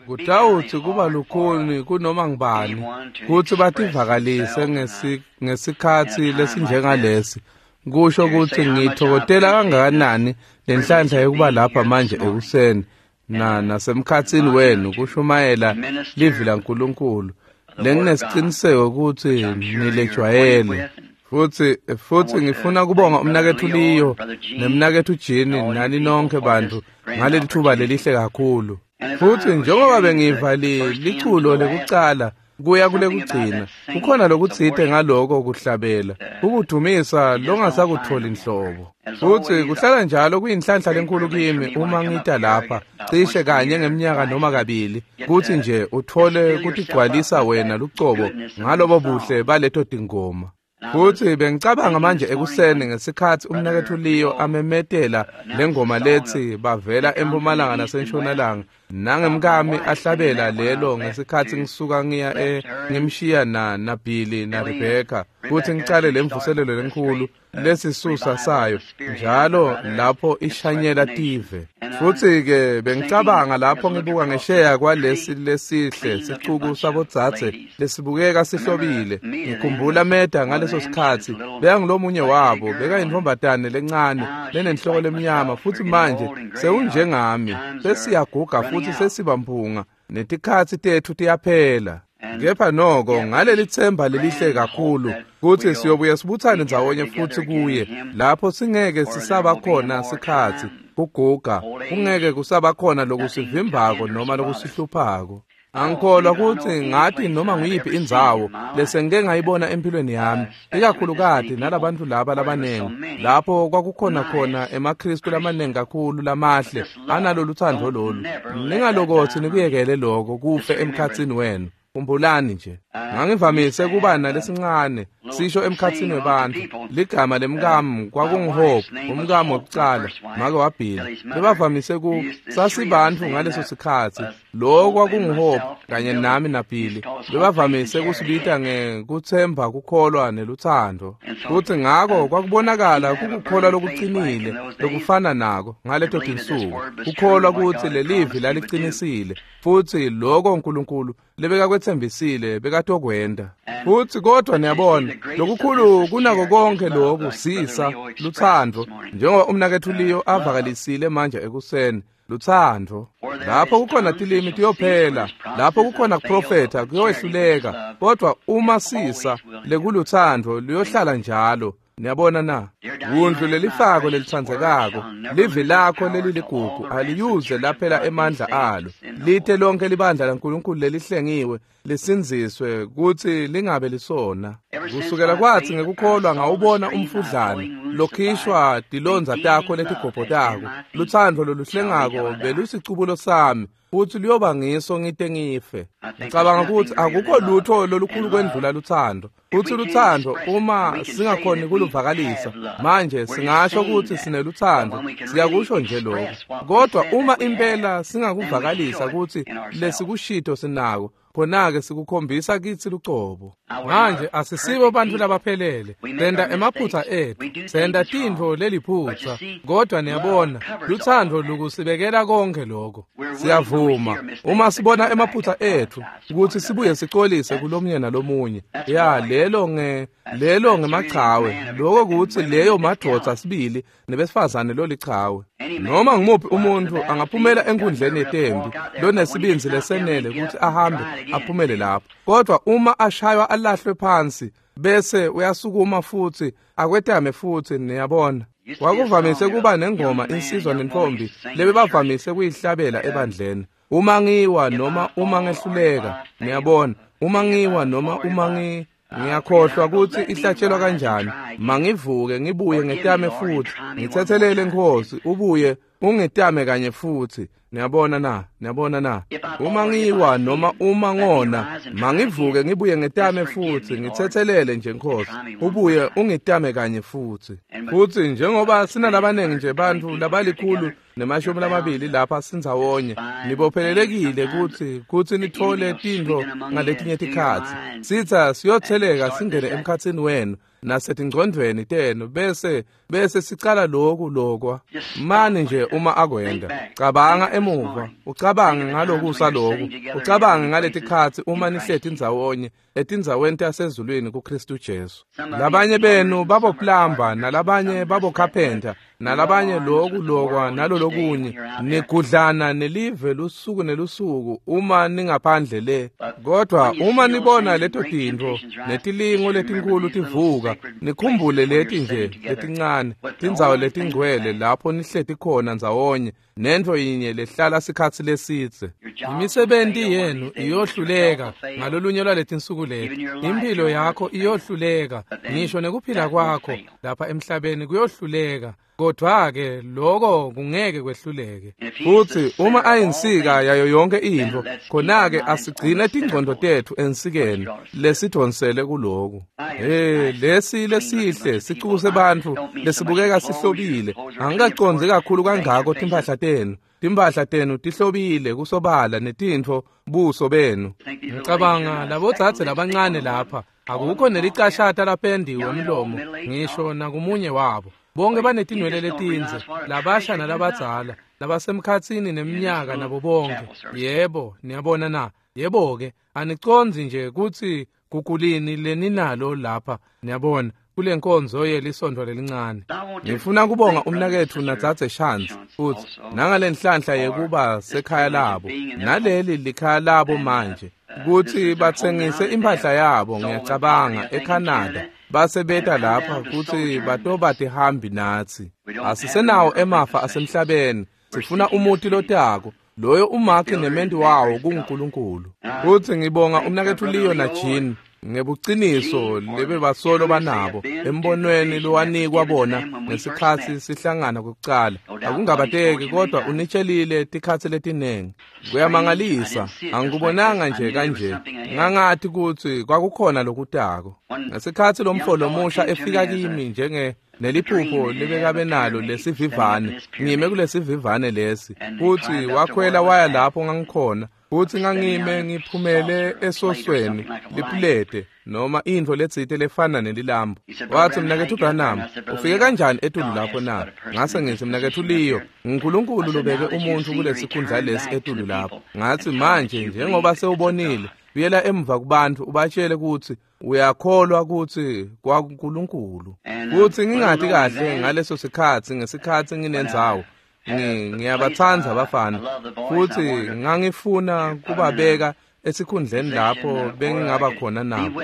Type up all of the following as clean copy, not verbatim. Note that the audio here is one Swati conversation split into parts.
Kutawutsi kuba lukhuni kunoma ngubani kutsi bativakalise ngesikhatsi lesinjengalesi, kusho kutsi ngitfokotela kangakanani lenhlanhla yokuba lapha manje ekuseni nasemkhatsini wenu kushumayela livi laNkulunkulu lenginesiciniseko kutsi nilejwayele. Futhi ngifuna kubonga umnaketfu Leo nemnaketfu Jean nani nonke bantfu ngaleli thuba lelihle kakhulu. Futhi njengoba bengiva liculo lekucala kuya kulekugcina, kukhona lokutsite ngaloko kuhlabela, ukudumisa longasakutholi nhlobo. Futhi kuhlala njalo kuyinhlanhla lenkulu kimi uma ngita lapha cishe kanye ngeminyaka noma kabili, kuthi nje uthole kutigcwalisa wena lucobo ngalobo buhle baleto tingoma. Futhi bengicabanga manje ekuseni ngesikhatsi umnaketfu Leo amemetela lengoma lethi bavela empumalanga nasentshonalanga, nangemkami ahlabela lelo ngesikhatsi ngisuka ngiya ngimshiya na Billy na Rebecca kuthi ngicale lemvuselelo lenkulu lesisusa sayo njalo lapho ishanyela tive. Futhi ke bengicabanga lapho ngibuka ngesheya kwalesi lesihle sicuku sabodzadze lesibukeka sihlobile, ngikhumbula Meda ngaleso sikhatsi bekangulomunye wabo, bekayintfombatane lencane lenenhloko lemnyama, futhi manje sewunjengami, sesiyaguga futhi sesibamphunga netikhatsi tetfu tiyaphela. Kepha noko ngaleli themba lelihle kakhulu kuthi siyobuya sibuthane ndzawonye futhi kuye lapho singeke sisaba khona sikhatsi kuguga, kungeke kusaba khona lokusivimbako noma lokusihluphako. Angikholwa kutsi ngathi noma nguyiphi indzawo lesengike ngayibona empilweni yami, ikakhulukati nalabantu laba labanengi, lapho kwakukhona khona emaKhristu lamaningi kakhulu lamahle analolu thando lolu. Ningalokothi nikuyekele lokho kufe emkhatsini wenu. Khumbulani nje, ngangivamise kuba nalesincane sisho emkhatsini webantfu. Ligama lemkami kwakunguHope, umkami wokucala, make waBilly. Bebavamise ku sasibantfu ngaleso sikhatsi. Lo kwakunguHope kanye nami naBilly. Bebavamise kusibita ngekuthemba, kukholwa neluthando. Futhi ngako kwakubonakala kukukholwa lokucinile lokufana nako ngaleto tinsuku. Kukholwa kutsi lelivi laliqinisile futhi lokho uNkulunkulu lebekakwetsembisile bekatokwenta. Futhi kodwa niyabona, lokukhulu kunako konke lokhu sisa luthando, njengoba umnaketfu Leo avakalisile manje ekuseni, luthando. Lapho kukhona tilimi tiyophela, lapho kukhona kuprofetha kuyowehluleka, kodwa uma sisa lekuluthando luyohlala njalo. Niyabona na? Wundlu lelifako lelitsandzekako, livi lakho leliligugu aliyuze laphela emandla alo. Lite lonke libandla laNkulunkulu lelihlengiwe lisindziswe kutsi lingabe lisona. Kusukela kwathi ngekukholwa ngawubona umfudlana lokhishwa tilondza takho letigobhotako. Luthando loluhlengako belusicubulo sami, futhi luyoba ngiso ngite ngife. Ngicabanga ukuthi akukho lutho lolukhulu kwendlula luthando. Futhi luthando uma singakhoni kuluvakalisa manje singasho ukuthi sineluthando, siyakusho nje lokho. Kodwa uma impela singakuvakalisa ukuthi lesikushito sinako, khona-ke sikukhombisa kitsi lucobo. Manje asisibo bantfu labaphelele, senta emaphutsa etfu, senta tintfo leliphutsa, kodwa niyabona luthando lukusibekela konke lokho. Siyavuma uma sibona emaphutsa etfu ukuthi sibuye sicolise kulomunye nalomunye. Ya, lelo ngemachawe, lokho kutsi leyo madvodza sibili nebesifazane lolichawe. Noma ngumuphi umuntu angaphumela enkundleni yetembi lonesibindzi lesenele ukuthi ahambe aphumele lapho, kodwa uma ashaywa alahlwe phansi bese uyasukuma futhi akwetame futhi. Niyabona, kwakuvamise kuba nengoma insizwa nentombi lebebavamise kuyihlabela ebandleni, uma ngiwa noma uma ngehluleka. Niyabona, uma ngiwa noma uma ngiyakhohlwa ukuthi ihlatshelwa kanjani, mangivuke ngibuye ngetame futhi, ngithethelele Nkosi, ubuye ungetame kanye futhi. Niyabona na? Niyabona na? Uma ngiwa noma uma ngona, mangivuke ngibuye ngetame futhi, ngithethelele nje Nkosi, ubuye ungitame kanye futhi. Futhi njengoba sinalabanengi nje bantfu labalikhulu 20 lapha sindzawonye, nibophelelekile kutsi nithole tintfo ngaletinye tikhatsi. Sitsa siyotheleka singene emkhatsini wenu nasetingcondvweni tenu, bese sicala lokhu lokwa. Mani nje uma akwenda, cabanga emuva. emuva ucabange ngalokusa lokhu, ucabange ngaletikhatsi uma nihleti ndzawonye etindzaweni tasezulwini kuKristu Jesu. Labanye benu baboplamba, nalabanye babokhapenta, nalabanye loku lokwa nalolokunye, nigudlana nelive lusuku nelusuku uma ningaphandle le. Kodwa uma nibona leto tintfo netilingo letinkhulu tivuka, nikhumbule leti nje letincane tindzawo letingcwele lapho nihleti khona ndzawonye nentfo yinye lehlala sikhatsi lesidze. Imisebenti yenu iyohluleka ngalolunye lwaletinsuku leti. Impilo yakho iyohluleka, ngisho nekuphila kwakho lapha emhlabeni kuyohluleka. Kodwa-ke lokho kungeke kwehluleke. Futhi uma ayinsika yayo yonke intfo, khona-ke asigcine tingcondo tetfu ensikeni lesidvonsele kuloku. Lesi lesihle sicuku sebantfu lesibukeka sihlobile. Angikacondzi kakhulu kangako timphahla tenu. Timphahla tenu tihlobile kusobala netintfo buso benu. Ngicabanga labodzadze labancane lapha akukho nelicashata lapendiwe emlomo ngisho nakumunye wabo. Bonke banetinwele letindze, labasha nalabadzala, labasemkhatsini neminyaka nabo bonke. Yebo, niyabona na? Yebo-ke, anicondzi nje kutsi gugulini leninalo lapha, niyabona, kule nkonzo yelisontfo lelincane. Ngifuna kubonga umnaketfu nadzadze Shantz futhi nangalenhlanhla yekuba sekhaya labo, naleli likhaya labo manje, kutsi batsengise impahla yabo, ngiyacabanga, eCanada. Base beta lapha kutsi batoba tihambi natsi. Asisenawo emafa asemhlabeni, sifuna umuti lotako, loyo umakhi nementi wawo kunguNkulunkulu. Futsi ngibonga umnaketfu Leo na Jean ngebuciniso lebebasolo banabo embonweni lowanikwa bona ngesikhatsi sihlangana kwekucala. Akungabateki kodwa unitshelile tikhatsi letinengi. Kuyamangalisa, angikubonanga nje kanje. Ngangathi kutsi kwakukhona lokutako. Ngesikhatsi lomfo lomusha efika kimi njenge neliphupho lebekabe nalo lesivivane, ngime kulesivivane lesi, futhi wakhwela waya lapho ngangikhona, futhi ngangime ngiphumele esosweni lipulete noma intfo letsite lefana nelilambu. Wathi, mnaketfu Branham, ufike kanjani etulu lapho na? Ngase ngithi, mnaketfu Leo, nguNkulunkulu lobeke umuntfu kulesikhundla lesi etulu lapho. Ngathi, manje njengoba sewubonile, buyela emuva kubantfu ubatshele kutsi uyakholwa kutsi kwaNkulunkulu. Futhi ngingati kahle ngaleso sikhatsi, ngesikhatsi nginendzawo, ngiyabatsandza abafana, futhi ngangifuna kubabeka esikhundleni lapho bengingaba khona nabo.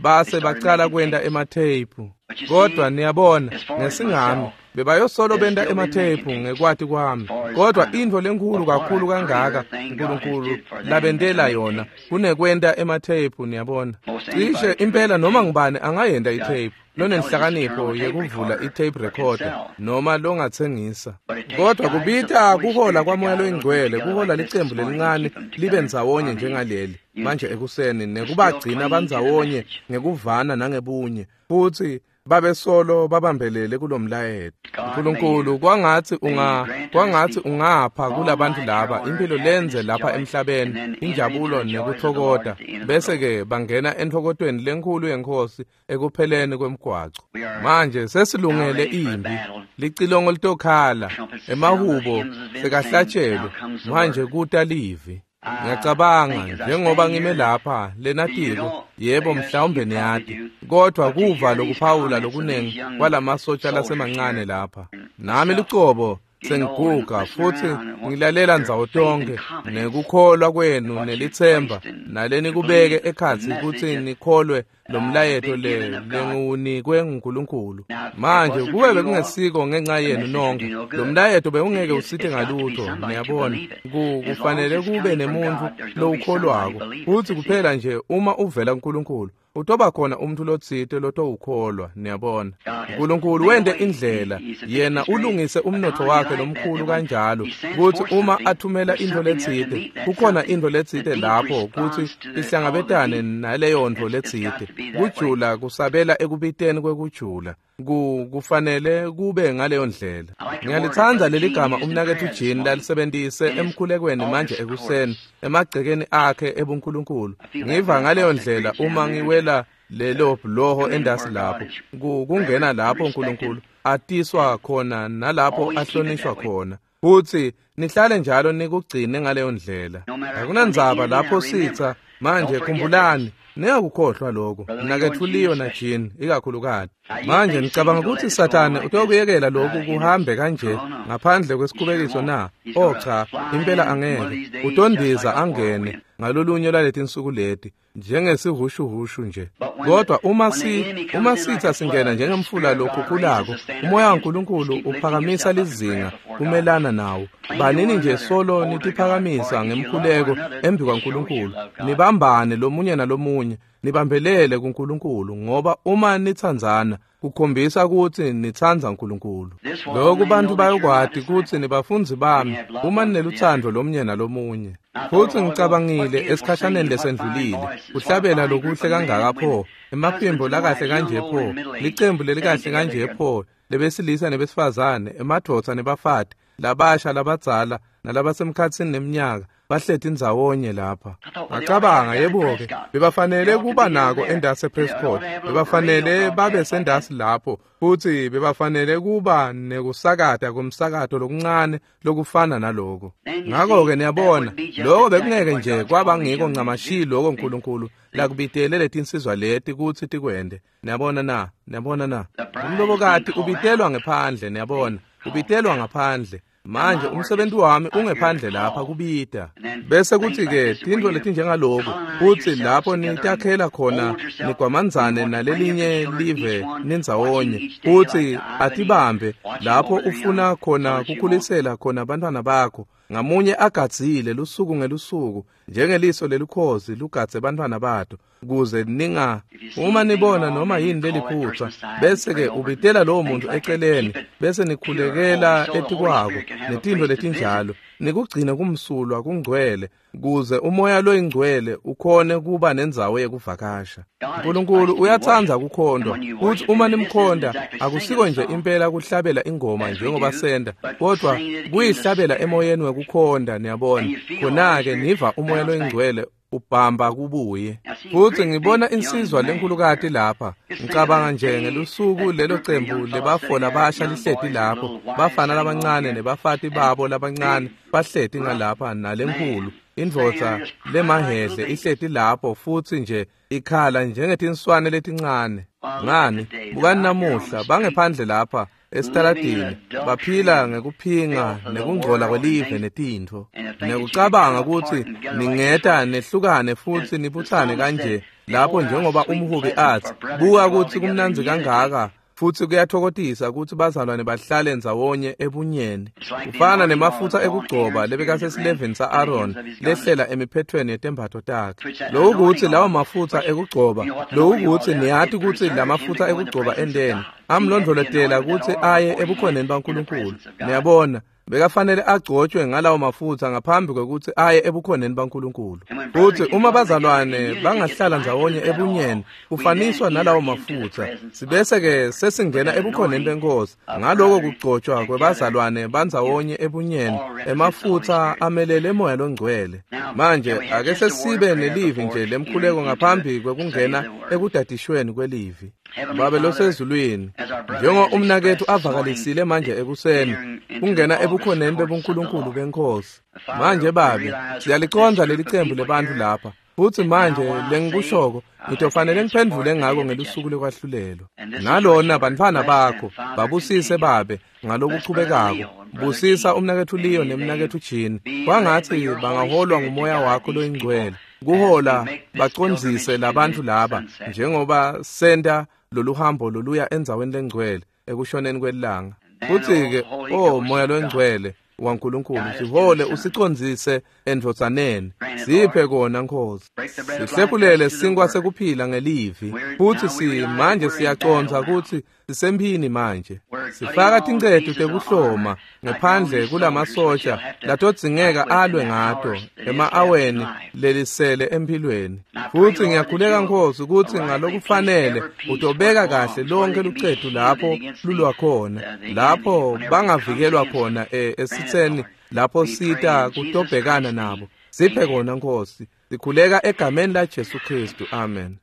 Base bacala kwenta ematheyiphu. Kodwa niyabona, ngesingami bebayosolo benta ematheyiphu ngekwati kwami. Kodwa intfo lenkhulu kakhulu kangaka uNkulunkulu labentela yona kunekwenta ematheyiphu, niyabona. Cishe impela noma ngubani angayenta itheyiphu lonenhlakanipho yekuvula i-tape recorder noma longatsengisa. Kodwa kubita kuhola kwaMoya loyiNgcwele, kuhola licembu lelincane libe ndzawonye njengaleli manje ekuseni, nekubagcina bandzawonye ngekuvana nangebunye, futhi babesolo babambelele kulomlayeto. uNkulunkulu, kwangatsi ungapha kulabantu laba impilo lenze lapha emhlabeni, injabulo nekuthokota, bese-ke bangena entfokotweni lenkhulu yeNkhosi ekupheleni kwemgwaco. Manje sesilungele impi, licilongo litokhala, emahubo sekahlatshelwe, manje kuta livi. Ngiyacabanga njengoba ngime lapha lenatiko, yebo mhlawumbe niyati, kodwa kuva lokuphawula lokunengi kwalamasotsha lasemancane lapha. Nami lucobo sengiguga futhi ngilalela ndzawo tonke nekukholwa kwenu nelitsemba nalenikubeke ekhatsi kutsi nikholwe lomlayeto lengiwunikwe nguNkulunkulu. Manje kube bekungesiko ngenxa yenu nonke, lomlayeto bewungeke usite ngalutho, niyabona. Kufanele kube nemuntfu lowukholwako, futhi kuphela nje uma uvela kuNkulunkulu utoba khona umuntu lotsite lotowukholwa, niyabona. uNkulunkulu wente indlela, yena ulungise umnotfo wakhe lomkhulu kanjalo kutsi uma athumela intfo letsite, kukhona intfo letsite lapho kutsi ihlangabetane naleyo ntfo letsite. Kujula kusabela ekubiteni kwekujula. Kufanele kube ngaleyo ndlela. Ngiyalitsandza leli gama umnaketfu Jean lalisebentise emkhulekweni manje ekuseni emagcekeni akhe ebuNkulunkulu. Ngiva ngaleyo ndlela uma ngiwela lelo bhuloho endasi lapho, kungena lapho uNkulunkulu atiswa khona nalapho ahlonishwa khona. Futhi Nihlale njalo nikugcine ngaleyo ndlela. Akunandzaba lapho sitha manje, khumbulani, ningakukhohlwa lokho. Mnaketfu Leo na Jean ikakhulukati. Manje ngicabanga ukuthi Sathane utokuyekela lokhu kuhambe kanje ngaphandle kwesikhubekiso na? Oh cha, impela angeke. Utondiza angene ngalolunye lwaletinsuku leti njengesihushuhushu nje. Kodwa uma sitha singena njengemfula lokhukhulako, umoya waNkulunkulu uphakamisa lizinga kumelana nawo. Banini nje solo nitiphakamisa ngemkhuleko embi kwaNkulunkulu, nibambane lomunye nalomunye, nibambelele kuNkulunkulu, ngoba uma nitsandzana kukhombisa ukuthi nitsandza uNkulunkulu. Lokhu bantu bayokwati kutsi nibafundzi bami uma nineluthando lomunye nalomunye. Futhi ngicabangile esikhashaneni lesendlulile, kuhlabela lokuhle kangaka pho, emaphimbo lakahle kanje pho, licembu lelikahle kanje pho, lebesilisa nebesifazane, emadvodza nebafati, labasha labadzala nalabasemkhatsini neminyaka, bahleti ndzawonye lapha. Ngacabanga, yebo-ke, bebafanele kuba nako endasi ePrescott, bebafanele babe sendasi lapho, futhi bebafanele kuba nekusakata komsakato lokuncane lokufana naloko. Ngakho-ke niyabona, lokho bekungeke nje kwaba ngiko ncamashi lokho uNkulunkulu lakubitele letinsizwa leti kutsi tikwente. Niyabona na? Niyabona na? Umlobokati ubitelwa ngephandle, niyabona, ubitelwa ngaphandle. Manje umsebenzi wami ungephandle lapha kubita. Bese kuthi-ke tintfo letinjengaloku, kutsi lapho nitakhela khona nigwamandzane nalelinye live nindzawonye, kutsi atibambe lapho ufuna khona kukhulisela khona bantfwana bakho, ngamunye agadzile lusuku ngelusuku njengeliso lelukhozi lugadze bantfwana bato, kuze ninga uma nibona noma yini leliphutsa, bese-ke ubitela lowo muntu eceleni, bese nikhulekela etikwako netintfo letinjalo, nikugcine kumsulwa kungcwele, kuze umoya loyingcwele ukhone kuba nendzawo yekuvakasha. uNkulunkulu uyatsandza kukhondwa, kutsi uma nimkhonda akusiko nje impela kuhlabela ingoma njengoba senda, kodwa kuyihlabela emoyeni wekukhonda, niyabona. Khona-ke niva umoya loyingcwele ubhamba kubuye. Futhi ngibona insizwa lenkulukati lapha, ngicabanga nje ngelusuku lelo cembu lebafo labasha lihleti lapho, bafana labancane nebafati babo labancane bahleti ngalapha nalenkulu indvodza lemahhehle ihleti lapho, futhi nje ikhala njengetinswane letincane. Ngani, bukani namuhla bangephandle lapha esitaladini, baphila ngekuphinga nekungcola kwelive netintfo, nekucabanga kutsi ningeta nehlukane futhi nibutsane kanje lapho, njengoba umhubi athi, buka kutsi kumnandzi kangaka futhi kuyathokotisa kutsi bazalwane bahlale ndzawonye ebunyeni. Kufana nemafutsa ekugcoba lebekasesilevini sa-Aaron lehlela emiphethweni yetembatfo takhe. Loku kutsi lawo mafutsa ekugcoba, loku kutsi niyati kutsi lamafutsa ekugcoba endeni amlondvolotela kutsi aye ebukhoneni baNkulunkulu. Niyabona, bekafanele agcotshwe ngalawo mafutsa ngaphambi kwekutsi aye ebukhoneni baNkulunkulu. Futhi uma bazalwane bangahlala ndzawonye ebunyeni, kufaniswa nalawo mafutsa, sibese-ke sesingena ebukhoneni benkosi. Ngaloko kugcotshwa kwebazalwane bandzawonye ebunyeni, emafutsa amelele moya longcwele. Manje ake sesibe nelivi nje lemkhuleko ngaphambi kwekungena ekudadishweni kwelivi. Babe losezulwini, njengoba umnaketfu avakalisile manje ekuseni, kungena ebukhoneni bebuNkulunkulu benkosi. Manje Babe, siyaliconda leli cembu lebantfu lapha, futhi manje lengikushoko ngitofanele ngiphendvule ngako ngelusuku lekwahlulelwa. Nalona bantfwana bakho babusise Babe ngalokuchubekako. Busisa umnaketfu Leo nemnaketfu Jean, kwangatsi bangaholwa ngumoya wakho loyingcwele, kuhola bacondzise labantfu laba njengoba senta lolu hambo loluya endzaweni lengcwele ekushoneni kwelanga. Futhi-ke, o moya longcwele waNkulunkulu, sihole usicondzise endvodzaneni. Siphe kona Nkosi. Sihlephulele sinkwa sekuphila ngelivi. Futhi manje siyacondza kutsi sisemphini manje. Sifaka tincetu tekuhloma ngephandle kulamasosha latodzingeka alwe ngato ema-aweni lelisele emphilweni. Futhi ngiyakhuleka Nkosi kutsi ngalokufanele utobeka kahle lonke lucetu lapho lulwa khona, lapho bangavikelwa khona esitseni lapho sita kutobhekana nabo. Siphe kona Nkosi. Sikhuleka egameni la Jesu Kristu. Amen.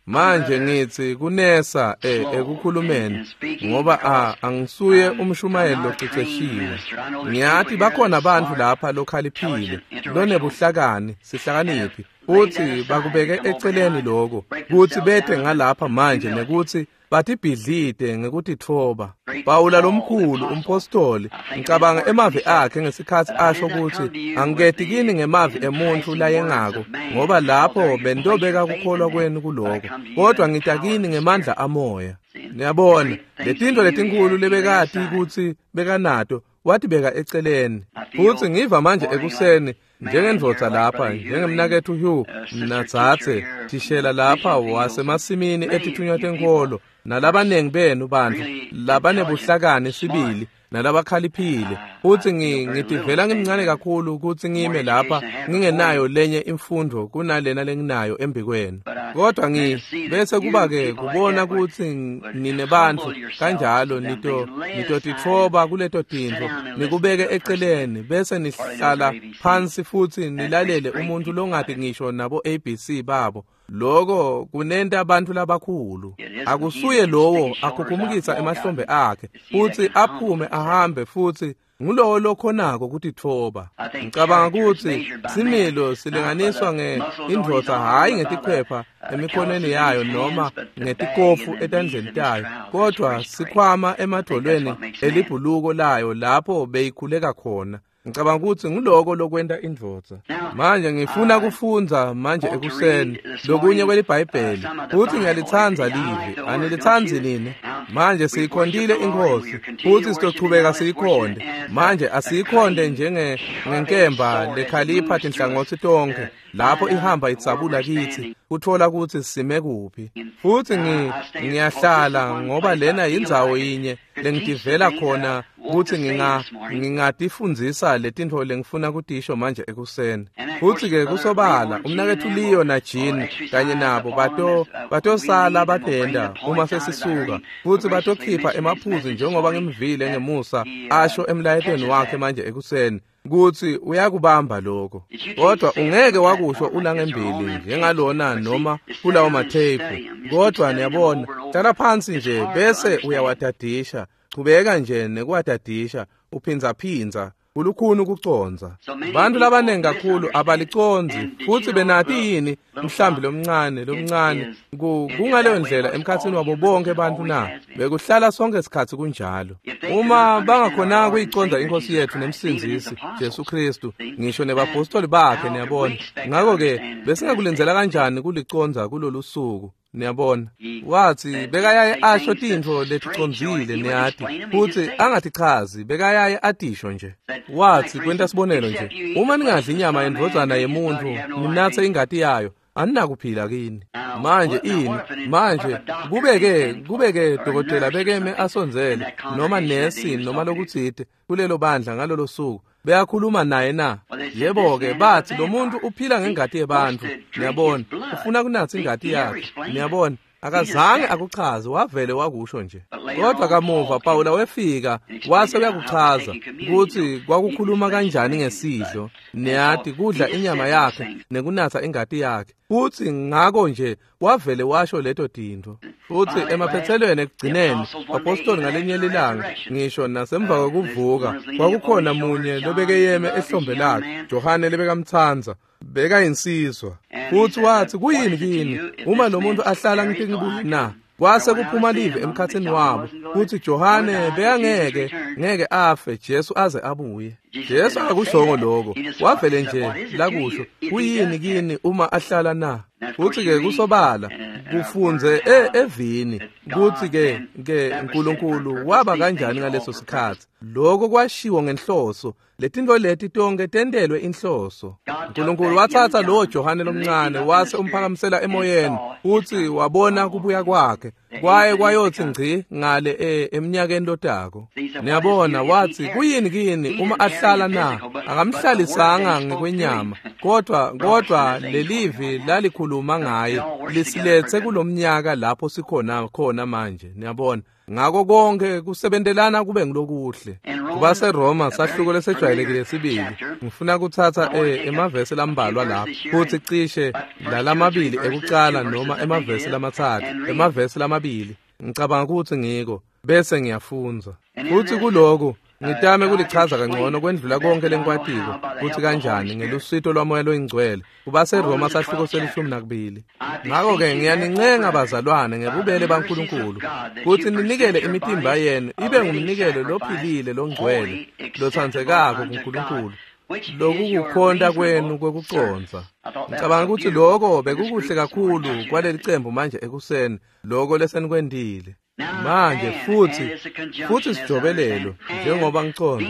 Manje ngithi kunesa ekukhulumeni ngoba angisuye umshumayeli loceceshiwe. Ngiyathi bakhona abantu lapha lokhaliphile, lonebuhlakani, sihlakaniphi, futhi bakubeke eceleni lokho, kuthi bethe ngalapha manje nekuthi batibhidlide ngekutitfoba. Pawula lomkhulu umpostoli, ngicabanga emavi akhe ngesikhathi asho ukuthi angiketi kini ngemavi emuntfu layengako, ngoba lapho bentobeka kukholwa kwenu kuloko, kodwa ngita kini ngemandla amoya. Niyabona, letintfo letinkhulu lebekati kutsi bekanato watibeka eceleni. Futhi ngiva manje ekuseni njengendvodza lapha, njengemnaketfu Hugh natsatse thishela lapha wasemasimini etithunywa tenkolo, nalabanengi benu bantfu labanebuhlakani sibili nalabakhaliphile, futhi ngitivela ngimncane kakhulu ukuthi ngime lapha ngingenayo lenye imfundo kunalena lenginayo embikwenu. Kodwa bese kuba-ke kubona ukuthi ninebantfu kanjalo nitotitfoba kuleto tintfo, nikubeke eceleni, bese nihlala phansi futhi nilalele umuntu longati ngisho nabo ABC babo. Lokho kunenta abantu labakhulu. Akusuye lowo akhukhumukisa emahlombe akhe futhi aphume ahambe, futhi ngulowo lokhonako kutitfoba. Ngicabanga ukuthi similo silinganiswa ngeindvodza hhayi ngetikhwepha emikhonweni yayo noma ngetikofu etandleni tayo, kodwa sikhwama emadvolweni elibhuluko layo lapho beyikhuleka khona. Ngicabanga ukuthi nguloko lokwenta indvodza. Manje ngifuna kufundza manje ekuseni lokunye kweliBhayibheli, futhi ngiyalitsandza livi. Anilitsandzi nini? Manje siyikhontile inkosi, futhi sitochubeka siyikhonde. Manje asiyikhonde njengenkemba lekhalipha tinhlangotsi tonkhe, lapho ihamba itsabula kithi kuthola ukuthi sime kuphi. Futhi ngiyahlala ngoba lena yindzawo yinye lengitivela khona ukuthi ngingatifundzisa letintfo lengifuna kutisho manje ekuseni. Futhi-ke kusobala umnaketfu Leo na Jean kanye nabo batosala batenda uma sesisuka, futhi batokhipha emaphuzu njengoba ngimvile ngemusa asho emlayetweni wakhe manje ekuseni kuthi uyakubamba lokho. Kodwa ungeke wakusho ulangembili njengalona noma kulawo matheyiphu. Kodwa niyabona, hlala phansi nje bese uyawadadisha, chubeka nje nekuwadadisha, uphinzaphindza, kulukhuni ukucondza. Bantu labanengi kakhulu abalicondzi, futhi benati yini mhlambi lomncane kungaleyo ndlela emkhatsini wabo bonke bantu na? Bekuhlala sonke isikhathi kunjalo. Uma bangakhonanga kuyicondza inkosi yethu nemsindzisi Jesu Kristu, ngisho nebapostoli bakhe, niyabona. Ngakho-ke besingakulindzela kanjani kulicondza kulolu suku? Niyabona, wathi bekayaye asho tintfo leticondzile, niyati, futhi angatichazi, bekayaye atisho nje. Wathi kwenta sibonelo nje, uma ningadli inyama yendvodzana yemuntfu ninatse ingati yayo, aninakuphila kini. Manje ini? Manje kubeke dokotela bekeme asondzele noma nesi noma lokutsite kulelo bandla ngalolo suku, beyakhuluma naye na? Yebo-ke, bathi lo muntu uphila ngengati yebantfu, niyabona, ufuna kunatsa ingati yakhe, niyabona. Akazange akuchaze, wavele wakusho nje. Kodwa kamuva Pawula wefika wase uyakuchaza ukuthi kwakukhuluma kanjani ngesidlo, niyati, kudla inyama yakhe nekunatsa ingati yakhe. Futhi ngako nje wavele washo leto tintfo. Futhi emaphethelweni ekugcineni, apostoli ngalenye lilanga, ngisho nasemva kwekuvuka, kwakukhona munye lobekeyeme ehlombe lakhe, Johane lebekamtsandza, bekayinsizwa. Futhi wathi, kuyini kini uma lo muntu ahlala ngitibuye na? Kwase kuphuma live emkhatsini wabo kuthi Johane bekangeke ngeke afe Jesu aze abuye. Jesu akushongo lokho, wavele nje lakusho, kuyini kini uma ahlala na? Futhi-ke kusobala kufunze evini kuthi-ke ke uNkulunkulu waba kanjani ngaleso sikhathi. Lokho kwashiwo ngenhloso, letintfo leti tonke tentelwe inhloso. uNkulunkulu wathatha lowo Johane lomncane wase umphakamisela emoyeni, futhi wabona kubuya kwakhe kwaye kwayothi ngci ngale eminyakeni lotako. Niyabona, wathi kuyini kini uma ahlala na? Akamhlalisanga ngekwenyama, kodwa lelivi lalikhuluma ngaye lisilethe kulomnyaka lapho sikhona khona manje. Niyabona, ngako konke kusebentelana kube ngilokuhle. KubaseRoma sahluko lesejwayelekile sibili. Ngifuna kutsatsa emavesi lambalwa lapha futhi cishe lalamabili ekucala noma emavesi lamatsatfu, emavesi lamabili. Ngicabanga ukuthi ngiko bese ngiyafundza. Futhi kuloko ngitame kulichaza kangcono kwendlula konke lengikwatiko kutsi kanjani ngelusito lwaMoya loyiNgcwele. KubaseRoma sahluko se-12. Ngako-ke ngiyanincenga bazalwane ngebubele baNkulunkulu kutsi ninikele imitimba yenu ibe ngumnikelo lophilile longcwele lotsandzekako kuNkulunkulu, lokukukhonta kwenu kwekucondza. Ngicabanga ukuthi lokho bekukuhle kakhulu kwaleli cembu manje ekuseni, lokho lesenikwentile. Manje futhi sijobelelo njengoba ngicondza,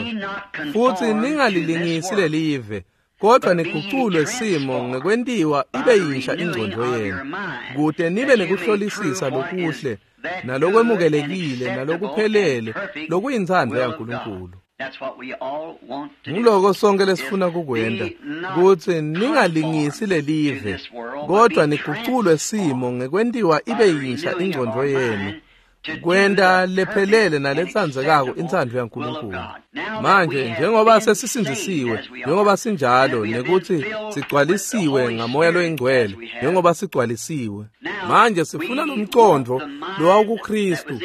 futhi ningalilingisi lelive, kodwa niguculwe simo ngekwentiwa ibe yinsha ingcondvo yenu, kute nibe nekuhlolisisa lokuhle nalokwemukelekile nalokuphelele lokuyintsandvo yaNkulunkulu. Nguloko sonke lesifuna kukwenta, kutsi ningalingisi lelive, kodwa niguculwe simo ngekwentiwa ibe yinsha ingcondvo yenu, kwenta lephelele naletsandzekako intsandvo yaNkulunkulu. Manje njengoba sesisindzisiwe, njengoba sinjalo, nekuthi sigcwalisiwe ngaMoya loyiNgcwele, njengoba sigcwalisiwe manje sifuna lomcondvo lowawukuKristu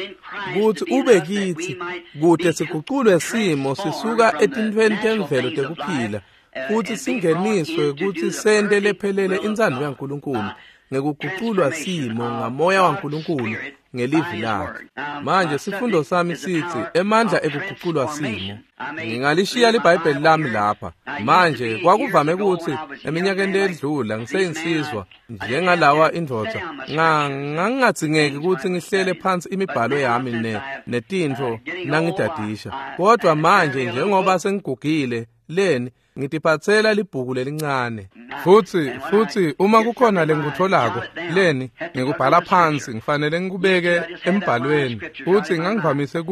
kutsi ube kitsi, kute siguculwe simo sisuka etintfweni temvelo tekuphila futhi singeniswe kutsi sente lephelele intsandvo yaNkulunkulu ngekuguculwa simo ngaMoya waNkulunkulu ngelivi lakhe. Manje sifundo sami sithi emandla ekuguculwa simo. Ngingalishiya liBhayibheli lami lapha. Manje kwakuvame ukuthi eminyakeni ledlula ngiseyinsizwa njengalawa indvodza, ngangingadzingeki ukuthi ngihlele phansi imibhalo yami netintfo nangidadisha. Kodwa manje njengoba sengigugile leni ngitiphatsela libhuku lelincane. Futhi uma kukhona lengikutholako leni ngikubhala phansi, ngifanele ngikubeke embhalweni. Futhi ngangivamise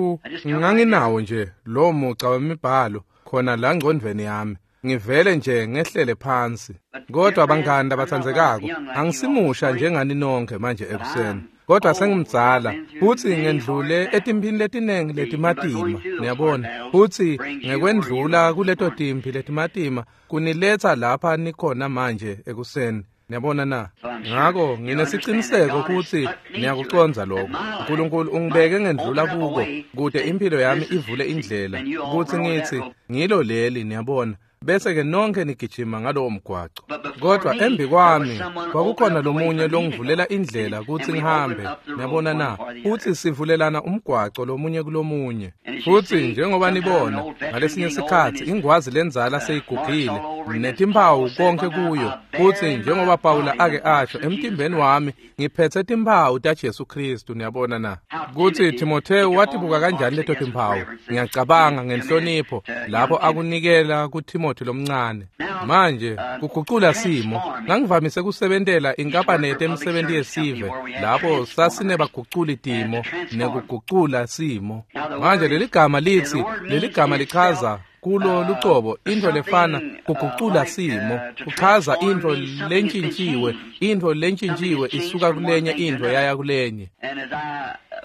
nganginawo nje lo muca wemibhalo khona la ngcondvweni yami, ngivele nje ngehlele phansi. Kodwa bangani labatsandzekako, angisimusha njengani nonke manje ekuseni, kodwa sengimdzala futhi ngendlule etimphini letinengi letimatima, niyabona. Futhi ngekwendlula kuleto timphi letimatima kuniletsa lapha nikhona manje ekuseni, niyabona na. Ngako nginesiciniseko ukuthi niyakucondza lokho. uNkulunkulu ungibeke ngendlula kuko kute impilo yami ivule indlela ukuthi ngithi ngilo leli, niyabona, bese-ke nonke nigijima ngalowo mgwaco. Kodwa embi kwami kwakukhona lomunye longivulela indlela kutsi ngihambe, niyabona na. Futhi sivulelana umgwaco lomunye kulomunye. Futhi njengoba nibona ngalesinye sikhatsi ingwazi lenzala seyigugile netimphawu konke kuyo. Futhi njengoba Pawula ake asho, emtimbeni wami ngiphethe timphawu taJesu Kristu, niyabona na. Kutsi Timotheo watibuka kanjani leto timphawu, ngiyacabanga ngenhlonipho lapho akunikela kuTimothi lomncane. Manje kugucula simo, ngangivamise kusebentela inkampani yetemisebenti yesive lapho sasinebaguculi timo nekugucula simo. Manje leligama litsi, leligama lichaza kulo lucobo intfo lefana kugucula simo, kuchaza intfo lentshintjiwe, intfo lentshintjiwe isuka kulenye intfo yaya kulenye.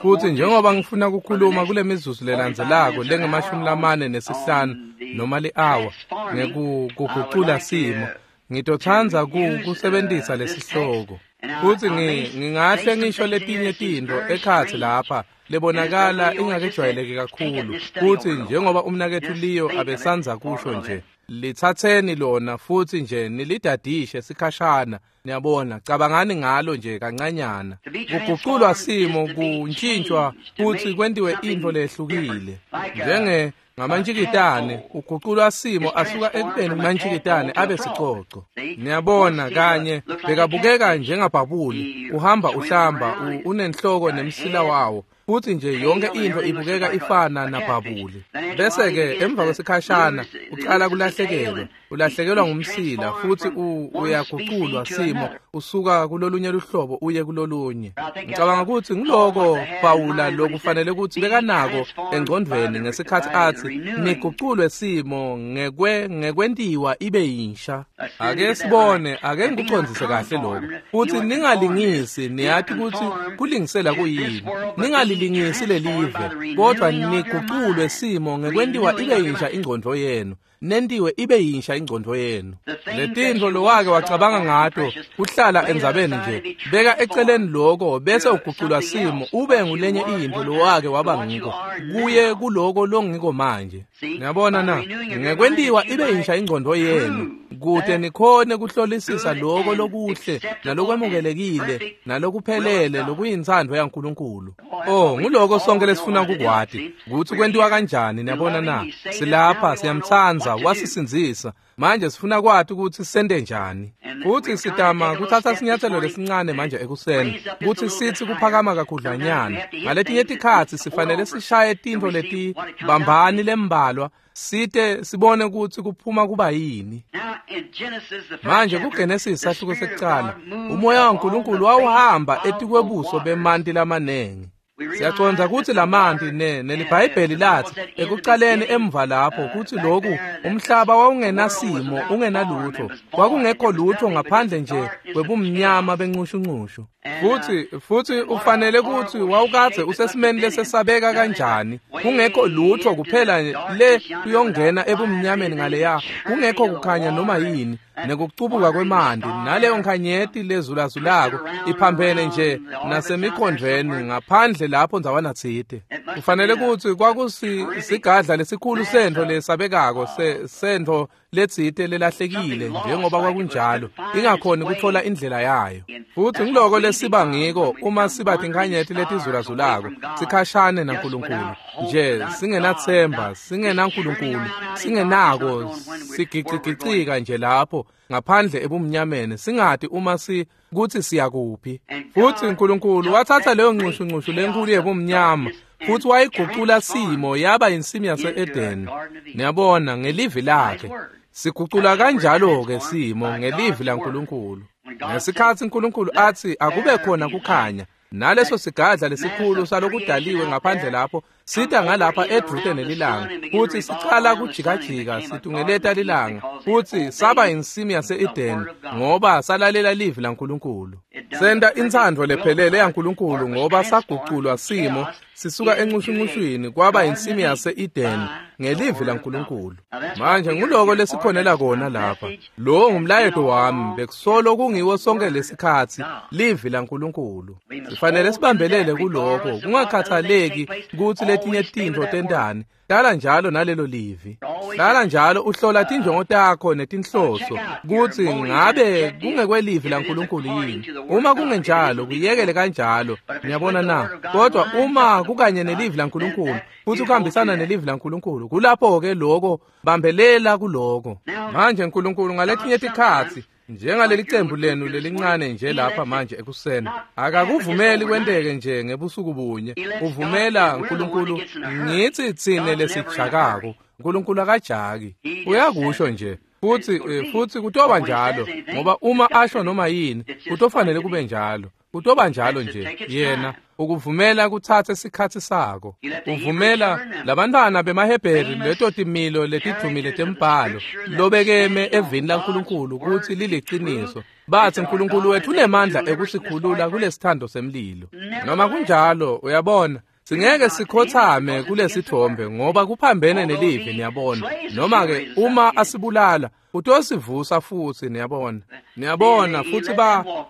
Futhi njengoba ngifuna ukukhuluma kule mizuzu lelandzelako lengamashumi 45 noma li-hour ngekugucula simo, ngitotsandza kusebentisa lesihloko. Futhi ngingahle ngisho letinye tintfo ekhatsi lapha lebonakala ingakejwayeleki kakhulu. Futhi njengoba umnaketfu Leo abesandza kusho nje, lithatheni lona futhi nje nilidadishe sikhashana, niyabona, cabangani ngalo nje kancanyana. Kuguculwa simo kuntshintshwa futhi kwentiwe intfo lehlukile, njenge ngamantshikitane uguculwa simo asuka ekubeni kumantshikitane abe sicoco, niyabona. Kanye bekabukeka njengabhabuli, uhamba uhlamba, unenhloko nemsila wawo, futhi nje yonke intfo ibukeka ifana nabhabuli. Bese-ke emva kwesikhashana ucala kulahlekelwa, ulahlekelwa ngumsila futhi uyaguculwa simo usuka kulolunye luhlobo uye kulolunye. Ngicabanga ukuthi ngiloko Pawula lokufanele ukuthi bekanako engcondvweni ngesikhatsi athi niguculwe simo ngekwentiwa ibe yinsha. Ake sibone, ake ngikucondzise kahle lokho. Futhi ningalingisi, niyati ukuthi kulingisela kuyini. Ningalingisi Ningalilingisi lelive, kodwa niguculwe simo ngekwentiwa ibe yinsha ingcondvo yenu. Nentiwe ibe yinsha ingcondvo yenu. Letintfo lowake wacabanga ngato kuhlala endzabeni nje, beka eceleni lokho bese uguculwa simo ube ngulenye intfo lowake waba ngiko, kuye kuloko longiko manje. Niyabona na? Ngekwentiwa ibe yinsha ingcondvo yenu, kute nikhone kuhlolisisa lokho lokuhle nalokwemukelekile nalokuphelele lokuyintsandvo yaNkulunkulu. Oh, nguloko sonke lesifuna kukwati, kutsi kwentiwa kanjani. Niyabona na? Silapha siyamtsandza, wasisindzisa. Manje sifuna kwati kutsi sente njani. Futsi sitama kutsatsa sinyatselo lesincane manje ekuseni, kutsi sitsi kuphakama kakhudlwanyana. Ngaletinye tikhatsi sifanele sishaye tintfo letibambani lembalwa, site sibone kutsi kuphuma kuba yini. Manje kuGenesis sahluko sekucala, umoya waNkulunkulu wawuhamba etikwebuso bemanti lamanengi. Siyacondza kutsi lamanti neliBhayibheli lathi ekucaleni emva lapho kutsi loku umhlaba wawungenasimo, ungenalutho, kwakungekho lutho ngaphandle nje kwebumnyama bencushunqushu. Futhi ufanele kutsi wawukadze usesimeni lesesabeka kanjani, kungekho lutho kuphela le kuyongena ebumnyameni ngaleya, kungekho kukhanya noma yini, nekucubuka kwemanti naleyo nkhanyeti lezulazulako iphambene nje nasemikhondvweni ngaphandle lapho ndzawana tsite. Kufanele kutsi kwakusigadla lesikhulu sentfo lesabekako, sentfo letsite lelahlekile njengoba kwakunjalo, ingakhoni kutfola indlela yayo. Futsi ngiloko lesiba ngiko uma siba tinkhanyeti letizulazulako, sikhashane naNkulunkulu nje, singenathemba, singenaNkulunkulu, singenako, sigicigicika nje lapho ngaphandle ebumnyameni, singati uma kutsi siyakuphi. Futsi uNkulunkulu watsatsa leyo ncushunqushu lenkulu yebumnyama futhi wayigucula simo yaba insimi yase-Edeni. Niyabona, ngelivi lakhe. Sigucula kanjalo-ke simo ngelivi laNkulunkulu. Ngesikhatsi uNkulunkulu atsi akube khona kukhanya, naleso sigadla lesikhulu salokudaliwe ngaphandle lapho sita ngalapha edvute nelilanga, futhi sicala kujikajika situngeleta lilanga, futhi saba insimi yase-Edeni ngoba salalela livi laNkulunkulu. Senta intsandvo lephelele yaNkulunkulu ngoba saguculwa simo sisuka encushuncushwini kwaba insimi yase-Edeni ngelivi laNkulunkulu. Manje nguloko lesikhonela kona lapha. Lo ngumlayeto wami, bekusolo kungiwo sonke lesikhatsi, livi laNkulunkulu. Sifanele sibambelele kuloko, kungakhathaleki kutsi letinye tintfo tentani. Hlala njalo nalelo livi. Hlala njalo uhlola tinjongo takho netinhloso kutsi ngabe kungekwelivi laNkulunkulu yini. Uma kungenjalo, kuyekele kanjalo. Niyabona na? Kodwa uma kukanye nelivi laNkulunkulu futhi ukuhambisana nelivi laNkulunkulu, kulapho-ke loko, bambelela kuloko. Manje uNkulunkulu ngaletinye tikhatsi, njengaleli cembu lenu lelincane nje lapha manje ekuseni, akakuvumeli kwenteke nje ngebusuku bunye. Uvumela uNkulunkulu, ngitsi tsine lesijakako, uNkulunkulu akajaki, uyakusho nje. Futhi kutoba njalo, ngoba uma asho noma yini, kutofanele kube njalo. Kutoba njalo nje. Yena ukuvumela kutsatse sikhatsi sako. Uvumela labantwana bemaHebheri leto timilo letidvumile tembhalo lobekeme evini laNkulunkulu kutsi liliciniso. Batsi uNkulunkulu wethu unemandla ekusikhulula kulesithando semlilo. Noma kunjalo, uyabona, singeke sikhothame kulesithombe ngoba kuphambene nelivi, niyabona. Noma ke uma asibulala, utosivusa futsi, niyabona. Niyabona, futhi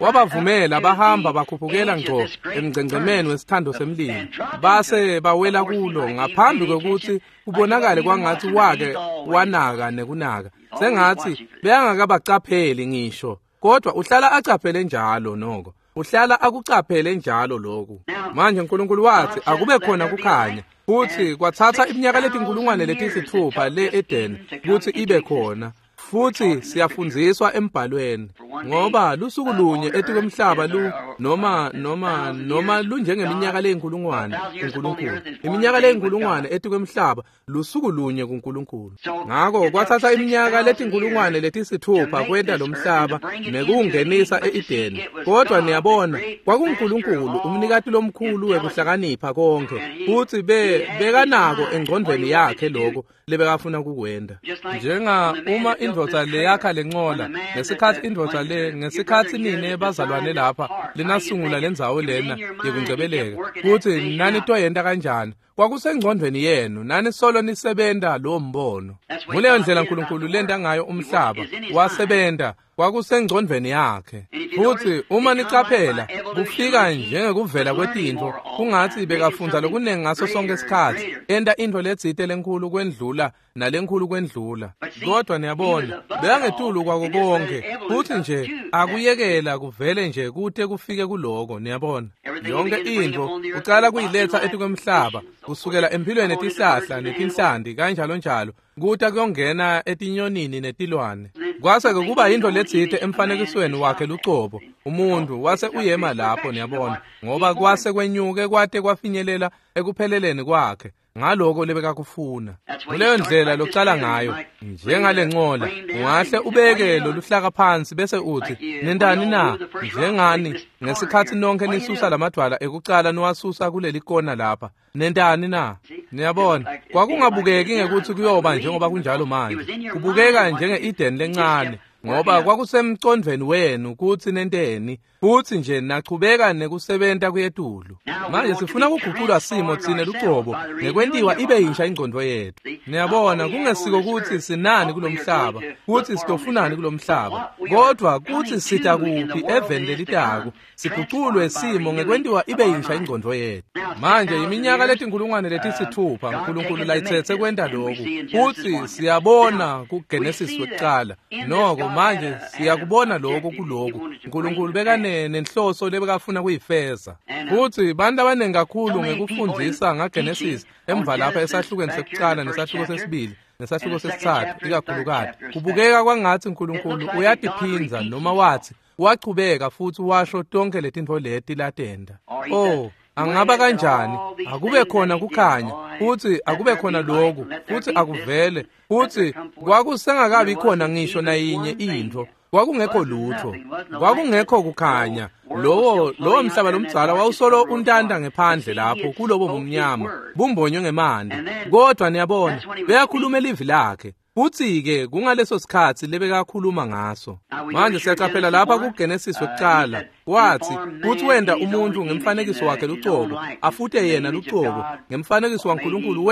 wabavumela bahamba bakhuphukela ngco emngcengcemeni wesithando semlilo, base bawela kulo ngaphambi kwekutsi kubonakale kwangatsi wake wanaka nekunaka, sengatsi beyangakabacapheli ngisho. Kodwa uhlala acaphele njalo noko, uhlala akucaphele njalo lokhu. Manje uNkulunkulu wathi akube khona kukhanya, futhi kwatsatsa iminyaka letinkulungwane letisithupha le Eden kutsi ibe khona. Futhi siyafundziswa embhalweni, ngoba lusuku lunye etikwemhlaba lu noma lunjengeminyaka leyinkulungwane kuNkulunkulu. Iminyaka leyinkulungwane etikwemhlaba lusuku lunye kuNkulunkulu. Ngako kwatsatsa iminyaka letinkulungwane letisithupha kwenta lo mhlaba nekuwungenisa e-Edeni. Kodwa niyabona, kwakunguNkulunkulu umnikati lomkhulu wekuhlakanipha konke, futhi bekanako engcondvweni yakhe lokho lebekafuna kukwenta. Njenga uma indvodza leyakha lencola, ngesikhatsi indvodza le, ngesikhatsi nine bazalwane lapha linasungula lendzawo lena yekungcebeleka, kutsi nanitoyenta kanjani, kwakusengcondvweni yenu, nani solo nisebenta lowo mbono. Nguleyo ndlela Nkulunkulu lenta ngayo umhlaba, wasebenta, kwakusengcondvweni yakhe. Futsi uma nicaphela, kufika njengekuvela kwetintfo, kungatsi bekafundza lokunengi ngaso sonke isikhatsi, enta intfo letsite lenkhulu kwendlula nalenkhulu kwendlula. Kodwa niyabona, bekangetulu kwako konke, futsi nje akuyekela kuvele nje kute kufike kuloko, niyabona. Yonke intfo ucala kuyiletsa etikwemhlaba, kusukela emphilweni yetihlahla netinhlanti kanjalo njalo, kuta kuyongena etinyonini netilwane. Kwase-ke kuba yintfo letsite emfanekisweni wakhe lucobo, umuntu wase uyema lapho, niyabona, ngoba kwase kwenyuke kwate kwafinyelela ekupheleleni kwakhe ngaloko lebekakufuna. Kuleyo ndlela locala ngayo, njengalencola, ungahle ubeke loluhlaka phansi bese uthi, nentani na? Njengani ngesikhatsi nonke nisusa lamadvwala ekucala niwasusa kuleli kona lapha, nentani na? Niyabona, kwakungabukeki ngekutsi kuyoba njengoba kunjalo manje, kubukeka njenge-Eden lencane, ngoba kwakusemcondvweni wenu kutsi nenteni, futsi nje nachubeka nekusebenta kuyetulu. Manje sifuna kuguculwa simo tsine lucobo ngekwentiwa ibe yinsha ingcondvo yetfu. Niyabona, kungesiko kutsi sinani kulomhlaba, kutsi sitofunani kulomhlaba, kodwa kutsi sita kuphi eveni lelitako, siguculwe simo ngekwentiwa ibe yinsha ingcondvo yetfu. Manje iminyaka letinkulungwane letisithupha Nkulunkulu layitsetse kwenta loku, futsi siyabona kuGenesis wekucala. Noko manje siyakubona lokho kuloku. Nkulunkulu bekane nenhloso lebekafuna kuyifeza. Futsi bantu abaningi kakhulu ngekufundzisa ngaGenesis emva lapha esahlukweni sekucala nesahluko sesibili nesahluko sesitsatfu ikakhulukati, kubukeka kwangatsi Nkulunkulu uyatiphindza noma wathi wachubeka futsi washo tonke letintfo leti latenta. Oh, angaba kanjani akube khona kukhanya, futsi akube khona loku, futsi akuvele, futsi kwakusengakabi khona ngisho nayinye intfo. Kwakungekho lutho, kwakungekho kukhanya. Lowo mhlaba lomdzala wawusolo untanta ngephandle lapho kulobo bumnyama, bumbonywe ngemanti. Kodwa niyabona, beyakhuluma livi lakhe, futsi-ke kungaleso sikhatsi lebekakhuluma ngaso. Manje siyacaphela lapha kuGenesis wekucala, wathi kutsi wenta umuntu ngemfanekiso wakhe lucobo, afute yena lucobo ngemfanekiso waNkulunkulu,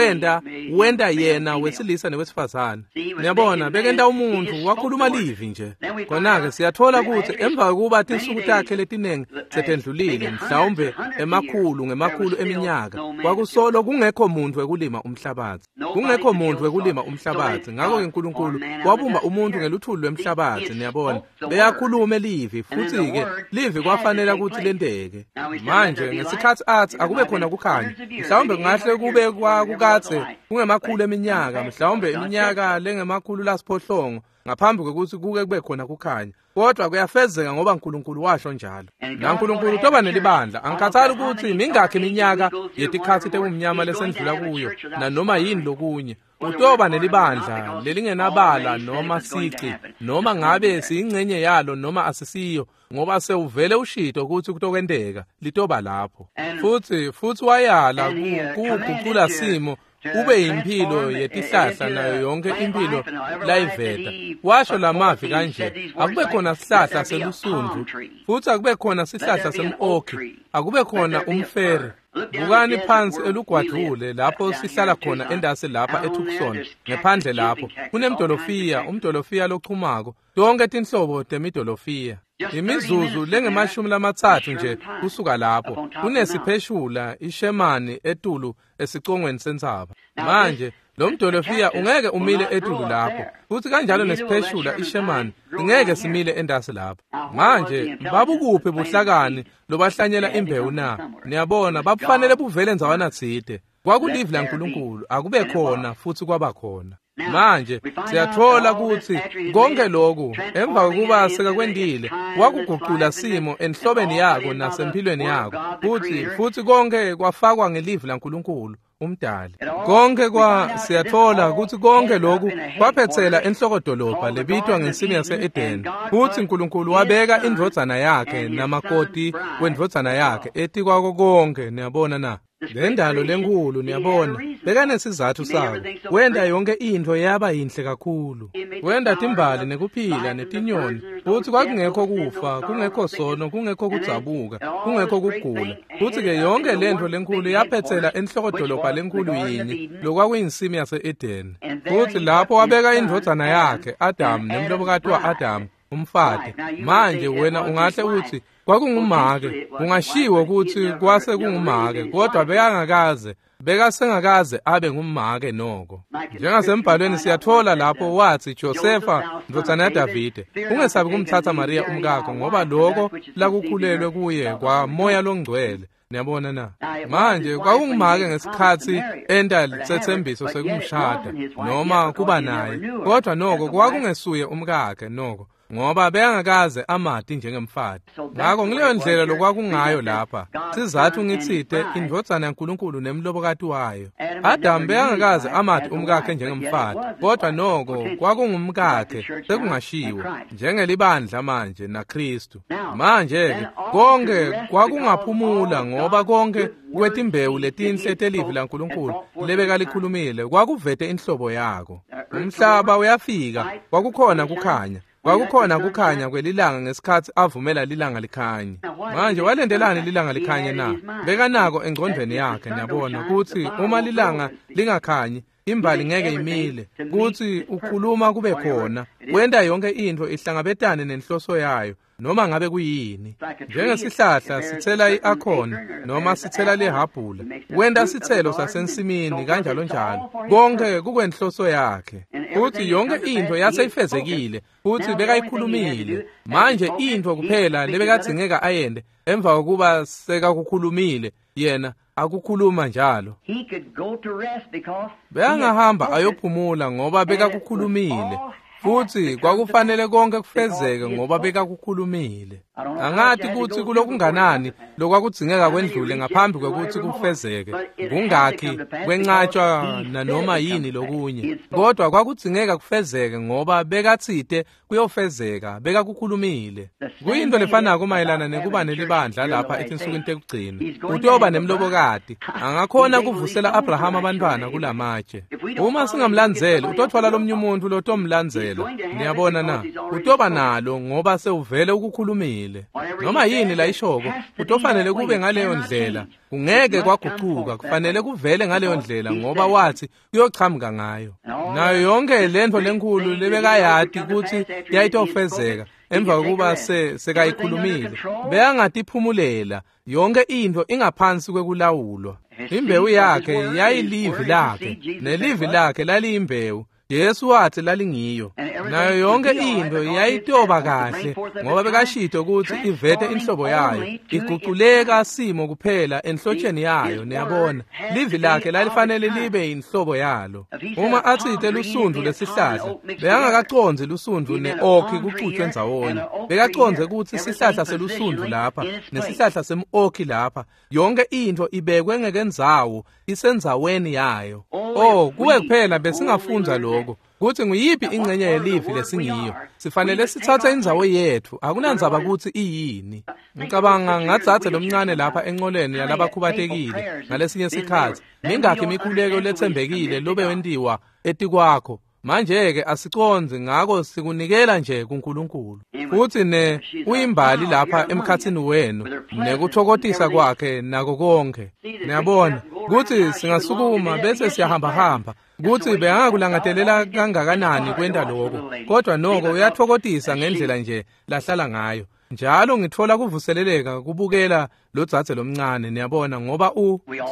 wenta yena wesilisa newesifazane. Niyabona, bekenta umuntu, wakhuluma livi nje. Khona-ke siyathola kutsi emva kokuba tinsuku takhe letinengi setendlulile, mhlawumbe emakhulu ngemakhulu eminyaka, kwakusolo kungekho muntu wekulima umhlabatsi, kungekho muntu wekulima umhlabatsi. Ngakho-ke Nkulunkulu wabumba umuntu ngeluthuli lwemhlabatsi. Niyabona, beyakhulume livi, futsi-ke livi kwafanele kutsi lenteke. Manje ngesikhatsi athi akube khona kukhanya, mhlawumbe kungahle kube kwakukadze kungemakhulu eminyaka, mhlawumbe iminyaka lengemakhulu lasiphohlongo ngaphambi kwekutsi kuke kube khona kukhanya, kodwa kuyafezeka ngoba Nkulunkulu washo njalo. NaNkulunkulu utoba nelibandla. Angikhathali ukuthi mingakhi iminyaka yetikhatsi tebumnyama lesendlula kuyo nanoma yini lokunye, utoba nelibandla lelingenabala noma sici, noma ngabe siyingcenye yalo noma asisiyo, ngoba sewuvele ushito kutsi kutokwenteka, litoba lapho. Futsi wayala kugucula simo ube imphilo yetihlahla nayo yonke imphilo layiveta. Washo lamavi kanje, akube khona sihlahla selusundvu, futsi akube khona sihlahla sem-okhi, akube khona umfere. Bukani phansi elugwadvule lapho sihlala khona endasi lapha eTucson, ngephandle lapho kunemdolofiya, umdolofiya lochumako, tonke tinhlobo temidolofiya. Imizuzu lengemashumi lamatsatfu nje kusuka lapho kunesipheshula ishemani etulu esicongweni sentsaba. Manje lo mdolofiya ungeke umile etulu lapho, futhi kanjalo nesipheshula ishemani ingeke simile endasi lapho. Manje babukuphi buhlakani lobahlanyela imbewu na? Niyabona, babufanele buvele ndzawana tsite. Kwakulivi laNkulunkulu, akube khona futhi kwaba khona. Manje siyathola kutsi konke lokhu emva kokuba sekakwentile wakugucula simo enhlobeni yako nasemphilweni yako, futhi konke kwafakwa ngelivi laNkulunkulu umdali. Konke siyathola kutsi konke lokhu kwaphetsela enhlokodolobha lebitwa ngensimi yase-Edeni, futsi Nkulunkulu wabeka indvodzana yakhe namakoti wendvodzana yakhe etikwako konke. Niyabona na? Lendalo lenkhulu, niyabona, bekanesizatfu sako. Wenta yonke intfo yaba yinhle kakhulu. Wenta timbali nekuphila netinyoni, futsi kwakungekho kufa, kungekho sono, kungekho kudzabuka, kungekho kugula. Futsi-ke yonke lentfo lenkhulu yaphetsela enhlokodolobha lenkhulu yinye, lokwakuyinsimi yase-Edeni. Futsi lapho wabeka indvodzana yakhe, Adamu, nemlobokati wa-Adamu, umfati. Manje wena ungahle utsi kwakungumake, kungashiwo kutsi kwase kungumake, kodwa bekasengakaze abe ngumake noko. Njengasembhalweni siyatfola lapho watsi Josefa ndvodzana yaDavide, ungesabi kumtsatsa Mariya umkakho, ngoba loko lakukhulelwe kuye kwaMoya loNgcwele. Niyabona na? Manje kwakungumake ngesikhatsi enta setsembiso sekumshada noma kuba naye, kodwa noko kwakungesuye umkakhe noko, ngoba bekangakaze amati njengemfati. Ngako ngileyo ndlela lokwakungayo lapha. Sizatfu ngitsite indvodzana yaNkulunkulu nemlobokati wayo. Adamu bekangakaze amati umkakhe njengemfati, kodwa noko kwakungumkakhe, sekungashiwo njengelibandla manje naKhristu. Manje-ke konke kwakungaphumula, ngoba konke kwetimbewu letinhle telivi laNkulunkulu lebekalikhulumile kwakuvete inhlobo yako. Umhlaba uyafika, kwakukhona kukhanya. Kwakukhona kukhanya kwelilanga ngesikhatsi avumela lilanga likhanye. Manje walendelani lilanga likhanye na? Bekanako engcondvweni yakhe, niyabona, kutsi uma lilanga lingakhanyi, imbali ngeke imile, kutsi ukhuluma kube khona, wenta yonke intfo ihlangabetane nenhloso yayo, noma ngabe kuyini. Njengesihlahla sitsela i-akhoni noma sitsela lihabhula, wenta sitselo sasensimini kanjalo njalo, konke kukwenhloso yakhe. Futsi yonke intfo yaseyifezekile, futsi bekayikhulumile. Manje intfo kuphela lebekadzingeka ayente emva kokuba sekakukhulumile, yena akukhuluma njalo. Bekangahamba ayophumula ngoba bekakukhulumile. Futsi kwakufanele konke kufezeke ngoba bekakukhulumile. Angati kutsi kulokunganani lokwakudzingeka kwendlule ngaphambi kwekutsi kufezeke, kungakhi kwencatshwa nanoma yini lokunye, kodwa kwakudzingeka kufezeke ngoba bekatsite kuyofezeka, bekakukhulumile. Kuyintfo lefanako mayelana nekuba nelibandla lapha etinsukwini tekugcina. Utoba nemlobokati, angakhona kuvusela Abrahama abantwana kulamatshe. Uma singamlandzeli, utotfola lomnye umuntfu lotomlandzela. Niyabona na? Utoba nalo ngoba sewuvele ukukhulumile. Noma yini layishoko, kutofanele kube ngaleyo ndlela. Kungeke kwagucuka, kufanele kuvele ngaleyo ndlela ngoba wathi kuyochamuka ngayo. Nayo yonke lentfo lenkhulu lebekayati kutsi yayitofezeka emva kokuba sekayikhulumile, bekangatiphumulela. Yonke intfo ingaphansi kwekulawulwa. Imbewu yakhe yayilivi lakhe, nelivi lakhe laliyimbewu. Jesu wathi lalingiyo. Nayo yonke intfo yayitoba kahle ngoba bekashito kutsi ivete inhlobo yayo, iguculeka simo kuphela enhlotsheni yayo. Niyabona, livi lakhe lalifanele libe inhlobo yalo. Uma atsite lusundvu lesihlahla, bekangakacondzi lusundvu ne-okhi kucutshwe ndzawonye. Bekacondze kutsi sihlahla selusundvu lapha nesihlahla sem-okhi lapha, yonke intfo ibekwe ngekendzawo, isendzaweni yayo. Oh, kuwe kuphela besingafundza lokho, kutsi nguyiphi ingcenye yelivi lesingiyo. Sifanele sitsatse indzawo yetfu, akunandzaba kutsi iyini. Ngicabanga ngadzadze lomncane lapha enqoleni yalabakhubatekile ngalesinye sikhatsi, mingakhi imikhuleko letsembekile lobe wentiwa etikwakho. Manje-ke asicondzi, ngako sikunikela nje kuNkulunkulu. Futsi ne uyimbali lapha emkhatsini wenu nekuthokotisa kwakhe nako konke. Niyabona kutsi singasukuma bese siyahambahamba, kutsi bekangakulangatelela kangakanani kwenta lokho, kodwa noko uyathokotisa ngendlela nje lahlala ngayo. Njalo ngitfola kuvuseleleka kubukela lodzadze lomncane, niyabona, ngoba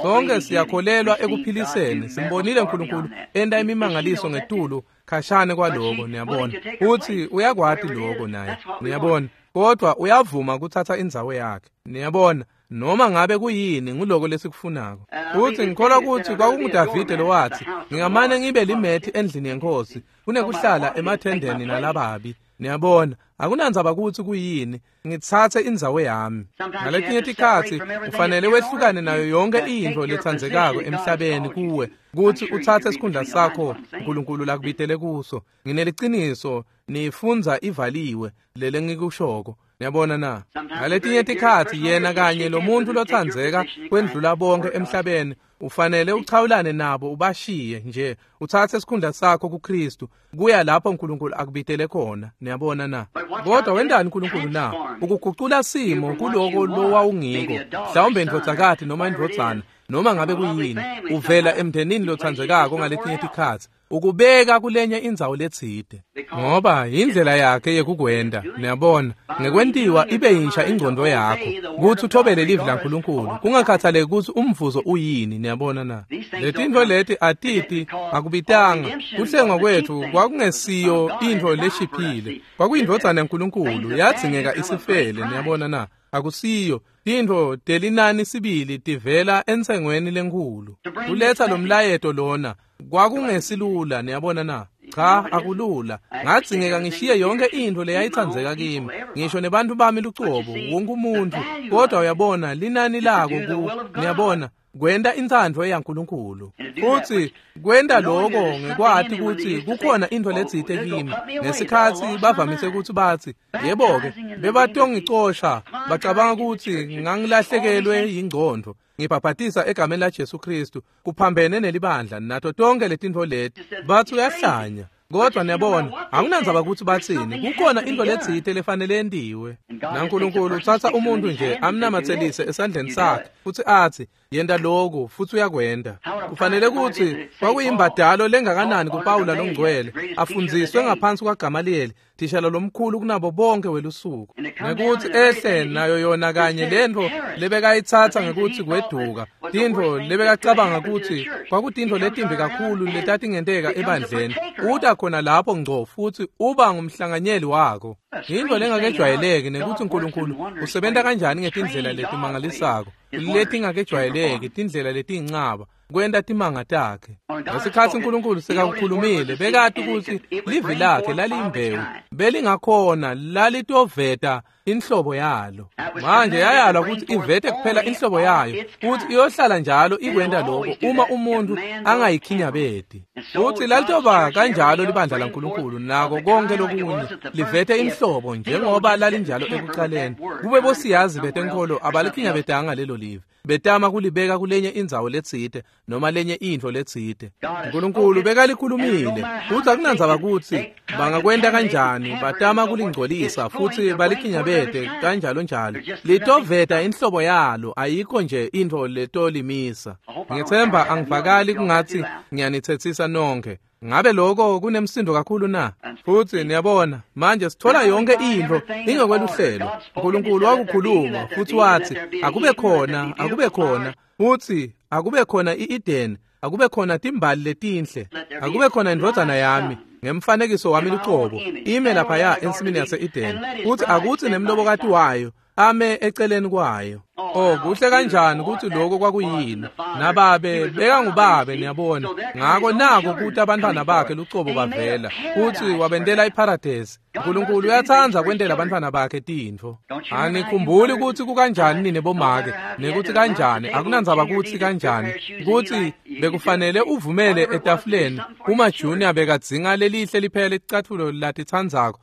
sonke siyakholelwa ekuphiliseni. Simbonile uNkulunkulu enta imimangaliso ngetulu khashane kwaloko, niyabona. Futsi uyakwati lokho naye, niyabona, kodwa uyavuma kutsatsa indzawo yakhe, niyabona. Noma ngabe kuyini, nguloko lesikufunako. Futsi ngikholwa kutsi kwakunguDavide lowathi, ngingamane ngibe limethi endlini yenkosi kunekuhlala emathendeni nalababi. Niyabona, akunandzaba kutsi kuyini, ngitsatse indzawo yami. Ngaletinye tikhatsi ufanele wehlukane nayo yonke intfo letsandzekako emhlabeni kuwe, kutsi utsatse sikhundla sakho uNkulunkulu lakubitele kuso. Ngineliciniso, niyifundza ivaliwe lele ngikushoko. Niyabona na? Ngaletinye tikhatsi yena kanye lo muntu lotsandzeka kwendlula bonke emhlabeni ufanele uchawulane nabo ubashiye nje uthathe isikhundla sakho kuKristu kuya lapho uNkulunkulu akubitele khona. Niyabona na? Kodwa wendani uNkulunkulu na? Ukugucula simo kuloko lowawungiko, mhlawumbe indvodzakati noma indvodzana noma ngabe kuyini, uvela emndenini lotsandzekako ngaletinye tikhatsi ukubeka kulenye indzawo letsite, ngoba indlela yakhe yekukwenda. Niyabona, ngekwentiwa ibe yinsha ingqondo yakho kutsi uthobele livi laNkulunkulu kungakhathaleki kutsi umvuzo uyini. Niyabona na? Letintfo leti atiti akubitanga. Kuhlengwa kwetfu kwakungesiyo intfo leshiphile, kwakuyindvodzana yaNkulunkulu yadzingeka isifele. Niyabona na? Akusiyo tintfo telinani sibili tivela ensengweni lenkhulu. Kuletsa lo mlayeto lona kwakungesilula. Niyabona na? Cha, akulula. Ngadzingeka ngishiye yonke intfo leyayitsandzeka kimi, ngisho nebantfu bami lucobo, wonke umuntfu. Kodwa uyabona linani lako ku, niyabona, kwenta intsandvo yaNkulunkulu. Futsi kwenta lokho ngekwati kutsi kukhona intfo letsite kimi. Ngesikhatsi bavamise kutsi batsi, yebo-ke, bebatongicosha, bacabanga kutsi ngangilahlekelwe yingcondvo. Ngibhabhatisa egameni laJesu Kristu, kuphambene nelibandla nato tonke letintfo leti. Batsi uyahlanya. Kodwa niyabona, akunandzaba kutsi batsini, kukhona intfo letsite lefanele yentiwe. NaNkulunkulu utsatsa umuntu nje amnamatselise esandleni sakhe futsi atsi, yenta lokhu, futsi uyakwenta. Kufanele kutsi kwakuyimbadalo lengakanani kuPawula longcwele, afundziswe ngaphansi kwaGamaliyeli, thishala lomkhulu kunabo bonke welusuku, ngekutsi ehle nayo yona kanye lentfo lebekayitsatsa ngekutsi kweduka, tintfo lebekacabanga kutsi kwakutintfo letimbi kakhulu letatingenteka ebandleni. Uta khona lapho ngco futsi uba ngumhlanganyeli wako. Yintfo lengakejwayeleki nekutsi uNkulunkulu usebenta kanjani ngetindlela letimangalisako, letingakejwayeleki, tindlela letiyincaba kwenta timanga takhe. Ngesikhatsi uNkulunkulu sekakukhulumile, bekati kutsi livi lakhe laliyimbewu, belingakhona lalitoveta inhlobo yalo. Manje yayalwa kutsi ivete kuphela inhlobo yayo, futsi iyohlala njalo ikwenta lokho uma umuntu angayikhinyabeti. Futsi lalitoba kanjalo libandla laNkulunkulu nako konke lokunye livete inhlobo njengoba lalinjalo ekucaleni. Kube bosiyazi betenkholo abalikhinyabetanga lelo livi, betama kulibeka kulenye indzawo letsite noma lenye intfo letsite. uNkulunkulu bekalikhulumile, futsi akunandzaba kutsi bangakwenta kanjani, batama kulingcolisa futsi balikhinyabete kanjalo njalo. Litoveta inhlobo yalo, ayikho nje intfo letolimisa. Ngitsemba angivakali kungatsi ngiyanitsetsisa nonkhe. Ngabe lokho kunemsindo kakhulu na? Futsi niyabona, manje sithola yonke intfo ingekweluhlelo. uNkulunkulu wakukhuluma futsi watsi, akube khona, akube khona. Futsi akube khona i-Eden, akube khona timbali letinhle, akube khona indvodzana yami ngemfanekiso wami lucobo, ime laphaya ensimini yase-Eden, futsi akutsi nemlobokati wayo ame eceleni kwayo. Oh, kuhle kanjani kutsi lokho kwakuyini. Nababe bekangubabe, niyabona. Ngako nako kuthi abantwana bakhe lucobo bavela, futsi wabentela iparadesi. uNkulunkulu uyatsandza kwentela abantwana bakhe tintfo. Anikhumbuli kutsi kukanjani nine bomake, nekuthi kanjani, akunandzaba kutsi kanjani, kutsi bekufanele uvumele etafuleni uma Junior bekadzinga lelihle liphela licatfulo latitsandzako,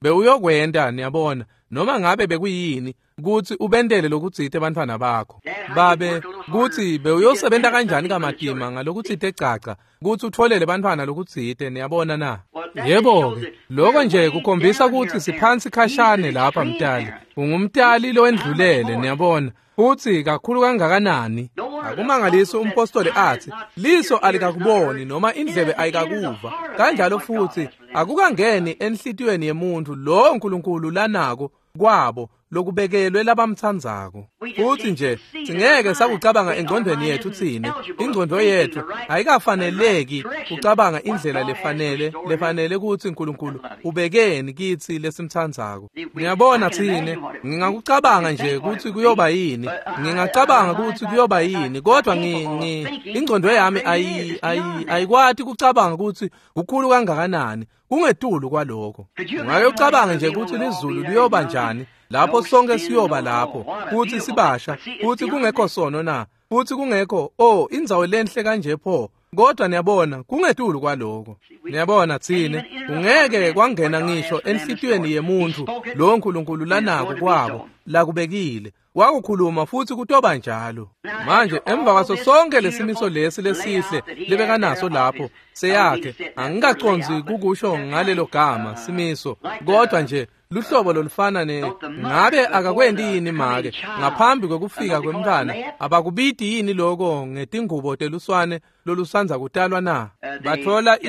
bewuyokwenta, niyabona, noma ngabe bekuyini, kutsi ubentele lokutsite bantfwana bakho. Babe, kutsi bewuyosebenta kanjani kamatima ngalokutsite caca, kutsi utfolele bantfwana lokutsite, niyabona na? Yebo-ke, lokho nje kukhombisa kutsi siphansi khashane lapha mtali. Ungumtali lowendlulele, niyabona. Futsi kakhulu kangakanani. Akumangalisi umpostoli atsi, liso alikakuboni noma indlebe ayikakuva. Kanjalo futhi akukangeni enhlitiyweni yemuntu lo uNkulunkulu lanako kwabo lokubekelwe labamtsandzako. Futsi nje singeke sakucabanga engcondweni yethu tsine. Ingcondvo yethu ayikafaneleki kucabanga indlela lefanele kutsi uNkulunkulu ubekeni kitsi lesimtsandzako. Ngiyabona tsine, ngingakucabanga nje kutsi kuyoba yini, ngingacabanga kutsi kuyoba yini, kodwa ingcondvo yami ayikwati kucabanga kutsi kukhulu kangakanani, kungetulu kwaloko. Ungake ucabange nje kutsi lizulu liyoba njani lapho sonke siyoba lapho, kutsi sibasha, kutsi kungekho sono na, futsi kungekho, oh, indzawo lenhle kanje pho. Kodwa niyabona kungetulu kwaloko. Niyabona tsine ungeke kwangena ngisho enhlitiyweni yemuntu lo nkulunkulu lanako kwabo lakubekile. Wakukhuluma futhi kutoba njalo. Manje emva kwaso sonke lesimiso lesi lesihle lebekanaso lapho seyakhe, angikacondzi kukusho ngalelo gama simiso, kodwa nje luhlobo lolufana ne ngabe akakwendi yini make ngaphambi kwekufika kwemntwana abakubiti yini lokho ngetingubo teluswane lolusanza kutalwa na? Bathola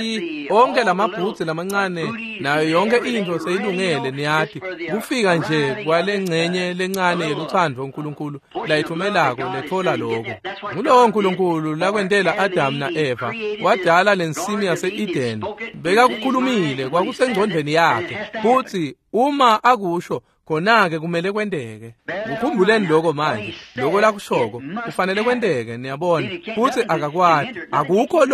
onke lamabhutsi lamancane nayo yonke into seyilungele, niyati kufika nje kwalengcenye lencane yeluthando uNkulunkulu layithumelako lethola lokho. Ngulowo uNkulunkulu lakwentela Adam na-Eva, wadala lensimi yase-Eden. Bekakukhulumile kwakusengcondvweni yakhe futhi uma akusho khona-ke kumele kwenteke. Kukhumbuleni lokho manje, lokho lakushoko kufanele kwenteke, niyabona. Futhi akakwati, akukho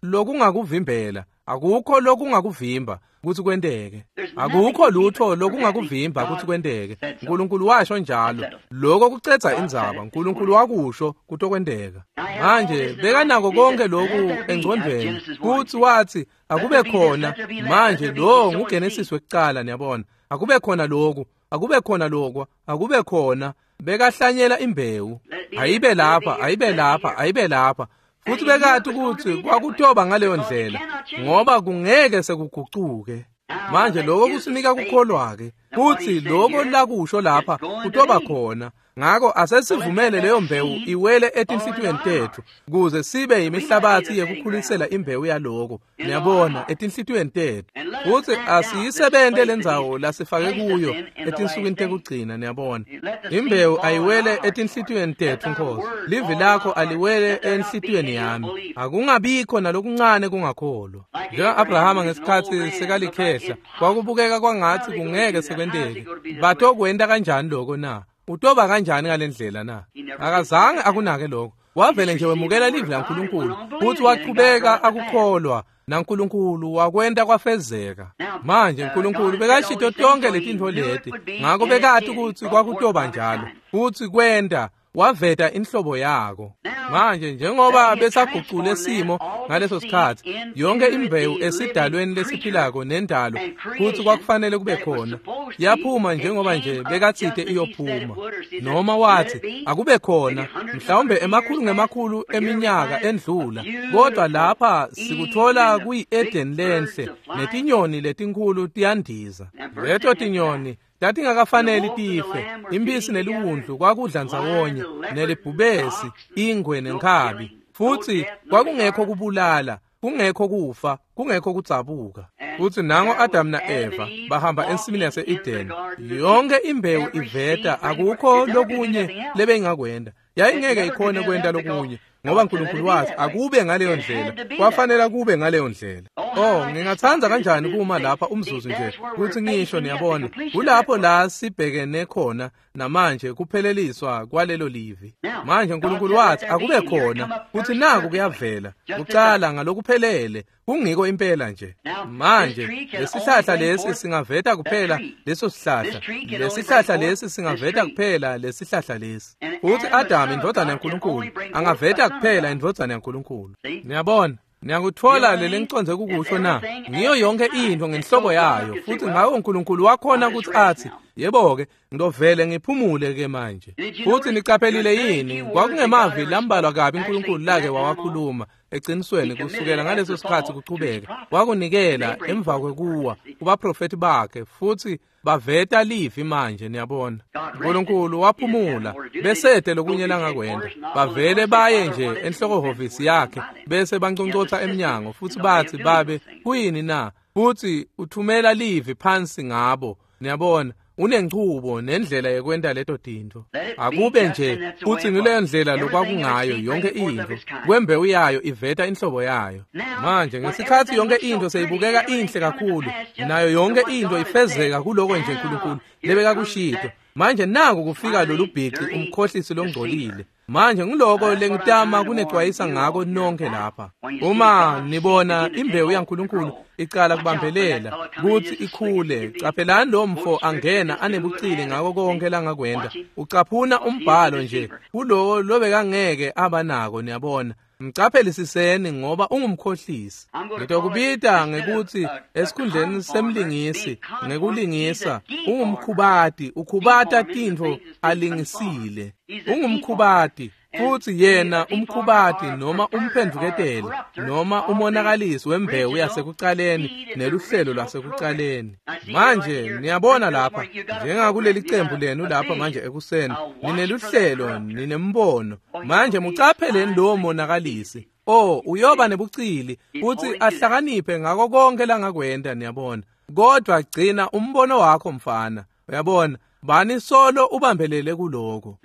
lokungakuvimbela, akukho lokungakuvimba ukuthi kwenteke. Akukho lutho lokungakuvimba ukuthi kwenteke. uNkulunkulu washo njalo. Lokho kucedza indzaba. uNkulunkulu wakusho kutokwenteka. Manje bekanako konke lokhu engcondvweni futhi wathi akube khona. Manje lo nguGenesis wekucala, niyabona. Akube khona lokhu, akube khona lokwa, akube khona. Bekahlanyela imbewu. Ayibe lapha, ayibe lapha, ayibe lapha. Futhi bekati ukuthi kwakutoba ngaleyo ndlela ngoba kungeke sekugucuke. Manje lokho kusinika kukholwa-ke futhi lokho lakusho lapha kutoba khona. Ngakho asesivumele leyo mbewu iwele etinhlitiyweni tethu kuze sibe yimihlabathi yekukhulisela imbewu yaloko, niyabona, etinhlitiyweni tethu. Futhi asiyisebente lendzawo lasifake kuyo etinsukwini tekugcina, niyabona. Imbewu ayiwele etinhlitiyweni tethu, Nkosi. Livi lakho aliwele enhlitiyweni yami. Akungabikho nalokuncane kungakholwa. Njenga-Abrahama ngesikhathi sekalikhehla, kwakubukeka kwangathi kungeke sekwenteke. Batokwenta kanjani lokho na? Utoba kanjani ngalendlela na? Akazange akunake lokho. Wavele nje wemukela livi laNkulunkulu futhi wachubeka akukholwa, naNkulunkulu wakwenta kwafezeka. Manje uNkulunkulu bekashito tonke letintfo leti, ngakho bekati ukuthi kwakutoba njalo futhi kwenta waveta inhlobo yako. Manje njengoba besagucule simo ngaleso sikhathi, yonke imbewu esidalweni lesiphilako nendalo futhi kwakufanele kube khona yaphuma njengoba nje bekathite iyophuma, noma wathi akube khona, mhlawumbe emakhulu ngemakhulu eminyaka endlula. Kodwa lapha sikuthola kuyi-Eden lenhle netinyoni letinkulu tiyandiza. Leto tinyoni tatingakafaneli tife. Impisi neliwundlu kwakudla ndzawonye, nelibhubesi, ingwe nenkhabi. Futhi kwakungekho kubulala, kungekho kufa, kungekho kudzabuka. Futhi nango Adam na-Eva bahamba ensimini yase-Eden. Yonke imbewu iveta, akukho lokunye lebeyingakwenta. Yayingeke ikhone kwenta lokunye ngoba uNkulunkulu wathi akube ngaleyo ndlela, kwafanele kube ngaleyo ndlela. Oh, ngingathanda kanjani kuma lapha umzuzu nje kuthi ngisho, niyabona, kulapho la sibhekene khona namanje kupheleliswa kwalelo livi. Manje uNkulunkulu wathi akube khona, futhi naku kuyavela kucala ngalokuphelele, kungiko impela nje. Manje lesihlahla lesi singaveta kuphela leso sihlahla, lesihlahla lesi singaveta kuphela lesihlahla lesi. Futhi Adam indodana yaNkulunkulu angaveta kuphela indodana yaNkulunkulu. Niyabona, niyakuthola leli ngiconze kukusho na? Ngiyo yonke into ngenhlobo yayo. Futhi ngakho uNkulunkulu wakhona ukuthi athi, yebo-ke, ngidovele ngiphumule ke manje. Futhi niqaphelile yini? Kwakungemavi lambalwa kabi uNkulunkulu lake wawakhuluma eqinisweni kusukela ngaleso sikhathi kuchubeka. Wakunikela emva kwekuwa kubaprofethi bakhe futhi baveta livi manje, niyabona. uNkulunkulu waphumula besede lokunye langakwenda. Bavele baye nje enhlokohhovisi yakhe bese banconcotha emnyango futhi bathi, babe kuyini na? Futhi uthumela livi phansi ngabo, niyabona. Unenchubo nendlela yekwenta leto tintfo. Akube nje futhi ngileyo ndlela lokwakungayo yonke into. Kwembewu yayo iveta inhlobo yayo. Manje ngesikhathi yonke into seyibukeka inhle kakhulu, nayo yonke into ifezeka kuloko nje uNkulunkulu lebekakushito. Manje naku kufika lolu bhici umkhohlisi longcolile. Manje ngiloko lengitama kunecwayisa ngako nonke lapha. Uma nibona imbewu yaNkulunkulu icala kubambelela kuthi ikhule, caphelani lo mfo angena anebucili ngako konke langakwenda. Ucaphuna umbhalo nje kulowo lobekangeke abanako, niyabona. Mcaphelisiseni ngoba ungumkhohlisi. Ngitokubita ngekuthi esikhundleni semlingisi ngekulingisa ungumkhubati, ukhubata tintfo alingisile. Ungumkhubati futhi yena umkhubati noma umphendvuketeli noma umonakalisi wembewu yasekucaleni neluhlelo lwasekucaleni. Manje niyabona lapha njengakuleli cembu lenu lapha manje ekuseni nineluhlelo, ninembono. Manje mucapheleni lowo monakalisi. Oh, uyoba nebucili futhi ahlakaniphe ngako konke langakwenta, niyabona. Kodwa gcina umbono wakho mfana, uyabona, bani solo ubambelele kuloko.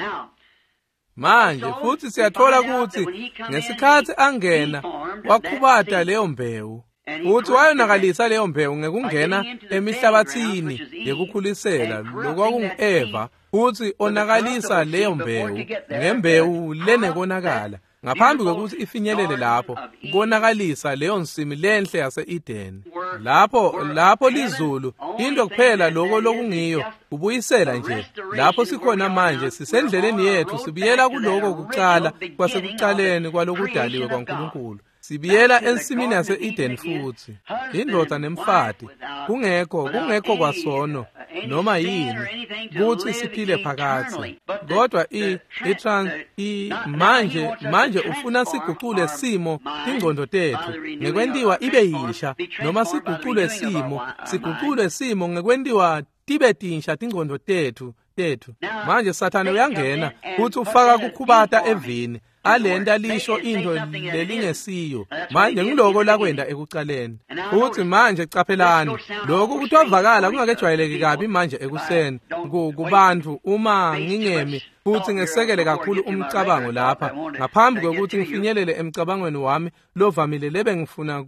Manje futhi siyathola ukuthi ngesikhathi angena wakhubata leyo mbewu futhi wayonakalisa leyo mbewu ngekungena emihlabathini yekukhulisela lokwakungu-Eva, futhi onakalisa leyo mbewu ngembewu lenekonakala ngaphambi kokuthi ifinyelele lapho, konakalisa leyo nsimi lenhle yase-Eden. Lapho lizulu into kuphela lokho lokungiyo ubuyisela nje lapho sikhona manje. Sisendleleni yethu sibuyela kuloko kucala kwasekucaleni kwalokudaliwe kwaNkulunkulu. Sibiyela ensimini yase-Eden futhi, indoda nemfati, kungekho kwasono noma yini kuthi siphile phakathi. Kodwa manje ufuna sigucule simo tingcondo tethu ngekwentiwa ibe yisha, noma sigucule simo ngekwentiwa tibe tinsha tingcondo tethu. Manje Sathane uyangena futhi ufaka kukhubata evini alenta lisho into lelingesiyo. Manje ngiloko lakwenda ekucaleni. Futhi manje caphelani, lokhu kutovakala kungakejwayeleki kabi manje ekuseni kubantu uma ngingemi futhi ngesekele kakhulu umcabango lapha ngaphambi kokuthi ngifinyelele emcabangweni wami lovamile lebe ngifuna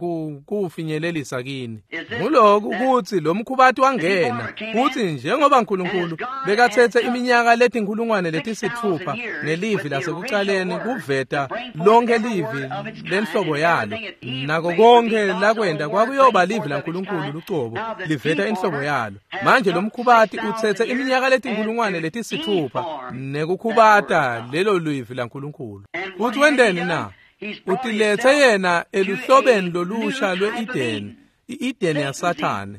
kuwufinyelelisa kini. Nguloku ukuthi lo mkhubati wangena futhi njengoba uNkulunkulu bekathethe iminyaka letinkulungwane letisithupha ngelivi lasekucaleni kuveta lonke livi lenhlobo yalo, nako konke lakwenda kwakuyoba livi laNkulunkulu lucobo liveta inhlobo yalo. Manje lo mkhubati uthethe iminyaka letinkulungwane letisithupha nekukhubata lelo livi laNkulunkulu. Futhi wendeni na? Utilethe yena eluhlobeni lolusha lwe-Eden, i-Eden yaSathane.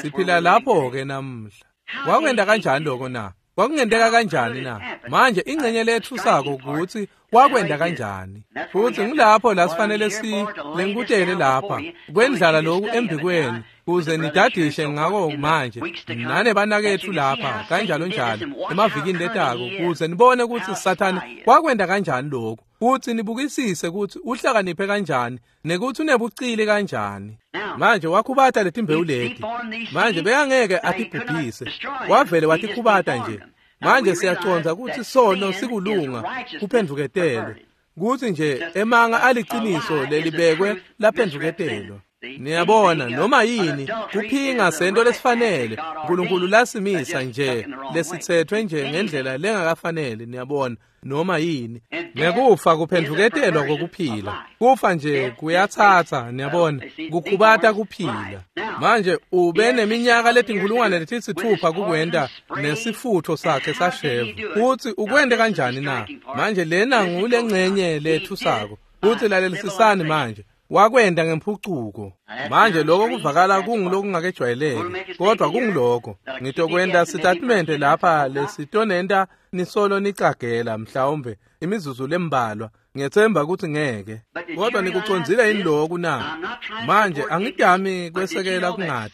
Siphila lapho-ke namuhla. Wakwenda kanjani lokho na? Kwakungenteka kanjani na? Manje ingcenye lethusako ukuthi wakwenda kanjani. Futhi ngilapho la sifanele silenkutele lapha kwendlala lokhu embikweni kuze nidadishe ngako manje nane banakethu lapha kanjalo njalo emavikini letako, kuze nibone ukuthi Sathane wakwenda kanjani lokhu, futhi nibukisise ukuthi uhlakaniphe kanjani nekuthi unebucili kanjani. Manje wakhubata letimbewu leti. Manje bekangeke atibhubhise, wavele watikhubata nje. Manje siyaconza ukuthi sono sikulunga kuphendvuketelwe, kuthi nje emanga aliciniso lelibekwe laphendvuketelwa. Niyabona, noma yini kuphinga sento lesifanele uNkulunkulu lasimisa nje lesithethwe nje ngendlela lengakafanele, niyabona, noma yini. Nekufa kuphendvuketelwa kokuphila. Kufa nje kuyathatha, niyabona, kukhubata kuphila. Manje ube neminyaka letinkulungwane letisithupha kukwenda nesifutho sakhe sashevu. Futhi ukwende kanjani na? Manje lena ngulengcenye lethusako. Futhi lalelisisani manje. Wakwenda ngemphucuko. Manje lokho kuvakala kungilokungakejwayeleki, kodwa kungiloko. Ngitokwenda sitatimende lapha lesitonenta nisolo nicagela mhlawumbe imizuzu lembalwa. Ngiyethemba ukuthi ngeke. Kodwa nikucondzile yini lokhu na? Manje angidami kwesekela kungadi.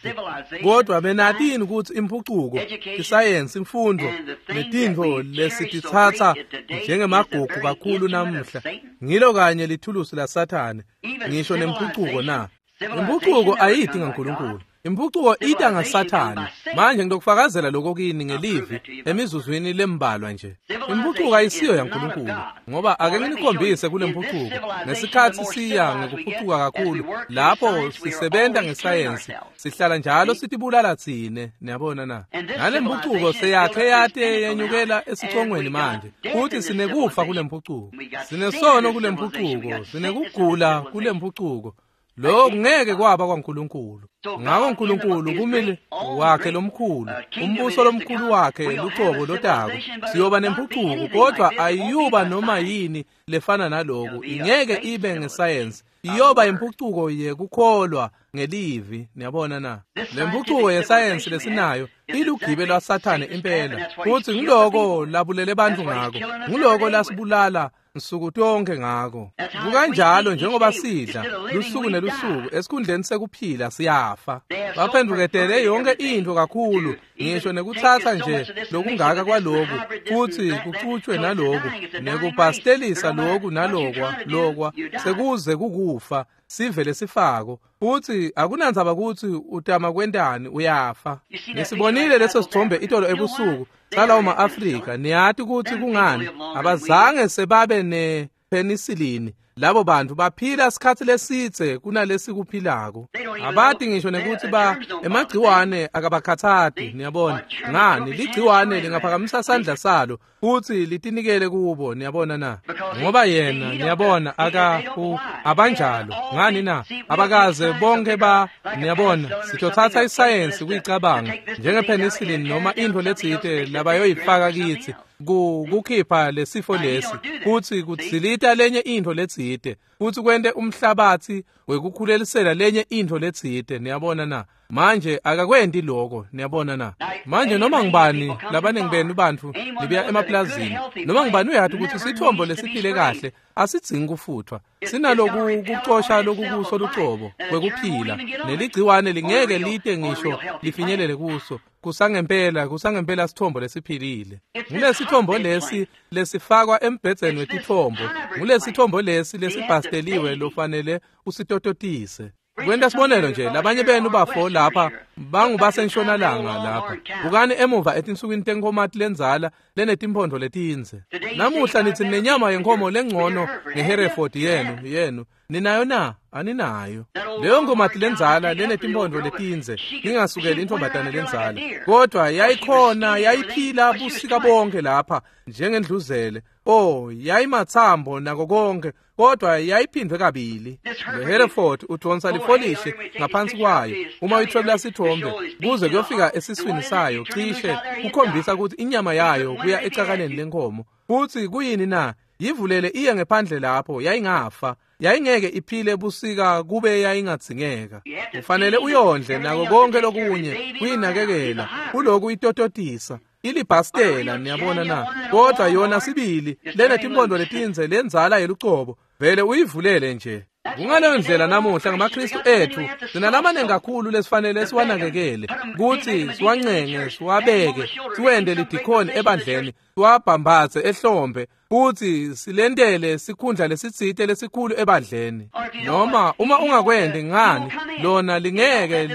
Kodwa benatini ukuthi imphucuko, isayensi, imfundo netintfo lesititsatsa njengemagugu kakhulu namuhla ngilo kanye lithulusi laSathane, ngisho nemphucuko na? Imphucuko ayidi ngaNkulunkulu. Imphucuko ita ngaSathane. Manje ngitokufakazela lokho kini ngelivi emizuzwini lembalwa nje. Imphucuko ayisiyo yaNkulunkulu, ngoba ake nginikhombise kule mphucuko. Ngesikhathi siya ngekuphucuka kakhulu, lapho sisebenza ngesayensi, sihlala njalo sitibulala tsine, niyabona na? Nale mphucuko seyakhe yate yenyukela esicongweni manje. Futhi sinekufa kule mphucuko. Sinesono kule mphucuko, sinekugula kule mphucuko. Lokho ngeke kwaba kwaNkulunkulu. Ngako uNkulunkulu kumele wakhe lomkhulu, umbuso lomkhulu wakhe lucobo lotako. Siyoba nempucuko, kodwa ayiyuba noma yini lefana naloku. Ingeke ibe ngesayensi. Iyoba impucuko yekukholwa ngelivi, niyabona na? Lempucuko yesayensi lesinayo ilugibe lwaSathane impela. Futhi ngiloko labulele bantu ngako. Ngiloko lasibulala nsuku tonke ngako. Kukanjalo njengoba sidla lusuku nelusuku, esikhundleni sekuphila siyafa. Baphenduketele yonke into kakhulu, ngisho nekutsatsa nje lokungaka kwaloku, futhi kucutshwe naloku, nekubhastelisa loku nalokwa lokwa, sekuze kukufa, sivele sifako. Futhi akunandzaba kutsi utama kwentani, uyafa. Nisibonile leso sithombe itolo ebusuku salawo ma-Afrika. Niyati kutsi kungani abazange sebabe nepenicillin. Labo bantu baphila sikhatsi lesidze kunalesikuphilako. Abati ngisho nekuthi ba emagciwane akabakhatsati, niyabona. Ngani, ligciwane lingaphakamisa sandla salo futhi litinikele kubo, niyabona na? Ngoba yena, niyabona, abanjalo. Ngani na? Abakaze bonke ba, niyabona, sitothatha isayensi kuyicabanga njengepenicillin noma into letsite labayoyifaka kitsi kukhipha lesifo lesi, futhi kutsilita lenye into letsite, futhi kwente umhlabathi wekukhulelisela lenye into letsite, niyabona na? Manje akakwenti lokho, niyabona na? Manje noma ngibani labaningi benu bantfu nibuya emaplazini, noma ngibani uyati ukuthi sithombo lesiphile kahle asidzingi kufuthwa. Sinaloku kucosha lokukuso lucobo kwekuphila, neligciwane lingeke lite ngisho lifinyelele kuso. Kusangempela sithombo lesiphilile. Ngulesithombo lesi lesifakwa embhedzeni wetithombo. Ngulesithombo lesi lesibhasteliwe lofanele usitototise. Kwenta sibonelo nje, labanye benu bafo lapha bangubasentshonalanga lapha. Bukani emuva etinsukwini tenkhomati lenzala lenetimphondvo letindze. Namuhla nitsi nenyama yenkomo lengcono ngeHereford yenu. Ninayo na? Aninayo. Leyo nkomati lenzala lenetimphondvo letindze, ningasukeli intombatane lenzala. Kodwa yayikhona, yayiphila busika bonke lapha njengendluzele. Oh, yayimathambo nako konke, kodwa yayiphindwe kabili. Le Hereford udonsa lifolishe ngaphansi kwayo uma uyithwebula sithombe kuze kuyofika esiswini sayo, cishe kukhombisa ukuthi inyama yayo kuya ecakaneni lenkomo. Futhi kuyini na? Yivulele iye ngephandle lapho, yayingafa. Yayingeke iphile busika kube yayingadzingeka. Ufanele uyondle nako konke lokunye, kuyinakekela, kuloku itototisa. Ilibhastela, niyabona na? Kodwa yona sibili lenetimpondo letindze lenzala yelucobo, vele uyivulele nje. Kungaleyo ndlela namuhla ngamaKristu ethu, sinalamanengi kakhulu lesifanele siwanakekele, kutsi siwancenge, siwabeke, siwende lidikhoni ebandleni, siwabhambathe ehlombe, futhi silentele sikhundla lesitsite lesikhulu ebandleni. Noma uma ungakwenti ngani, lona lingeke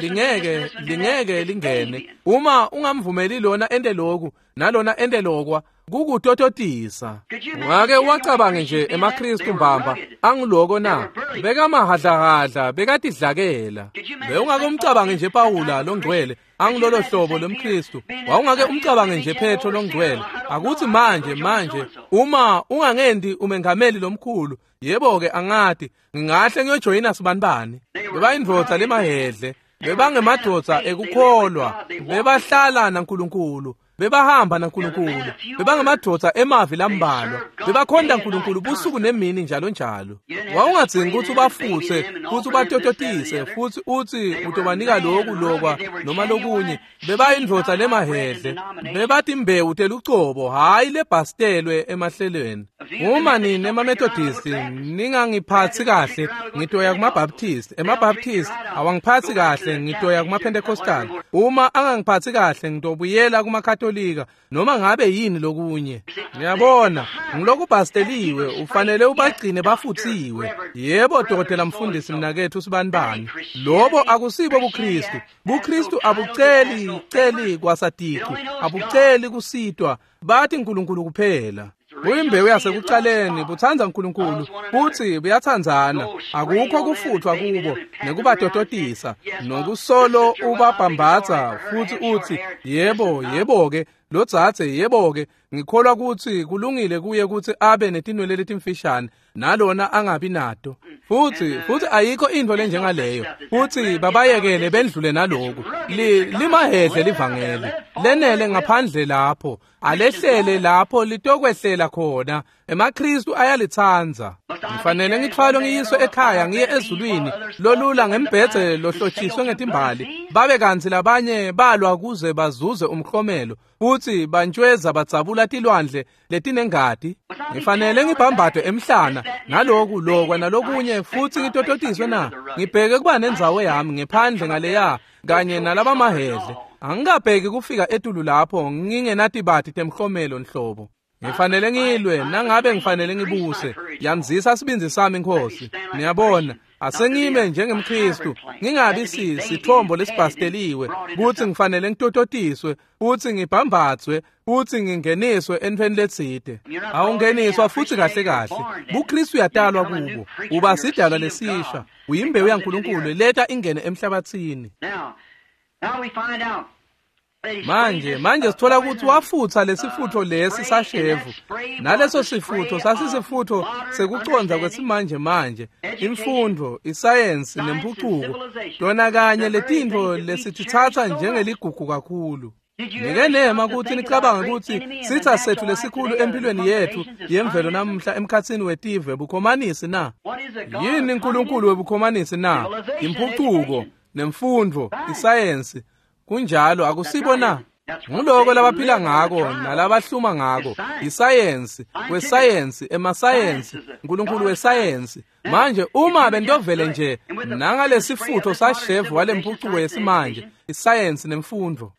lingene. Uma ungamvumeli lona ente loku nalona ente lokwa, kukutototisa. Ungake wacabange nje emaKristu mbamba angiloko na? Bekamahadlahadla, bekatidlakela. Bewungake umcabange nje Pawula longcwele angilolo hlobo lomKristu. Wawungake umcabange nje Petro longcwele. Akuthi manje uma ungangendi umengameli lomkhulu, yebo ke angati, ngingahle ngiyojoyina sibanibani. Bebayindvodza lemahedle, bebangemadvodza ekukholwa, bebahlala naNkulunkulu. Bebahamba naNkulunkulu, bebangemadvodza emavi lambalwa, bebakhonta uNkulunkulu busuku nemini njalo njalo. Wawungadzingi ukuthi ubafutse futhi ubatototise futhi uthi utobanika loku lokwa noma lokunye. Bebayindvodza lemahedle, bebatimbewu telucobo, hhayi lebhastelwe emahlelweni. Uma nini emaMethodist ningangiphatsi kahle, ngitoya kumaBaptist. EmaBaptist awangiphatsi kahle, ngitoya kumaPentecostal. Uma angangiphatsi kahle, ngitobuyela kumaKatolika, noma ngabe yini lokunye. Ngiyabona, ngilokubhasteliwe, ufanele ubagcine bafutsiwe. Yebo, dokotela mfundisi mnakethu sibanibani. Lobo akusibo buKristu. BuKristu abuceli celi kwasaticu, abuceli kusitwa, bathi uNkulunkulu kuphela. Buyimbewu yasekucaleni, butsandza uNkulunkulu, futhi buyatsandzana. Akukho kufuthwa kubo nekubatototisa, nokusolo ubabhambatha futhi uthi yebo, yebo ke, Lodzadze yebo-ke ngikholwa kutsi kulungile kuye kutsi abe netinwele letimfishane nalona angabi nato. Futhi ayikho intfo lenjengaleyo. Futhi babayekele bendlule naloku. Limahedle livangeli. Lenele ngaphandle lapho. Alehlele lapho litokwehlela khona. EmaKristu ayalitsandza. Ngifanele ngitfwalwe ngiyiswe ekhaya ngiye ezulwini lolula ngembhedze lohlotshiswe ngetimbali. Babe kantsi labanye balwa kuze bazuze umklomelo. Futhi bantshweza badzabula tilwandle letinengati. Ngifanele ngibhambadwe emhlana naloku lokwa nalokunye futhi ngitototiswe na. Ngibheke kuba nendzawo yami ngephandle ngaleya kanye nalabamahedle. Angikabheki kufika etulu lapho ngingenatibati temhlomelo nhlobo. Ngifanele ngilwe nangabe ngifanele ngibuse. Yanzisa sibindzi sami Nkosi. Niyabona, asengime njengemKristu, ngingabi sithombo lesibhasteliwe kutsi ngifanele ngitototiswe, futhi ngibhambatswe, futhi ngingeniswe entfweni letsite. Awungeniswa futhi kahle kahle. BuKristu uyatalwa kubo. Uba sidalwa lesisha. Uyimbewu yaNkulunkulu leta ingene emhlabathini. Manje sithola ukuthi wafutha lesifutho lesi sashevu. Naleso sifutho sasisifutho sekucondza kwesimanje manje, imfundo, isayensi nempucuko. Tona kanye letintfo lesititsatsa njengeligugu kakhulu. Nike nema ukuthi nicabanga ukuthi sitha sethu lesikhulu empilweni yethu yemvelo namuhla emkhatsini wetive bukhomanisi na? Yini uNkulunkulu webukhomanisi na? Impucuko, nemfundo, isayensi. Kunjalo akusibo na? Nguloko labaphila ngako nalabahluma ngako, isayensi, wesayensi, emasayensi, uNkulunkulu wesayensi. Manje uma bentovele nje nangalesifutho sashevu walempucuko yesimanje, isayensi nemfundo.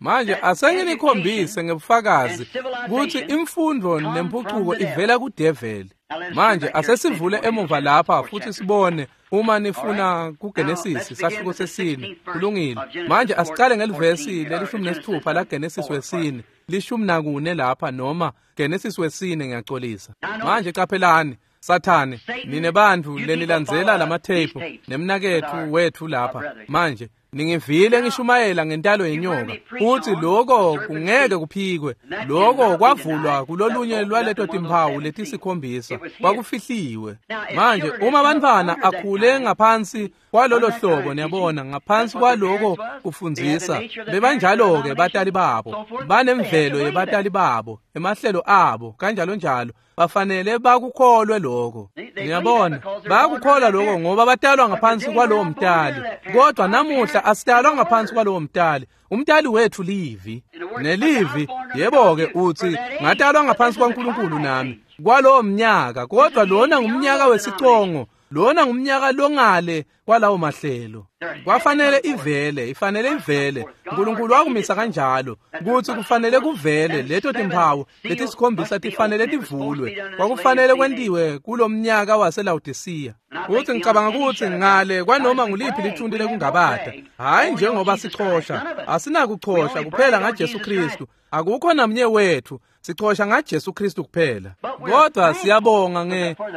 Manje asenginikhombise ngebufakazi ukuthi imfundo nempucuko ivela kudeveli. Manje asesivule emuva lapha futhi sibone uma nifuna kuGenesis sahluko sesine. Kulungile. Manje asicale ngelivesi leli-16 la Genesis wesine, 14 lapha noma Genesis wesine ngiyacolisa. Manje qaphelani Sathane, nine bantfu lenilandzela lamatheyiphu nemnaketfu wethu lapha. Manje ningivile ngishumayela ngentalo yenyoka, futhi lokho kungeke kuphikwe. Lokho kwavulwa kulolunye lwaleto timphawu letisikhombisa, kwakufihliwe. Manje uma abantwana akhule ngaphansi kwalolo hlobo, niyabona, ngaphansi kwaloko kufundzisa, bebanjalo-ke batali babo, banemvelo yebatali babo, emahlelo abo, kanjalo njalo. Bafanele bakukholwe lokho. Niyabona, bayakukholwa lokho ngoba batalwa ngaphansi kwalowo mtali. Kodwa namuhla asitalwa ngaphansi kwalowo mtali. Umtali wethu livi. Nelivi, yebo-ke uthi ngatalwa ngaphansi kwaNkulunkulu nami kwalowo mnyaka, kodwa lona ngumnyaka wesicongo. Lona ngumnyaka longale kwalawo mahlelo. Kwafanele ivele, ifanele ivele. uNkulunkulu wakumisa kanjalo ukuthi kufanele kuvele leto timphawu letisikhombisa tifanele tivulwe. Kwakufanele kwentiwe kulomnyaka waseLawodisiya. Futhi ngicabanga ukuthi ngale kwanoma nguliphi lithunti lekungabata, hayi njengoba sichosha, asinakuchosha kuphela ngaJesu Kristu. Akukho namnye wethu, sichosha ngaJesu Kristu kuphela. Kodwa siyabonga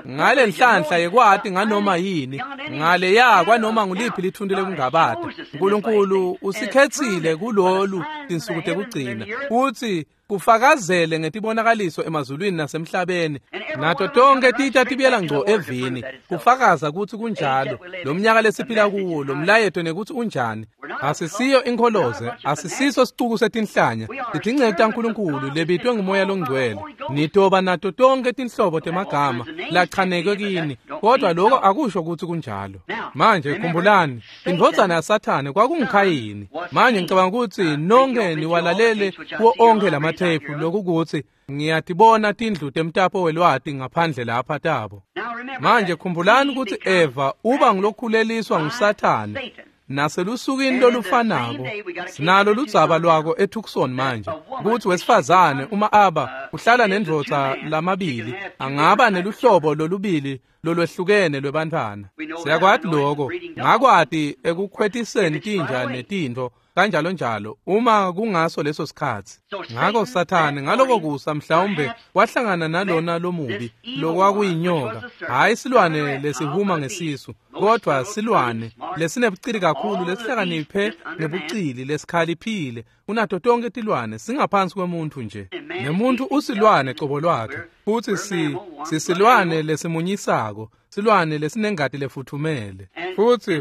ngale nhlanhla yekwati nganoma yini, ngale ya kwanoma nguliphi lithunti lekungabata. uNkulunkulu usikhetsile kulolu tinsuku tekugcina futhi kufakazele ngetibonakaliso emazulwini nasemhlabeni. Nato tonke titsha tibuyela ngco evini kufakaza ukuthi kunjalo. Lo mnyaka lesiphila kuwo, lo mlayeto nekuthi unjani. Asisiyo inkholoze, asisiso sicuku setinhlanya, titinceku taNkulunkulu lebitwe nguMoya loNgcwele. Nitoba nato tonke tinhlobo temagama lachanekwe kini, kodwa lokho akusho ukuthi kunjalo. Manje khumbulani, indvodzana yaSathane kwakunguKhayini. Manje ngicabanga ukuthi nonke niwalalele kuwo onke lamatheyiphu, lokukuthi ngiyatibona tindlu temtapo welwati ngaphandle lapha tabo. Manje khumbulani ukuthi Eva uba ngulokhuleliswa nguSathane. Naselusukwini lolufanako sinalo ludzaba lwako eTucson manje, ukuthi wesifazane uma aba uhlala nendvodza lamabili angaba neluhlobo lolubili lolwehlukene lwebantfwana. Siyakwati lokho, ngakwati ekukhwetiseni tinja netintfo kanjalo njalo uma kungaso leso sikhatsi. Ngakho Sathane ngaloko kusa mhlawumbe wahlangana nalona lomubi lokwakuyinyoka, hayi silwane lesihuma ngesisu, Kodwa silwane lesinebucili kakhulu, lesihlakaniphe ngebucili, lesikhaliphile kunato tonke tilwane, singaphansi kwemuntu nje. Nemuntu usilwane cobo lwakhe, futhi sisilwane lesimunyisako, silwane lesinengati lefuthumele.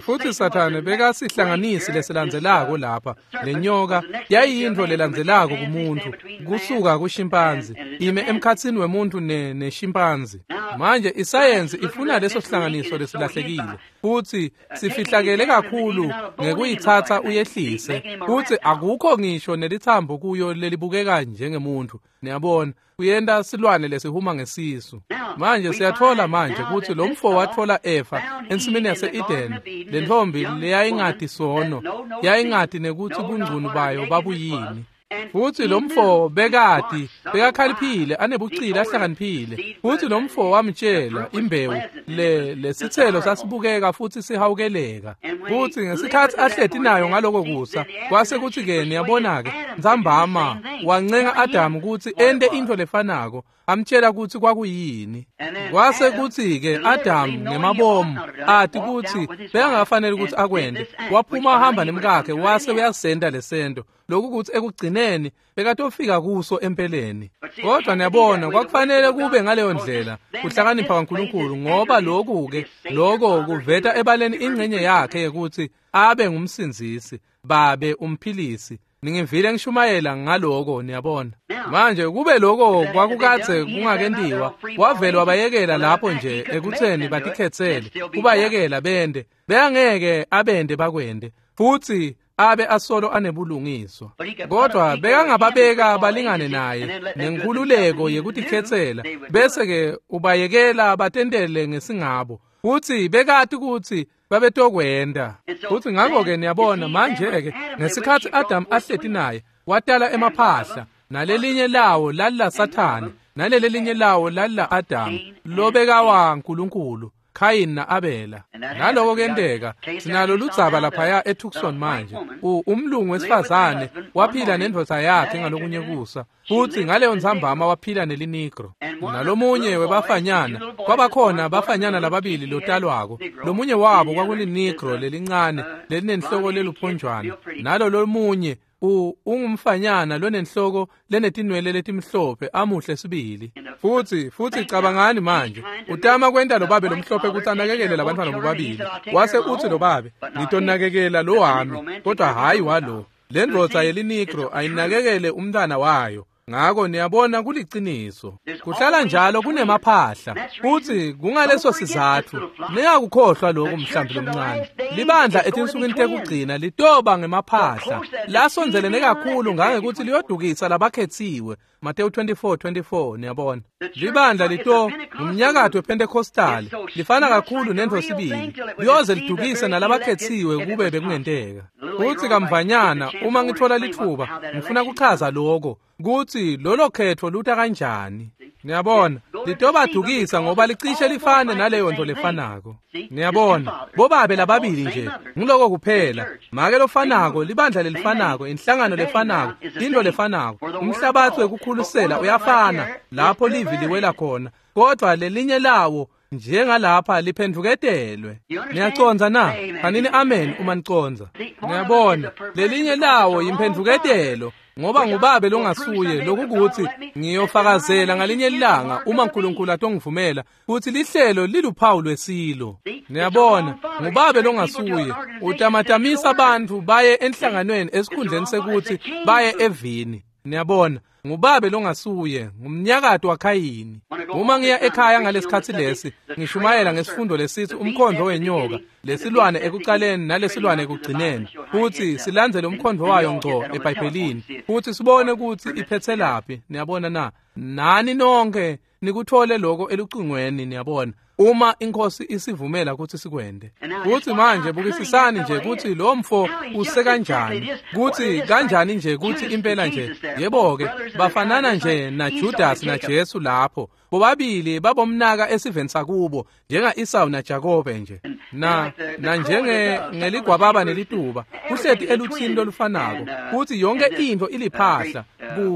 Futhi Sathane bekasihlanganisi lesilandzelako lapha. Lenyoka yayiyintfo lelandzelako kumuntu kusuka kushimpanzi, ime emkhatsini wemuntu neshimpanzi. Manje isayensi ifuna leso sihlanganiso lesilahlekile, futhi sifihlakele kakhulu ngekuyitsatsa uyehlise, futhi akukho ngisho nelithambo kuyo lelibukeka njengemuntu. Niyabona, kuyenta silwane lesihuma ngesisu. Manje siyathola manje ukuthi lo mfo wathola Eva ensimini yase-Eden, le ntombi leyayingati sono, yayingati nekuthi bungcunu bayo babuyini. Futhi lo mfo bekati, bekakhaliphile, anebucili, ahlakaniphile. Futhi lo mfo wamtshela imbewu lesithelo sasibukeka futhi sihawukeleka. Futhi ngesikhathi ahleti nayo ngaloko kusa, kwase kuthi-ke niyabona-ke ntsambama wancenga Adamu ukuthi ente into lefanako, amtshela ukuthi kwakuyini. Kwase kuthi-ke Adamu ngemabomu ati ukuthi bekangafanele ukuthi akwente, waphuma ahamba nemkakhe wase uyasenta lesento, lokhu kuthi ekugcineni bekatofika kuso empeleni. Kodwa niyabona, kwakufanele kube ngaleyo ndlela kuhlakanipha kaNkulunkulu, ngoba lokhu-ke lokho kuveta ebaleni ingxenye yakhe yokuthi abe ngumsindzisi, babe umphilisi. Ningivile ngishumayela ngaloko, niyabona. Manje kube lokho kwakukadze kungakentiwa, wavele wabayekela lapho nje ekutheni batikhetsele, kubayekela bende, beyangeke abende bakwende, futhi abe asolo anebulungiswa. Kodwa bekangababeka balingane naye nenkhululeko yekutikhetsela, bese-ke ubayekela batentele ngesingabo, futhi bekati ukuthi babetokwenda. Futhi ngakho-ke niyabona manje-ke ngesikhathi Adamu ahleti naye, watala emaphahla, nalelinye lawo lalila Sathane, nalelelinye lawo lalila Adamu, lobekawa Nkulunkulu, Khayini na-Abela. Naloko kuyenteka, sinalo ludzaba laphaya eTucson manje. Umlungu wesifazane waphila nendvodza yakhe ngalokunye kusa, futhi ngaleyo ntsambama waphila nelinigro. Nalomunye webafanyana, kwabakhona bafanyana lababili lotalwako. Lomunye wabo kwakulinigro lelincane lelinenhloko leluphonjwana, nalo lomunye ungumfanyana lonenhloko lenetinwele letimhlophe, amuhle sibili. Futhi cabangani manje, utama kwenta lo babe lomhlophe ukuthi anakekele labantwana bobabili. Wase uthi lo babe, ngitonakekela lo wami, kodwa hhayi walo. Le ndvodza yelinigro ayinakekele umntwana wayo. Ngakho niyabona kuliciniso, kuhlala njalo kunemaphahla, futhi kungaleso sizathu ningakukhohlwa lokhu mhlambi lomncane. Libandla etinsukwini tekugcina litoba ngemaphahla lasondzelene kakhulu ngangekuthi liyodukisa labakhetsiwe. Mateyu 24:24. Niyabona, libandla lito ngumnyakato wePentecostal, lifana kakhulu nentfo sibili, liyoze lidukise nalabakhetsiwe kube bekungenteka. Futhi kamvanyana uma ngithola litfuba ngifuna kuchaza lokho kuthi lolo khetho luta kanjani. Niyabona, litobadukisa ngoba licishe lifane naleyo nto lefanako. Niyabona, bobabe lababili nje, ngiloko kuphela, make lofanako, libandla lelifanako, inhlangano lefanako, into lefanako, umhlabathi wekukhulisela uyafana lapho livi liwela khona, kodwa lelinye lawo njengalapha liphendvuketelwe. Niyacondza na? Fanini amen uma nicondza. Niyabona, lelinye lawo yimphendvuketelo, ngoba ngubabe longasuye, lokukuthi ngiyofakazela ngalinye ilanga uma uNkulunkulu atongivumela ukuthi lihlelo liluphawu lwesilo. Niyabona, ngubabe longasuye utamatamisa abantu baye enhlanganweni esikhundleni sekuthi baye evini. Niyabona, ngubabe longasuye, ngumnyakato waKhayini. Uma ngiya ekhaya ngalesikhathi lesi, ngishumayela ngesifundo lesithi umkhondvo wenyoka, lesilwane ekucaleni nalesilwane ekugcineni, futhi silandzele umkhondvo wayo ngco eBhayibhelini, futhi sibone ukuthi iphetselaphi. Niyabona na? Nani nonke nikuthole lokho elucingweni, niyabona, uma inkosi isivumela ukuthi sikwende. Futhi manje bukisisani nje ukuthi lo mfo usekanjani, kuthi kanjani nje kuthi impela nje, yebo-ke, bafanana nje naJudas naJesu lapho. Bobabili babomnaka esiveni sakubo, njenga-Esau naJakobe nje, na njenge ngeligwababa nelituba, kuhleti eluthini lolufanako, futhi yonke into iliphahla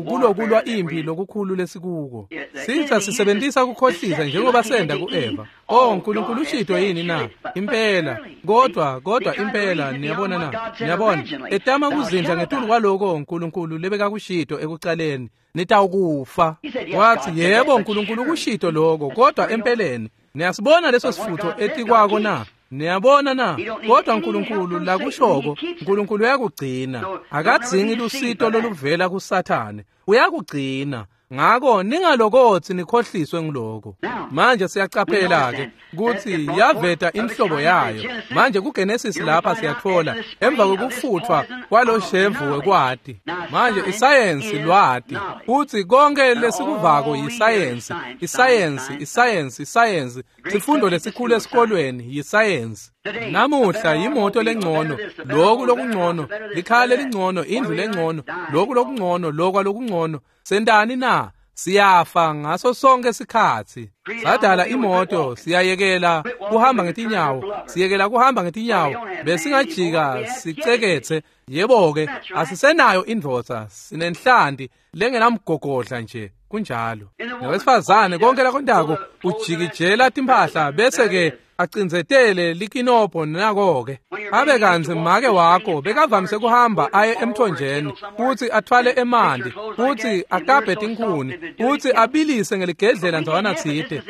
kulokulwa impi lokukhulu lesikuko. Sitha sisebenzisa kukhohlisa njengoba senda ku-Eva. Oh, uNkulunkulu ushito yini na? Impela. Kodwa impela niyabona na? Niyabona, etama kuzindla ngetulu kwaloko uNkulunkulu lebekakushito ekucaleni, nitawukufa. Wathi, yebo uNkulunkulu ukushito lokho, kodwa empeleni niyasibona leso sifutho etikwako na? Niyabona na? Kodwa uNkulunkulu lakushoko, uNkulunkulu uyakugcina. Akadzingi lusito loluvela kuSathane. Uyakugcina. Ngako ningalokothi nikhohliswe ngiloko. Manje siyacaphela ke ukuthi yaveta inhlobo yayo. Manje kuGenesis lapha siyathola emva kokufuthwa kwaloshevu wekwati. Manje isayensi lwati uthi konke lesikuvako yisayensi, isayensi, isayensi, isayensi. Sifundo lesikhulu esikolweni yisayensi. Namuhla yimoto lengcono, lokhu lokungcono, likhaya lelingcono, indlu lengcono, lokhu lokungcono, lokwa lokungcono. Sentani na? Siyafa ngaso sonke isikhathi. Sadala imoto, siyayekela kuhamba ngetinyawo, siyekela kuhamba ngetinyawo, besingajika sicekethe. Yebo-ke, asisenayo indvodza, sinenhlanti lengenamgogodla nje, kunjalo. Nowesifazane konke lakontako ujikijela timphahla bese-ke acinzetele likinobho nako-ke. Abe kantsi make wakho bekavamise kuhamba aye emthonjeni futhi athwale emanti futhi akabhe tinkhuni futhi abilise ngeligedlela ndzawana tsite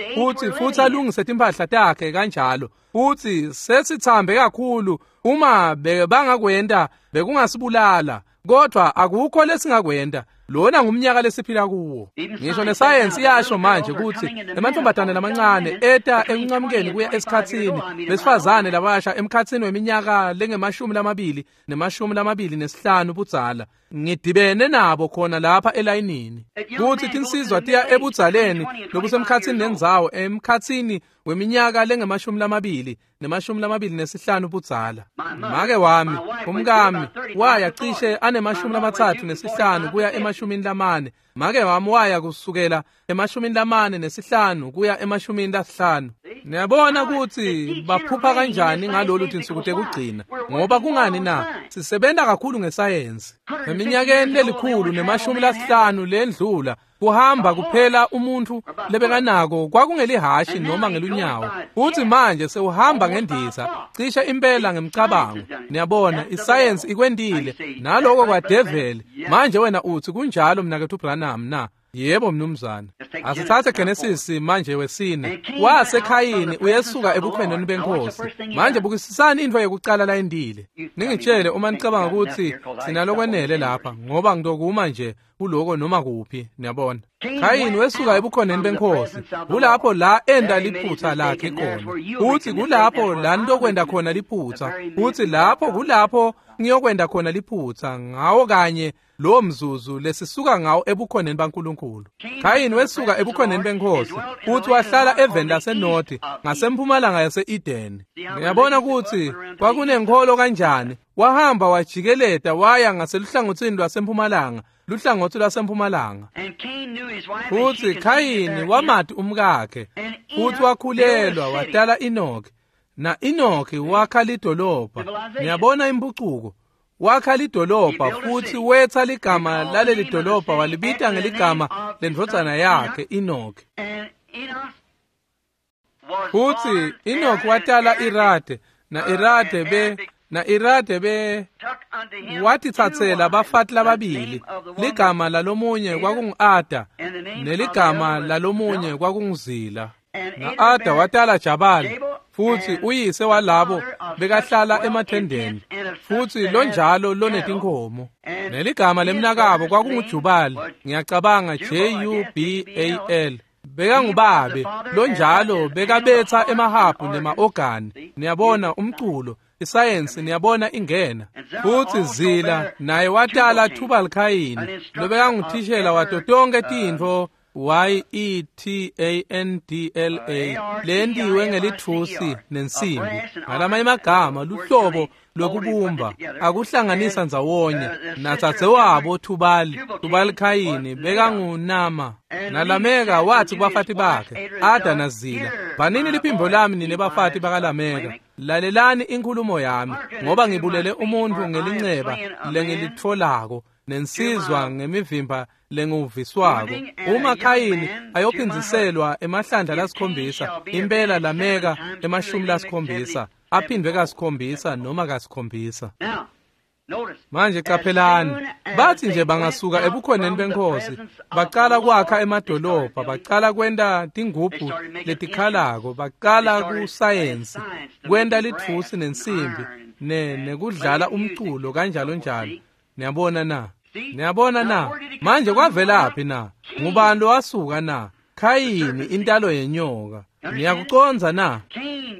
futhi alungise timphahla takhe kanjalo. Futhi sesithambe kakhulu, uma bangakwenta bekungasibulala, kodwa akukho lesingakwenta. Lona ngumnyaka lesiphila kuwo. Ngisho nesayensi iyasho manje ukuthi emantombazane lamancane eta enqamukeni kuya esikhatsini besifazane labasha emkhatsini weminyaka lengemashumi lamabili ne-25 budzala. Ngidibene nabo khona lapha elayinini. Kuthi tinsizwa tiya ebudzaleni lobusemkhatsini nendzawo emkhatsini weminyaka lengemashumi lamabili ne-25 budzala. Make wami, umkami, waya cishe anemashumi 35 kuya 40. Make wami waya kusukela 45 kuya 50. Niyabona ukuthi baphupha kanjani ngalolu tinsuku tekugcina, ngoba kungani na? Sisebenta kakhulu ngesayensi. Eminyakeni lelikhulu ne-50 lendlula kuhamba kuphela umuntu lebekanako kwakungelihashi noma ngelunyawo. Uthi manje sewuhamba ngendiza, cishe impela ngemcabango. Niyabona isayensi ikwendile naloko kwadeveli. Manje wena uthi kunjalo mnakethu Branham na? Yebo mnumzane. Asithathe Genesis manje wesine. Wasekhayini uyesuka ebukhoneni benkosi. Manje bukisisani into yokucala la endile. Ningitshele uma nicabanga ukuthi sinalokwenele lapha, ngoba ngitokuma nje kuloko noma kuphi, niyabona. Khayini wesuka ebukhoneni benkosi. Kulapho la enda liphutha lakhe khona. Uthi kulapho la nitokwenda khona liphutha. Uthi lapho kulapho ngiyokwenda khona liphutha ngawo kanye lo mzuzu lesisuka ngawo ebukhoneni baNkulunkulu. Khayini wesuka ebukhoneni benkosi uthi wahlala eveni laseNorth ngasempumalanga yase-Eden. Ngiyabona ukuthi kwakunenkholo kanjani. Wahamba wajikeleta waya ngaseluhlangothini lwasempumalanga, luhlangothi lwasempumalanga. Futhi Khayini wamati umkakhe, futhi wakhulelwa watala Enoch. Na Enoch wakha lidolobha. Ngiyabona impucuko. Wakha lidolobha futhi wetha ligama laleli dolobha walibita ngeligama lendvodzana yakhe Enoch. Futhi Enoch watala Irade, na Irade be watitsatsela bafati lababili. Ligama lalomunye kwakungu-Ada neligama lalomunye kwakunguZila. Na-Ada watala Jabali, futhi uyise walabo bekahlala emathendeni, futhi lonjalo lonetinkomo. Neligama lemnakabo kwakunguJubali, ngiyacabanga Jubal. Bekangubabe lonjalo bekabetha emahabhu nema-ogani. Niyabona umculo, isayensi niyabona ingena. Futhi Zila naye watala Tubal Khayini lobekanguthishela wato tonke tintfo YETANDLA lentiwe ngelithusi nensimbi. Ngalamanye amagama luhlobo lokubumba akuhlanganisa ndzawonye. Natsadzewabo Tubali Khayini bekangunama. Nalameka wathi kubafati bakhe Ada naZila, "Banini liphimbo lami nine bafati bakaLameka, lalelani inkulumo yami, ngoba ngibulele umuntu ngelinceba lengilitfolako. nensizwa ngemivimba lenguviswako. Uma Khayini ayophindziselwa emahlandla lasikhombisa, impela Lameka 70 aphindwe ka7 noma ka7. Manje qaphelani, bathi nje bangasuka ebukhoneni benkosi, baqala kwakha emadolobha, baqala kwenta tingubhu letikhalako, baqala kusayensi, kwenta litfusi nensimbi, nekudlala umculo kanjalo njalo. Niyabona na? Niyabona na? Manje kwavelaphi na? Ngubani lowasuka na? Khayini, intalo yenyoka. Niyakucondza na?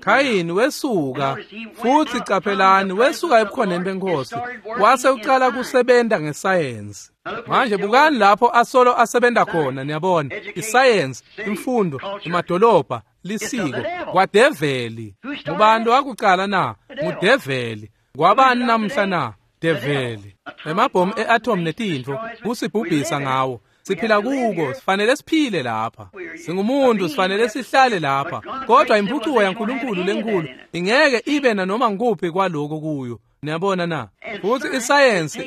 Khayini wesuka, futhi qaphelani, wesuka ebukhoneni benkosi, wase uqala kusebenta ngesayensi. Manje bukani lapho asolo asebenta khona, niyabona, isayensi, imfundo, emadolobha, lisiko, kwadeveli. Ngubani wakuqala na? Ngudeveli. Kwabani namhla na? Develi. Emabhomu e-atom netintfo kusibhubhisa ngawo. Siphila kuko, sifanele siphile lapha. Singumuntu, sifanele sihlale lapha. Kodwa impucuko yaNkulunkulu lenkulu ingeke ibe nanoma nguphi kwaloko kuyo. Niyabona na? Futhi isayensi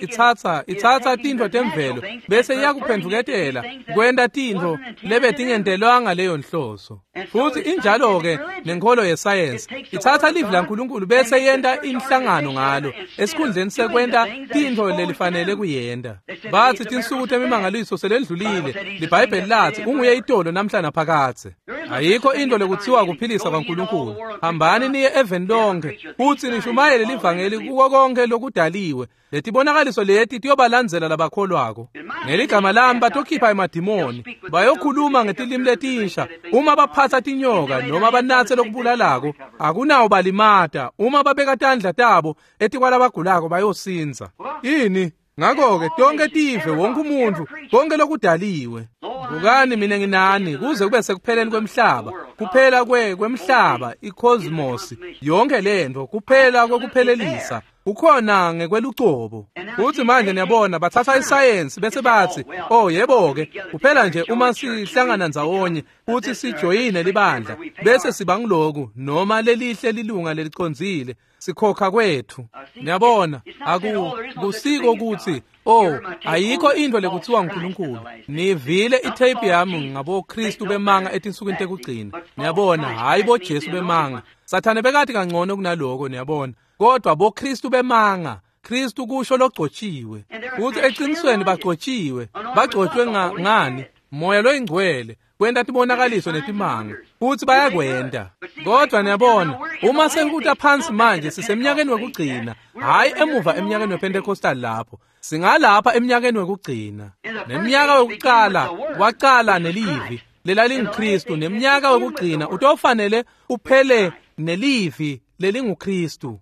itsatsa tintfo temvelo bese iyakuphendvuketela kwenta tintfo lebetingentelwanga leyo nhloso. Futhi injalo-ke nenkholo yesayensi itsatsa livi laNkulunkulu bese yenta inhlangano ngalo esikhundleni sekwenta tintfo lelifanele kuyenta. Bathi tinsuku temimangaliso selendlulile, liBhayibheli lathi unguye itolo namhla naphakadze. Ayikho into lekuthiwa kuphilisa kwaNkulunkulu. Hambani niye eveni lonke futhi nishumayele livangeli kuko konke lokudaliwe. Letibonakaliso leti tiyobalandzela labakholwako. Ngeligama lami batokhipha emadimoni, bayokhuluma ngetilimi letinsha. Uma baphatsa tinyoka noma banatse lokubulalako, akunawo balimata. Uma babeka tandla tabo etikwalabagulako bayosindza. Ini? Ngakho-ke tonke tive, wonke umuntu, konke lokudaliwe. Bukani mina nginani kuze kube sekupheleni kwemhlaba, kuphela kwemhlaba, icosmos, yonke lento, kuphela kokuphelelisa. Kukhona ngekwelucobo. Futhi manje niyabona bathatha isayensi bese bathi, "Oh yebo-ke, kuphela nje uma sihlangana ndzawonye futhi sijoyine libandla, bese siba ngiloku noma lelihle lilunga lelicondzile, sikhokha kwethu." Niyabona, akusiko ukuthi oh ayikho into lekuthiwa uNkulunkulu. Nivile itape yami ngaboKristu bemanga etinsukwini tekugcina. Niyabona, hayi boJesu bemanga. Sathane bekati kangcono kunaloko, niyabona. Kodwa boKristu bemanga, Kristu kusho logcotshiwe. Futhi eqinisweni bagcotshiwe, bagcotshwe ngani? Moya loyingcwele, kwenta tibonakaliso netimanga, futhi bayakwenta. Kodwa niyabona, uma sekuta phansi manje sisemnyakeni wekugcina, hayi emuva emnyakeni wePentecostal lapho. Singalapha emnyakeni wekugcina. Nemnyaka wekuqala waqala nelivi lelalinguKristu, nemnyaka wekugcina utofanele uphele nelivi lelinguKristu.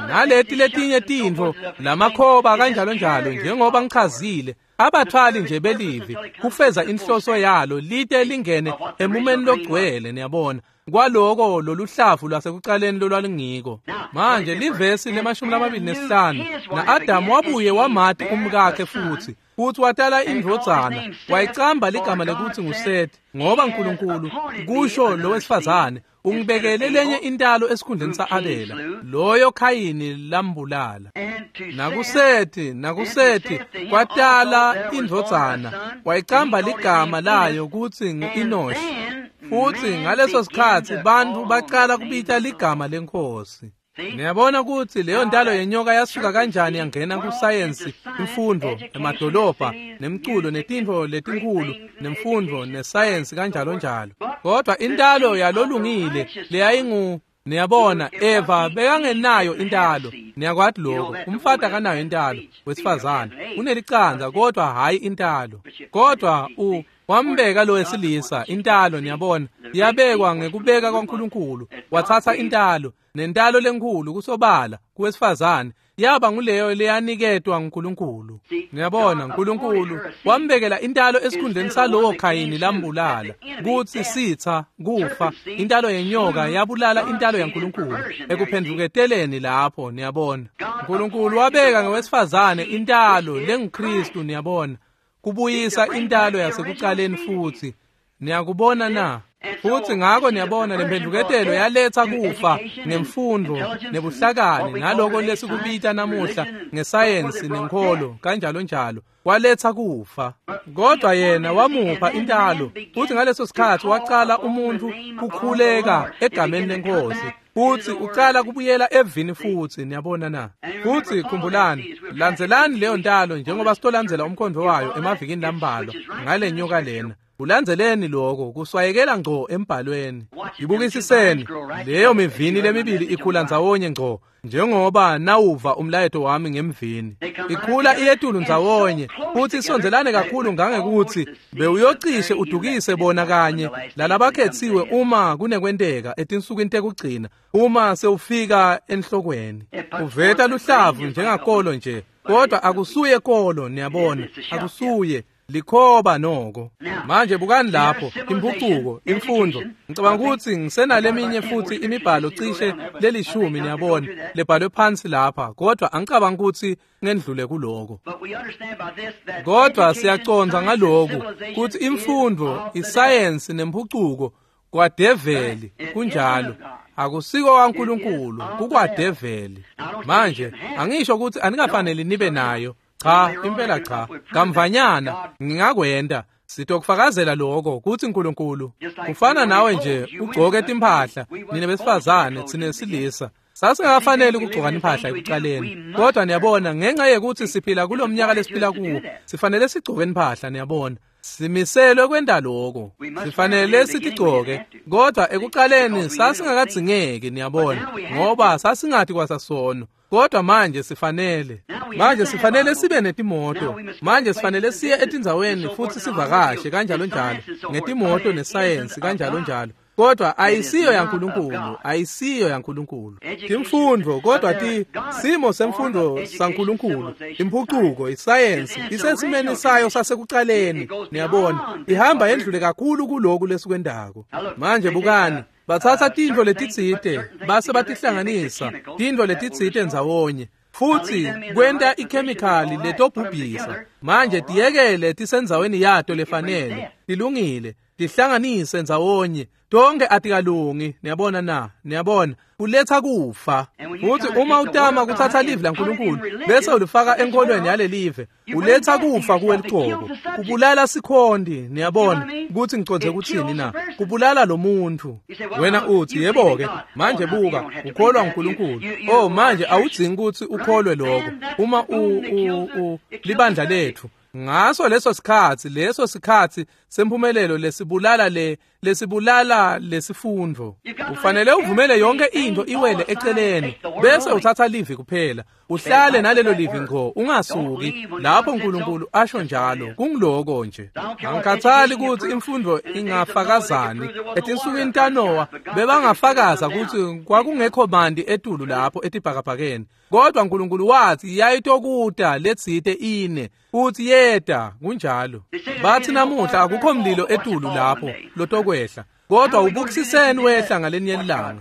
Naleti letinye tintfo lamakhoba kanjalo njalo, njengoba ngichazile, abathwali nje belivi kufeza inhloso yalo lite lingene emumeni logcwele, niyabona, kwaloko loluhlavu lwasekuqaleni lolwalungiko. Manje livesi le-25, na-Adamu wabuye wamati umkakhe futhi watala indvodzana, wayicamba ligama lekuthi nguSethi, ngoba uNkulunkulu kusho lo wesifazane ungibekele lenye intalo esikhundleni sa-Abela, loyo Khayini lambulala. Nakusethi kwatala indvodzana, wayicamba ligama layo kutsi ngu-Enoshi. Futhi ngaleso sikhatsi bantfu baqala kubita ligama lenkosi. Niyabona ukuthi leyo ntalo yenyoka yasuka kanjani yangena kusayensi, imfundo, emadolobha, nemculo, netintfo letinkhulu, nemfundo, nesayensi kanjalo njalo. Kodwa intalo yalolungile leyayingu, niyabona, Eva bekangenayo intalo. Niyakwati lokho, umfati akanayo intalo, wesifazane unelicandza kodwa hayi intalo. Kodwa wambeka lo wesilisa intalo, niyabona, yabekwa ngekubeka kwaNkulunkulu. Wathatha intalo, nentalo lenkhulu kusobala kuwesifazane yaba nguleyo leyaniketwa nguNkulunkulu. Niyabona, uNkulunkulu wambekela intalo esikhundleni salowo Khayini lambulala, kutsi sitha kufa. Intalo yenyoka yabulala intalo yaNkulunkulu ekuphendvuketeleni lapho, niyabona. uNkulunkulu wabeka ngewesifazane intalo lenguKristu, niyabona, kubuyisa intalo yasekuqaleni futhi. Niyakubona na? Futhi ngakho niyabona lemphendvuketelo yaletha kufa ngemfundo nebuhlakani naloko lesikubita namuhla ngesayensi nenkholo kanjalo njalo, waletha kufa. Kodwa yena wamupha intalo, futhi ngaleso sikhathi wacala umuntu kukhuleka egameni lenkosi, futhi ucala kubuyela evini futhi. Niyabona na? Futhi khumbulani, landzelani leyo ntalo njengoba sitolandzela umkhondo wayo emavikini lambalwa ngale nyoka lena. Ulandzeleni lokho kuswayekela ngco embhalweni. Ibukisiseni leyo mivini lemibili ikhula ndzawonye ngco, njengoba nawuva umlayeto wami ngemvini. Ikhula iyetulu ndzawonye futhi isondelane kakhulu ngangekuthi bewuyocishe udukise bona kanye lalabakhethiwe uma kunekwenteka etinsukwini tekugcina, uma sewufika enhlokweni. Uveta luhlavu njengakolo nje, kodwa akusuye kolo, niyabona, akusuye. Likhoba noko. Manje bukani lapho impucuko, imfundo. Ngicabanga ukuthi ngisenaleminye futhi imibhalo cishe lelishumi, niyabona, lebhalwe phansi lapha, kodwa angicabanga ukuthi ngendlule kuloko. Kodwa siyacondza ngaloku ukuthi imfundo, isayensi nempucuko kwadeveli, kunjalo. Akusiko kaNkulunkulu, kukwadeveli. Manje angisho ukuthi anikafanele nibe nayo. Cha, impela cha. Kamvanyana ngingakwenda. Sitokufakazela lokho ukuthi uNkulunkulu ufana nawe nje ugcoke timphahla, nina besifazane, thina silisa. Sasingafanele ukugcoka impahla ekuqaleni, kodwa niyabona ngenxa yekuthi siphila kulomnyaka lesiphila kuwo, sifanele sigcoke impahla, niyabona. Simiselwe kwenda lokho, sifanele sitigcoke, kodwa ekuqaleni sasingakadzingeki, niyabona, ngoba sasingathi kwasasono. Kodwa manje sifanele, manje sifanele sibe netimoto, manje sifanele siye etindzaweni futhi sivakashe kanjalo njalo ngetimoto nesayensi kanjalo njalo. Kodwa ayisiyo yaNkulunkulu, ayisiyo yaNkulunkulu. Imfundo kodwa ti simo semfundo saNkulunkulu, impucuko, isayensi isesimeni sayo sasekuqaleni, niyabona, ihamba yendlule kakhulu kuloku lesikwendako. Manje bukani, bathatha tintfo letitsite base batihlanganisa, tintfo letitsite ndzawonye, futhi kwenta ikhemikhali letobhubhisa. Manje tiyekele tisendzaweni yato lefanele, tilungile, tihlanganise ndzawonye, tonke atikalungi, niyabona na? Niyabona, kuletha kufa. Futhi uma utama kuthatha live laNkulunkulu bese ulifaka enkolweni yalelive, uletha kufa kuwe liqobo, kubulala sikhondi, niyabona ukuthi ngicondze kuthini na? Kubulala lo muntu. Wena uthi yebo ke, manje buka, ukholwa uNkulunkulu. Oh, manje awudzingi ukuthi ukholwe lokho. Uma u libandla lethu ngaso leso sikhathi, leso sikhathi sempumelelo lesibulala lesibulala lesifundo, ufanele uvumele yonke into iwele eceleni bese uthatha livi kuphela, uhlale nalelo livi ngqo, ungasuki lapho uNkulunkulu asho njalo. Kungiloko nje. Angikhathali ukuthi imfundo ingafakazani. Etinsukwini taNowa bebangafakaza ukuthi kwakungekho manti etulu lapho etibhakabhakeni, kodwa uNkulunkulu wathi yayitokuta letsite ine, futhi yeta. Kunjalo. Bathi namuhla akukho mlilo etulu lapho lotokwehla, kodwa ubukisiseni wehla ngalenye ilanga.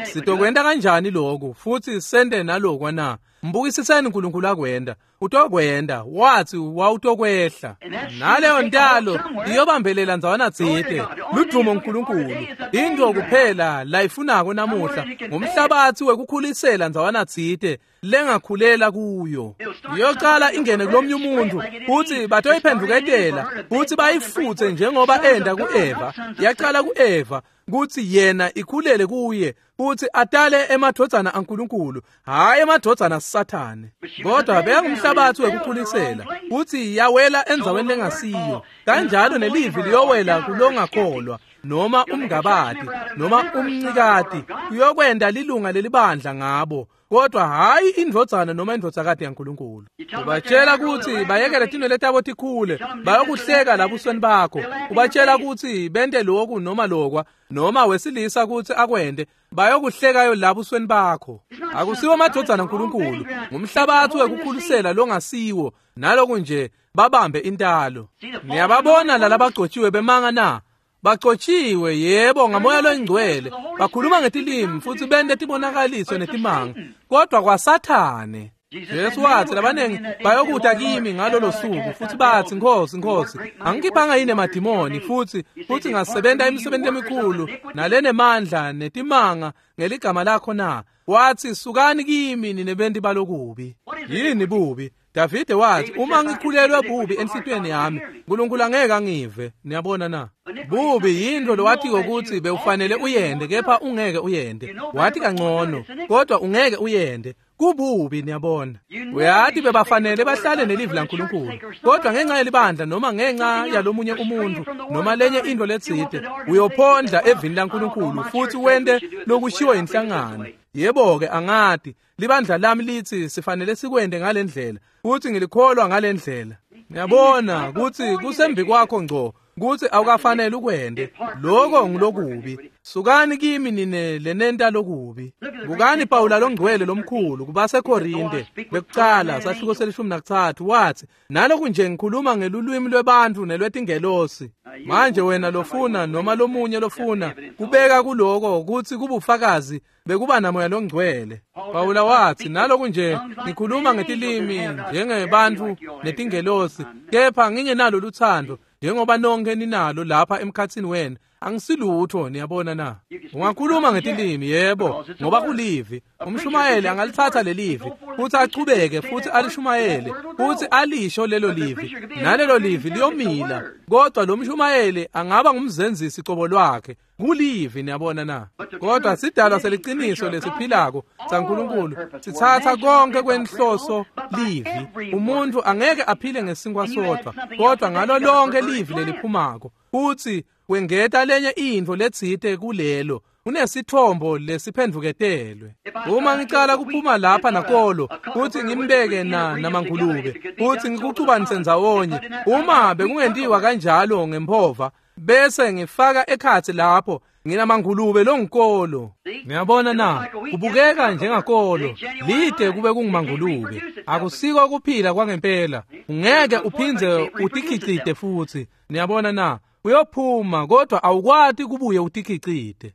Sitokwenta kanjani lokhu futhi sente nalokwa na? Mbukisiseni uNkulunkulu akwenda, utokwenda, wathi wawutokwehla. Naleyo ntalo iyobambelela ndzawana tsite. Ludumo uNkulunkulu. Into kuphela layifunako namuhla ngumhlabathi wekukhulisela ndzawana tsite lengakhulela kuyo. Iyocala ingene kulomnye umuntu futhi batoyiphenduketela futhi bayifuthe njengoba enda kuEva. Yaqala kuEva kuthi yena ikhulele kuye futhi atale emadvodzana aNkulunkulu, hayi emadvodzana Sathane. Kodwa beyangumhlabathi wekukhulisela futhi yawela endzaweni lengasiyo. Kanjalo nelivi liyowela kulongakholwa noma umngabati noma umncikati, uyokwenda lilunga lelibandla ngabo, kodwa hayi indvodzana noma indvodzakati yaNkulunkulu. Ubatshela ukuthi bayekele tinwele tabo tikhule, bayokuhleka labusweni bakho. Ubatshela ukuthi bente lokhu noma lokwa, noma wesilisa ukuthi akwente, bayokuhlekayo labusweni bakho. Akusiwo amadvodzana aNkulunkulu, ngumhlabathi wekukhulisela longasiwo. Naloku nje babambe intalo. Niyababona lalabagcotshiwe bemanga na? Bagcotshiwe, yebo, ngamoya loyingcwele, bakhuluma ngetilimi futhi bente tibonakaliso netimanga, kodwa kwaSathane. Jesu wathi labanengi bayokuta kimi ngalolo suku futhi bathi, Nkosi, Nkosi, angikhiphanga yini emadimoni futhi ngasebenta imisebenzi emikhulu nalenemandla netimanga ngeligama lakho na? Wathi, sukani kimi nine benti balokubi. Yini bubi? Davide wathi, uma ngikhulelwe bubi enhlitiyweni yami, uNkulunkulu angeke angive. Niyabona na? Bubi yinto lowatiko ukuthi bewufanele uyende kepha ungeke uyende. Wathi kangcono, kodwa ungeke uyende. Kububi, niyabona. Uyathi bebafanele bahlale nelivi laNkulunkulu, kodwa ngenxa yelibandla noma ngenxa yalomunye umuntu noma lenye into letsite, uyophondla evini laNkulunkulu futhi wente lokushiwo inhlangano. Yebo-ke, angati libandla lami lithi sifanele sikwende ngalendlela futhi ngilikholwa ngalendlela. Niyabona ukuthi kusembi kwakho ngco ukuthi awukafanele ukwende. Lokho ngilokubi. Sukani kimi nine lenenta lokubi. Bukani Pawula longcwele lomkhulu kubaseKorinte bekucala sahluko se-13 wathi, naloku nje ngikhuluma ngelulwimi lwebantu nelwetingelosi. Manje wena lofuna noma lomunye lofuna kubeka kuloko ukuthi kubufakazi bekuba namoya longcwele. Pawula wathi, naloku nje ngikhuluma ngetilimi njengebantu netingelosi, kepha ngingenalo luthando njengoba nonke ninalo lapha emkhathini wena, angisilutho. Niyabona na? Ungakhuluma ngetilimi, yebo, ngoba kulivi. Umshumayeli angalithatha lelivi futhi achubeke futhi alishumayele futhi alisho lelo livi, nalelo livi liyomila, kodwa lo mshumayeli angaba ngumzenzisi cobo lwakhe. Kulivi, niyabona na? Kodwa sidalwa seliqiniso lesiphilako saNkulunkulu sithatha konke kwenhloso livi. Umuntu angeke aphile ngesinkwa sodwa, kodwa ngalo lonke livi leliphumako. Futhi wengeta lenye intfo letsite kulelo, unesithombo lesiphendvuketelwe. Uma ngicala kuphuma lapha nakolo futhi ngimbeke namangulube futhi ngikucubanise ndzawonye, uma bekungentiwa kanjalo ngempova bese ngifaka ekhatsi lapho nginamangulube longikolo. Niyabona na? Kubukeka njengakolo lide kube kungumangulube. Akusiko kuphila kwangempela. Ungeke uphindze utikhicite futhi. Niyabona na? Uyophuma kodwa awukwati kubuye utikhicite.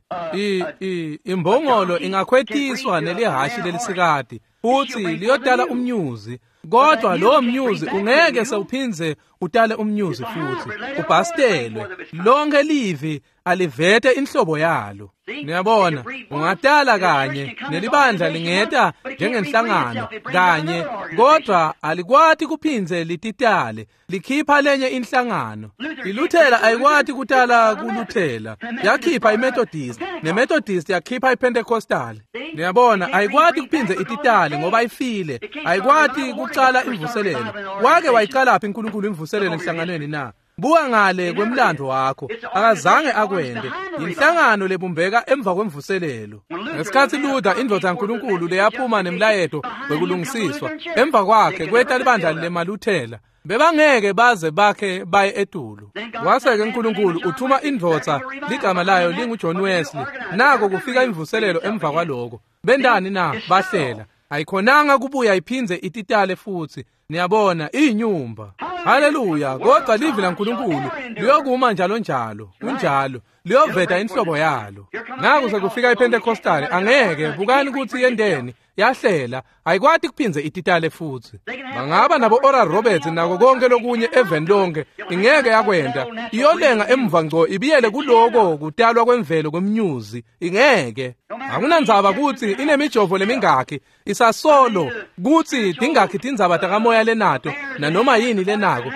Imbongolo ingakhwetiswa nelihashi lelisikati futhi liyotala umnyuzi, kodwa lowo mnyuzi ungeke sewuphindze utale umnyuzi futhi. Ubhastelwe. Lonke livi alivete inhlobo yalo. Niyabona, ungatala kanye nelibandla lingeta njengenhlangano kanye, kodwa alikwati kuphindze lititale, likhipha lenye inhlangano. Iluthela ayikwati kutala kuluthela, yakhipha iMethodist, neMethodist yakhipha iPentecostal. Niyabona, ayikwati kuphindze ititale ngoba ifile. Ayikwati kucala imvuselelo. Wake wayicalaphi uNkulunkulu imvuselelo enhlanganweni na? Buka ngale kwemlando wakho, akazange akwende. Inhlangano lebumbeka emva kwemvuselelo. Ngesikhathi Luther indvodza yaNkulunkulu leyaphuma nemlayeto wekulungisiswa, emva kwakhe kweta libandla lemaluthela. Bebangeke baze bakhe baye etulu. Wase-ke uNkulunkulu uthuma indvodza ligama layo linguJohn Wesley. Nako kufika imvuselelo emva kwaloko. Bendani na? Bahlela. Ayikhonanga kubuya iphindze ititale futhi. Niyabona, iyinyumba. Haleluya! Kodwa livi laNkulunkulu liyokuma njalo njalo. Kunjalo, liyoveta inhlobo yalo. Naku sekufika iPentecostal, angeke bukani ukuthi yendeni yahlela, ayikwati kuphindze ititale futhi. Bangaba nabo Oral Roberts nako konke lokunye eveni lonke, ingeke yakwenda. Iyolenga emva ngco ibiyele kuloko kutalwa kwemvelo kwemnyuzi. Ingeke. Akunandzaba ukuthi inemijovo lemingakhi, isasolo kuthi tingakhi tindzaba takamoya lenato nanoma yini lenako.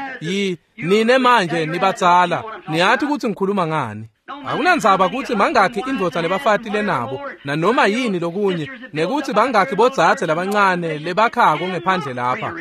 Nine manje nibatsala, niyathi ukuthi ngikhuluma ngani. Akunandzaba ukuthi mangakhi indvodza nebafati lenabo nanoma yini lokunye, nekuthi bangakhi bodzadze labancane lebakhako ngephandle lapha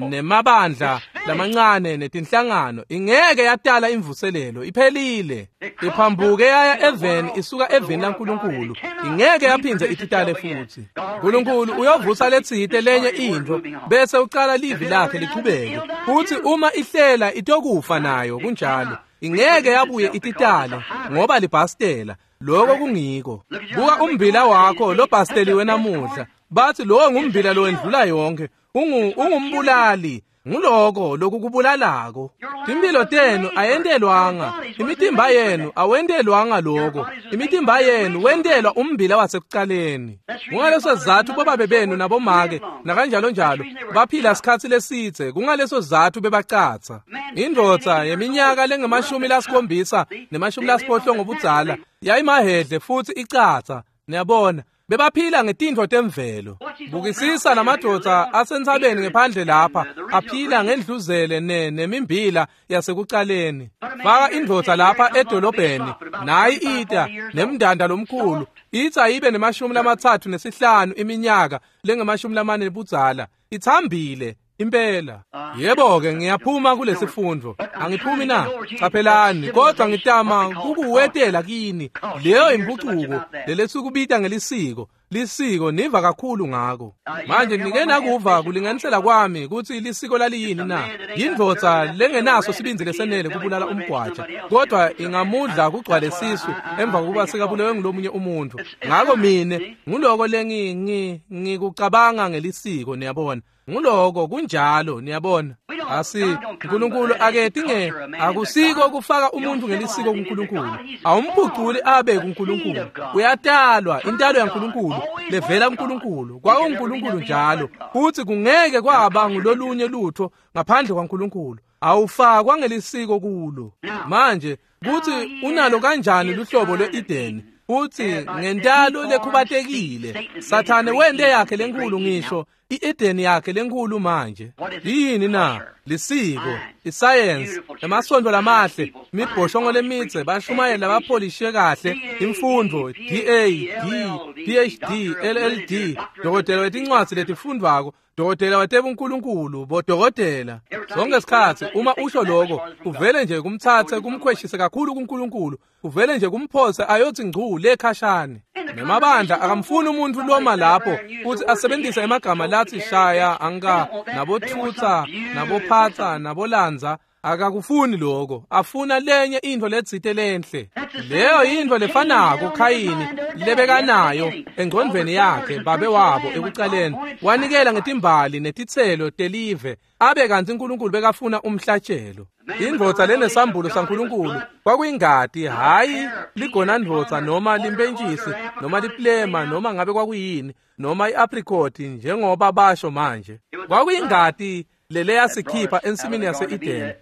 nemabandla lamancane netinhlangano, ingeke yatala imvuselelo. Iphelile. Iphambuke yaya eveni, isuka eveni laNkulunkulu. Ingeke yaphindze ititale futhi. uNkulunkulu uyovusa letsite lenye intfo bese ucala livi lakhe lichubeke, futhi uma ihlela itokufa nayo. Kunjalo. Ingeke yabuye ititale ngoba libhastela. Lokho kungiko. Buka umbila wakho lobhasteliwe namuhla. Bathi lowo ngumbila lowendlula yonke. Ungumbulali. Nguloko lokukubulalako. Timphilo tenu ayentelwanga, imitimba yenu awentelwanga loko. Imitimba yenu wentelwa umbila wasekucaleni. Kungaleso sizatfu bobabe benu nabomake nakanjalo njalo baphila sikhatsi lesidze. Kungaleso sizatfu bebacatsa. Indvodza yeminyaka lengama-70 nema-80 ngobudzala yayimahedle futsi icatsa. Niyabona, bebaphila ngetintfo temvelo. Bukisisa lamadvodza asentsabeni ngephandle lapha aphila ngendluzele nemimbila yasekucaleni. Faka indvodza lapha edolobheni, nayi ita nemndanda lomkhulu, itsa ibe nema-35 iminyaka lengama-40 budzala, itsambile impela. Yebo-ke, ngiyaphuma kulesifundvo. Angiphumi na? Caphelani, kodwa ngitama kukuwetela kini leyo impucuko lelesukubita ngelisiko. Lisiko niva kakhulu ngako. Manje nike nakuva kulinganisela kwami kutsi lisiko laliyini na? Yindvodza lengenaso sibindzi lesenele kubulala umgwaja, kodwa ingamudla kugcwale sisu emva kokuba sekabulewe ngulomunye umuntu. Ngako mine nguloko lengikucabanga ngelisiko, niyabona. Nguloko kunjalo, niyabona. Asi uNkulunkulu aketinge akusiko kufaka umuntu ngelisiko kuNkulunkulu. Awumphuculi abe kuNkulunkulu. Uyatalwa intalo yaNkulunkulu levela kuNkulunkulu. KwakuNkulunkulu njalo. Futhi kungeke kwaba ngulolunye lutho ngaphandle kwaNkulunkulu. Awufakwa ngelisiko kulo. Manje kuthi unalo kanjani luhlobo lwe-Edeni? Futhi ngentalo lekhubatekile Sathane wente yakhe lenkulu, ngisho i-Edeni yakhe lenkulu manje. Yini na? Lisiko, isayensi, emasontfo lamahle, imibhoshongo lemitse, bashumayela bapholishe kahle, imfundvo, DA, D, PhD, LLD, dokotela wetincwadzi letifundvwako, dokotela watebunkulunkulu, bodokotela. Sonke isikhatsi uma usho lokho, uvele nje kumtsatse kumkhweshise kakhulu kuNkulunkulu, uvele nje kumphose ayotsi ngcu lekhashane. Nemabandla akamfuni umuntu loma lapho futhi asebenzise emagama lathi shaya, anka, nabothutsa, nabophatsa, nabolandza. Akakufuni lokho, afuna lenye intfo letsite lenhle. Leyo yintfo lefanako Khayini lebekanayo engcondvweni yakhe babe wabo ekucaleni. Wanikela ngetimbali netitselo telive, abe kantsi uNkulunkulu bekafuna umhlatshelo. Indvodza lenesambulo saNkulunkulu kwakuyingati, hhayi ligonandvodza noma limpentshisi noma liplema noma ngabe kwakuyini noma i-apricot njengoba basho manje. Kwakuyingati leleyasikhipha ensimini yase-Edeni,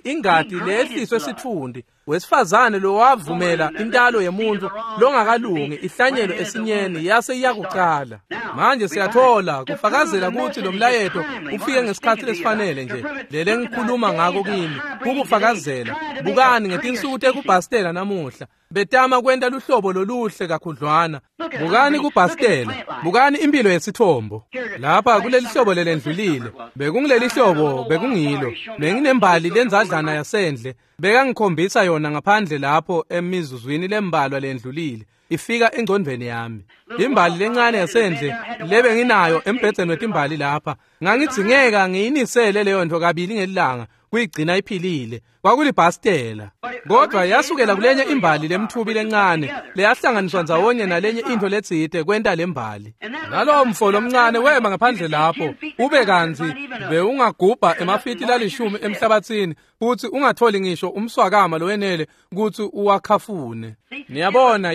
ingati leyehliswe sitfundi, wesifazane lowavumela intalo yemuntu longakalungi ihlanyelo esinyeni yase iyakucala. Manje siyathola kufakazela kutsi lo mlayeto ufike ngesikhatsi lesifanele nje lele ngikhuluma ngako kini, kukufakazela. Bukani ngetinsuku tekubhastela namuhla, betama kwenta luhlobo loluhle kakhudlwana. Bukani kubhastela, bukani impilo yesithombo. Lapha kuleli hlobo lelendlulile, bekungileli hlobo bekungilo. Benginembali lenzadlana yasendle, bekangikhombisa yona ngaphandle lapho emizuzwini lembalwa lendlulile, ifika engcondvweni yami. Imbali lencane yasendle lebenginayo embhedzeni wetimbali lapha, ngangidzingeka ngiyinisele leyo nto kabili ngelilanga kuyigcina iphilile. Kwakulibhastela, kodwa yasukela kulenye imbali lemthubi lencane leyahlanganiswa ndzawonye nalenye intfo letsite kwenta lembali. Nalowo mfo lomncane wema ngaphandle lapho, ube kantsi bewungagubha emafiti lalishumi emhlabatsini futsi ungatholi ngisho umswakama lowenele kutsi uwakhafune. Niyabona,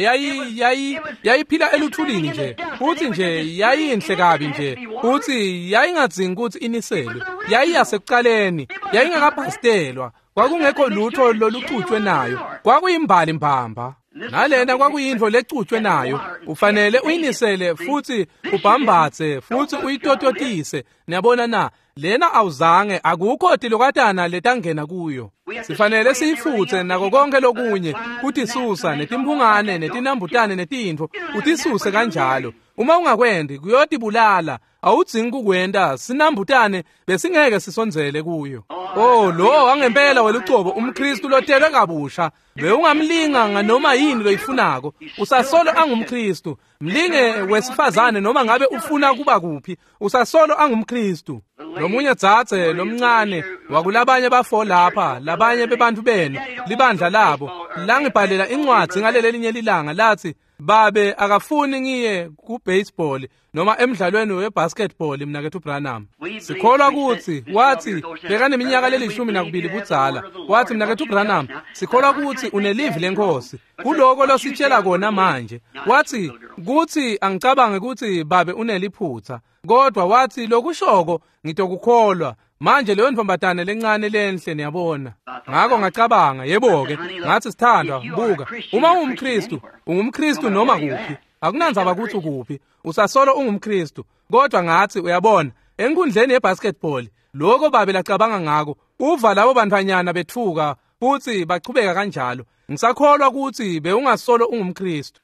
yayiphila eluthulini nje, futsi nje yayinhle kabi nje, futsi yayingadzingi kutsi iniselwe. Yayiyasekucaleni, yayingakabhastelwa, kwakungekho lutho lolucutshwe nayo, kwakuyimbali mbamba. Nalena kwakuyintfo lecutshwe nayo, ufanele uyinisele futsi ubhambatse futsi uyitototise. Niyabona na? Lena awuzange, akukho tilokatana letangena kuyo. Sifanele siyifutse nako konke lokunye, kutisusa netimphungane netinambutane netintfo, utisuse kanjalo. Uma ungakwendi kuyotibulala. Awudzingi kukwenta, sinambutane besingeke sisondzele kuyo. Oh, lo wangempela welucobo umKristu lotelwe kabusha, bewungamlinga nganoma yini loyifunako, usasolo angumKristu. Mlinge wesifazane noma ngabe ufuna kuba kuphi, usasolo angumKristu. Lomunye dzadze lomncane wakulabanye bafo lapha, labanye bebantfu benu, libandla labo, langibhalela incwadzi ngalelelinye lilanga lathi, babe akafuni ngiye ku-baseball noma emdlalweni we-basketball mnaketfu Branham. Sikholwa kutsi wathi bekaneminyaka le-12 budzala. Wathi mnaketfu Branham, sikholwa kutsi unelivi lenkosi kuloko lositshela kona manje. Wathi kutsi angicabange kutsi babe uneliphutha, kodwa wathi lokushoko ngitokukholwa. Manje leyo ntombazane lencane lenhle niyabona. Ngakho ngacabanga, yebo-ke, ngathi sithandwa, buka, uma ungumKristu, ungumKristu noma kuphi, akunandzaba kutsi ukuphi, usasolo ungumKristu. Kodwa ngathi uyabona, enkundleni yebasketball, lokho babe lacabanga ngako, uva labo bantfwanyana bethuka futhi bachubeka kanjalo. Ngisakholwa ukuthi bewungasolo ungumKristu.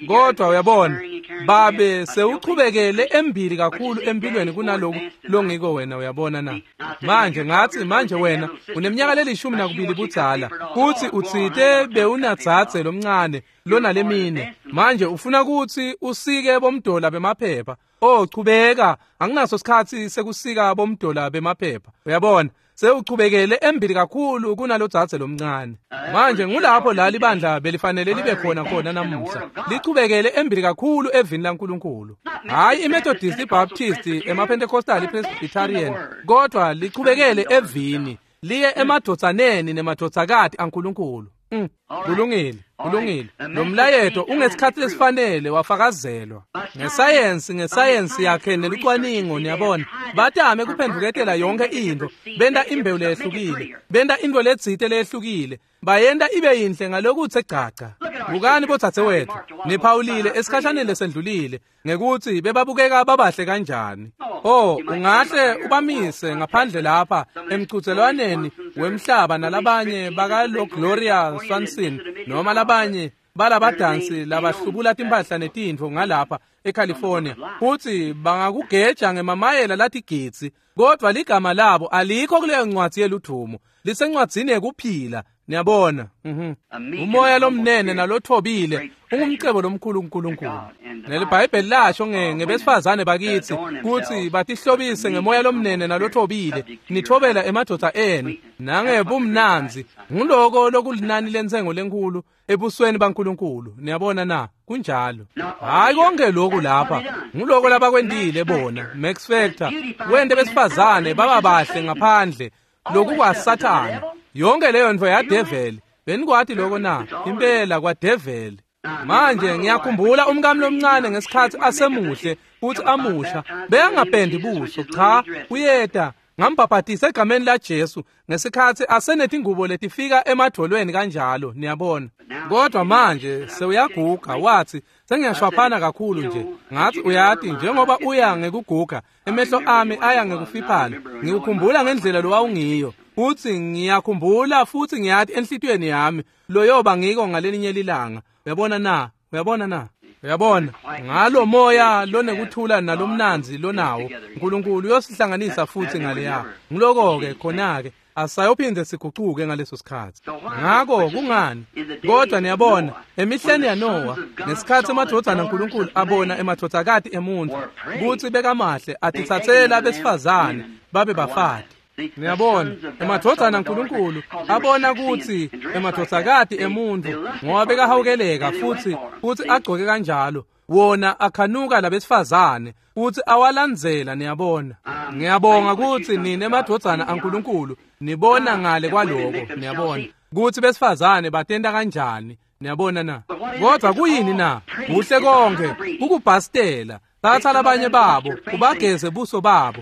Kodwa uyabona, babe sewuchubekele embili kakhulu empilweni kunaloku longiko wena, uyabona na. Manje ngathi, manje wena uneminyaka le-12 budzala, futhi utsite bewunadzadze lomncane lona lemine. Manje ufuna ukuthi usike bomdola bemaphepha. Oh, chubeka, anginaso sikhatsi sekusika bomdola bemaphepha. Uyabona, sewuchubekele embili kakhulu kunalodzadze lomncane. Manje ngulapho la libandla belifanele libe khona khona namuhla, lichubekele embili kakhulu evini laNkulunkulu. Hayi iMethodist, iBaptist, emaPentecostal, iPresbyterian, kodwa lichubekele evini, liye emadvodzaneni nemadvodzakati aNkulunkulu. Kulungile, kulungile. Lo mlayeto ungesikhathi lesifanele wafakazelwa ngesayensi, ngesayensi yakhe nelucwaningo, niyabona. Batame kuphendvuketela yonke into, benta imbewu leyehlukile, benta into letsite leyehlukile, bayenta ibe yinhle ngalokuthe gcagca. Bukani bodzadzewethu, niphawulile esikhashaneni lesendlulile ngekuthi bebabukeka babahle kanjani. Oh, ungahle ubamise ngaphandle lapha emchudzelwaneni wemhlaba nalabanye bakalo Gloria Swanson noma labanye balabadansi labahlubula timphahla netintfo ngalapha eCalifornia, futhi bangakugeja ngemamayela latigidzi, kodwa ligama labo alikho kuleyo ncwadzi yeludvumo, lisencwadzini yekuphila. Niyabona. Umoya lomnene nalothobile ungumcebo lomkhulu kuNkulunkulu. NeliBhayibheli lasho ngebesifazane bakithi kutsi batihlobise ngemoya lomnene nalothobile, nithobela emadvodza enu nangebumnandzi. Nguloko lokulinani lentsengo lenkhulu ebusweni baNkulunkulu. Niyabona na? Kunjalo. Hayi konke lokhu lapha, nguloko labakwentile bona. Max Factor wente besifazane baba bahle ngaphandle, lokhu kwaSathane. Yonke leyo ntfo yadeveli. Benikwati lokho na? Impela kwadeveli. Manje ngiyakhumbula umkami lomncane ngesikhathi asemuhle futhi amusha, beyangapendi buso, cha, uyeta. Ngambhabhatisa egameni laJesu ngesikhathi asenetingubo letifika emadvolweni kanjalo, niyabona. Kodwa manje sewuyaguga, wathi sengiyashwaphana kakhulu nje. Ngathi uyati, njengoba uya ngekuguga, emehlo ami aya ngekufiphala. Ngikukhumbula ngendlela lowawungiyo, futhi ngiyakhumbula futhi ngiyati enhlitiyweni yami loyoba ngiko ngalelinye lilanga. Uyabona na? Uyabona na? Uyabona, ngalo moya lonekuthula nalomnandzi lonawo, uNkulunkulu uyosihlanganisa futhi ngaleya. Ngiloko-ke khona-ke asayophinde sigucuke ngaleso sikhathi. Ngakho kungani? Kodwa niyabona, emihleni yaNowa, ngesikhathi emadvodzana aNkulunkulu abona emadvodzakati emuntfu kutsi bekamahle, atitsatsela besifazane babe bafati. Niyabona, emadvodzana aNkulunkulu abona kutsi emadvodzakati emuntfu ngoba bekahawukeleka futhi agcoke kanjalo, wona akhanuka labesifazane futhi awalandzela. Niyabona, ngiyabonga kutsi nine emadvodzana aNkulunkulu nibona ngale kwaloko. Niyabona kutsi besifazane batenta kanjani. Niyabona na? Kodwa kuyini na? Kuhle konke kukubhastela. Thatha labanye babo ubageze buso babo,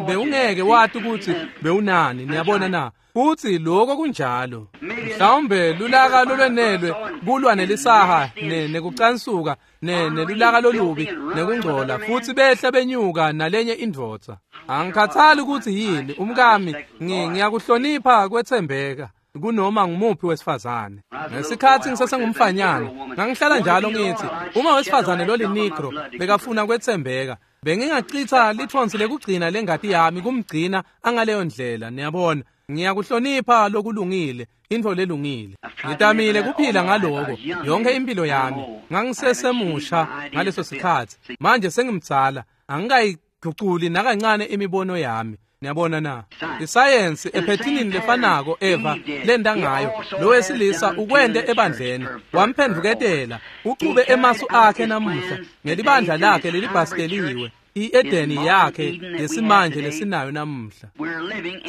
bewungeke wati ukuthi bewunani. Niyabona na? Futhi lokho kunjalo. Mhlawumbe lulaka lolwenelwe kulwa nelisaha nekucansuka nelulaka lolubi nekungcola, futhi behla benyuka nalenye indvodza. Angikhathali ukuthi yini umkami, ngiyakuhlonipha kwethembeka kunoma ngumuphi wesifazane. Ngesikhathi ngisesengumfanyana, ngangihlala njalo ngithi uma wesifazane lolinigro bekafuna kwethembeka, bengingachitha lithonsi lekugcina lengati yami kumgcina angaleyo ndlela. Niyabona, ngiyakuhlonipha lokulungile, intfo lelungile. Ngitamile kuphila ngaloko yonke impilo yami. Ngangisesemusha ngaleso sikhathi, manje sengimdzala. Angikayiguculi nakancane imibono yami. Niyabona na? Isayensi ephethinini lefanako Eva lenda ngayo, lo wesilisa ukwende ebandleni, wamphendvuketela, ucube emasu akhe namuhla ngelibandla lakhe lelibhasteliwe, i-Edeni yakhe yesimanje lesinayo namuhla.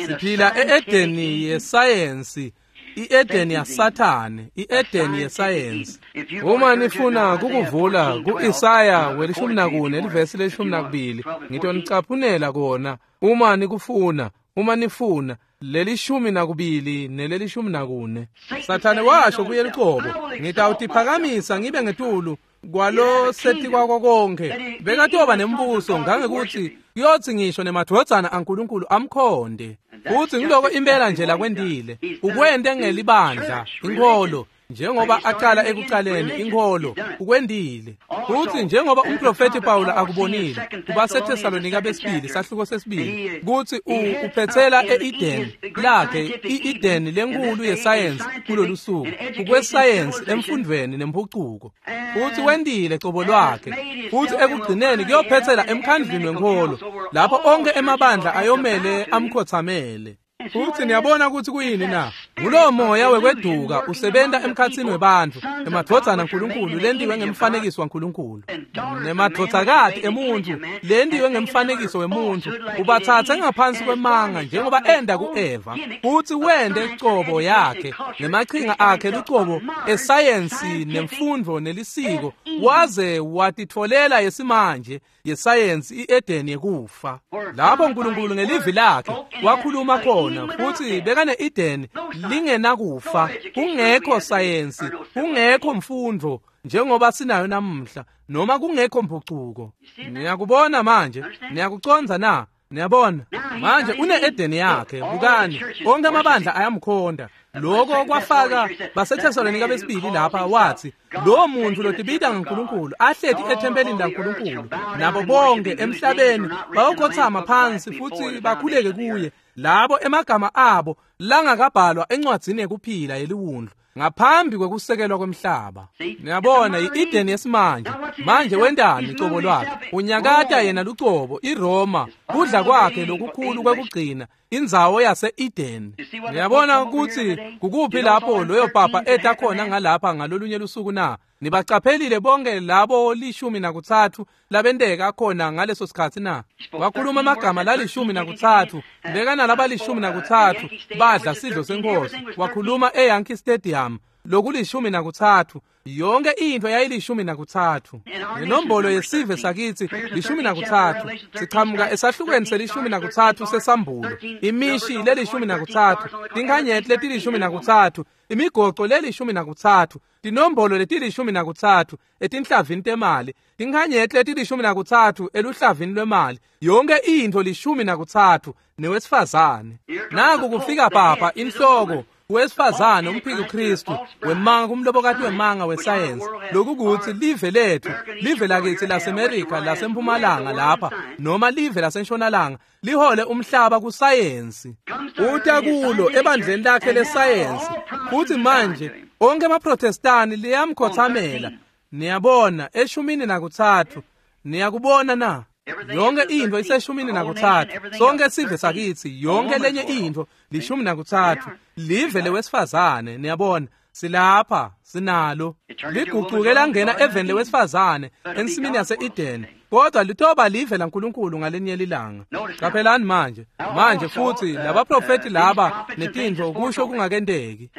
Siphila e-Edeni yesayensi, i-Edeni yaSathane, i-Edeni yesayensi. Uma nifuna kukuvula ku-Isaya 14 livesi le-12, ngitonicaphunela kona uma nikufuna, uma nifuna leli-12 neleli-14. Sathane washo kuye lucobo, ngitawutiphakamisa ngibe ngetulu kwalo setikwako konke. Bekatoba nembuso ngangekuthi kuyothi ngisho nemadvodzana aNkulunkulu amkhonde. Futhi ngiloko impela nje lakwendile, ukwente ngelibandla, inkholo, njengoba aqala ekuqaleni inkholo, ukwendile. Futhi njengoba umprofeti Pawula akubonile kubaseThesalonika besibili sahluko sesibili, kuthi uphethela e-Eden lakhe, i-Eden lenkulu yesayensi kulolu suku, ukwesayensi emfundweni nempucuko. Futhi wendile cobo lwakhe, futhi ekugcineni kuyophethela emkhandlwini wenkholo, lapho onke emabandla ayomele amkhothamele. Futhi niyabona ukuthi kuyini na? Ngulowo moya wekweduka usebenta emkhatsini webantfu, emadvodzana aNkulunkulu lentiwe ngemfanekiso waNkulunkulu, nemadvodzakati emuntfu lentiwe ngemfanekiso wemuntfu, ubatsatse ngaphansi kwemanga njengoba enda ku-Eva. Futhi wende cobo yakhe nemachinga akhe lucobo esayensi nemfundvo nelisiko, waze watitfolela yesimanje yesayensi i-Edeni yekufa, lapho uNkulunkulu ngelivi lakhe wakhuluma khona. Futhi bekane-Eden lingenakufa, kungekho sayensi, kungekho mfundvo njengoba sinayo namuhla, noma kungekho mpucuko. Niyakubona manje? Niyakucondza na? Niyabona manje une-Edeni yakhe. Bukani, onke amabandla ayamkhonda. Lokho kwafaka baseThesalonika besibili lapha, wathi lo muntu lotibita ngaNkulunkulu ahleti ethempelini laNkulunkulu, nabo bonke emhlabeni bayokhothama phansi futhi bakhuleke kuye, labo emagama abo langakabhalwa encwadzini yekuphila yeliwundlu ngaphambi kwekusekelwa kwemhlaba. Niyabona, i-Eden yesimanje. Manje wendani cobo lwakhe? Unyakata yena lucobo, iRoma, kudla kwakhe lokukhulu kwekugcina, indzawo yase-Eden. Niyabona ukuthi kukuphi lapho loyo papa eta khona ngalapha ngalolunye lusuku na? Nibacaphelile bonke labo 13 labenteka khona ngaleso sikhatsi na? Wakhuluma amagama la-13, bekana laba 13 badla sidlo senkosi. Wakhuluma eYankee Stadium lokuli-13, yonke into yayili-13. Nenombolo yesive sakithi 13, siqhamuka esahlukweni seli-13 sesambulo, imishi leli-13, tinkhanyeti leti-13, imigoco leli-13, tinombolo leti-13 etinhlavini temali, tinkhanyeti leti-13 eluhlavini lwemali, yonke into 13 newesifazane. Naku kufika papa inhloko wesifazane umphiki Kristu wemanga, kumlobokati wemanga wesayensi, lokukuthi live lethu, live lakithi laseMerika lasempumalanga lapha, noma live lasentshonalanga, lihole umhlaba kusayensi. Uta kulo ebandleni lakhe lesayensi. Futhi manje onke amaProtestani liyamkhothamela. Niyabona, 13, niyakubona na? Yonke into ise-13, sonke sive sakithi, yonke lenye into 13, live lewesifazane. Niyabona, silapha, sinalo. Ligucuke langena eveni lewesifazane ensimini yase-Eden, kodwa litoba live laNkulunkulu ngalenye lilanga. Qaphelani manje, manje futhi labaprofeti laba netintfo kusho kungakenteki.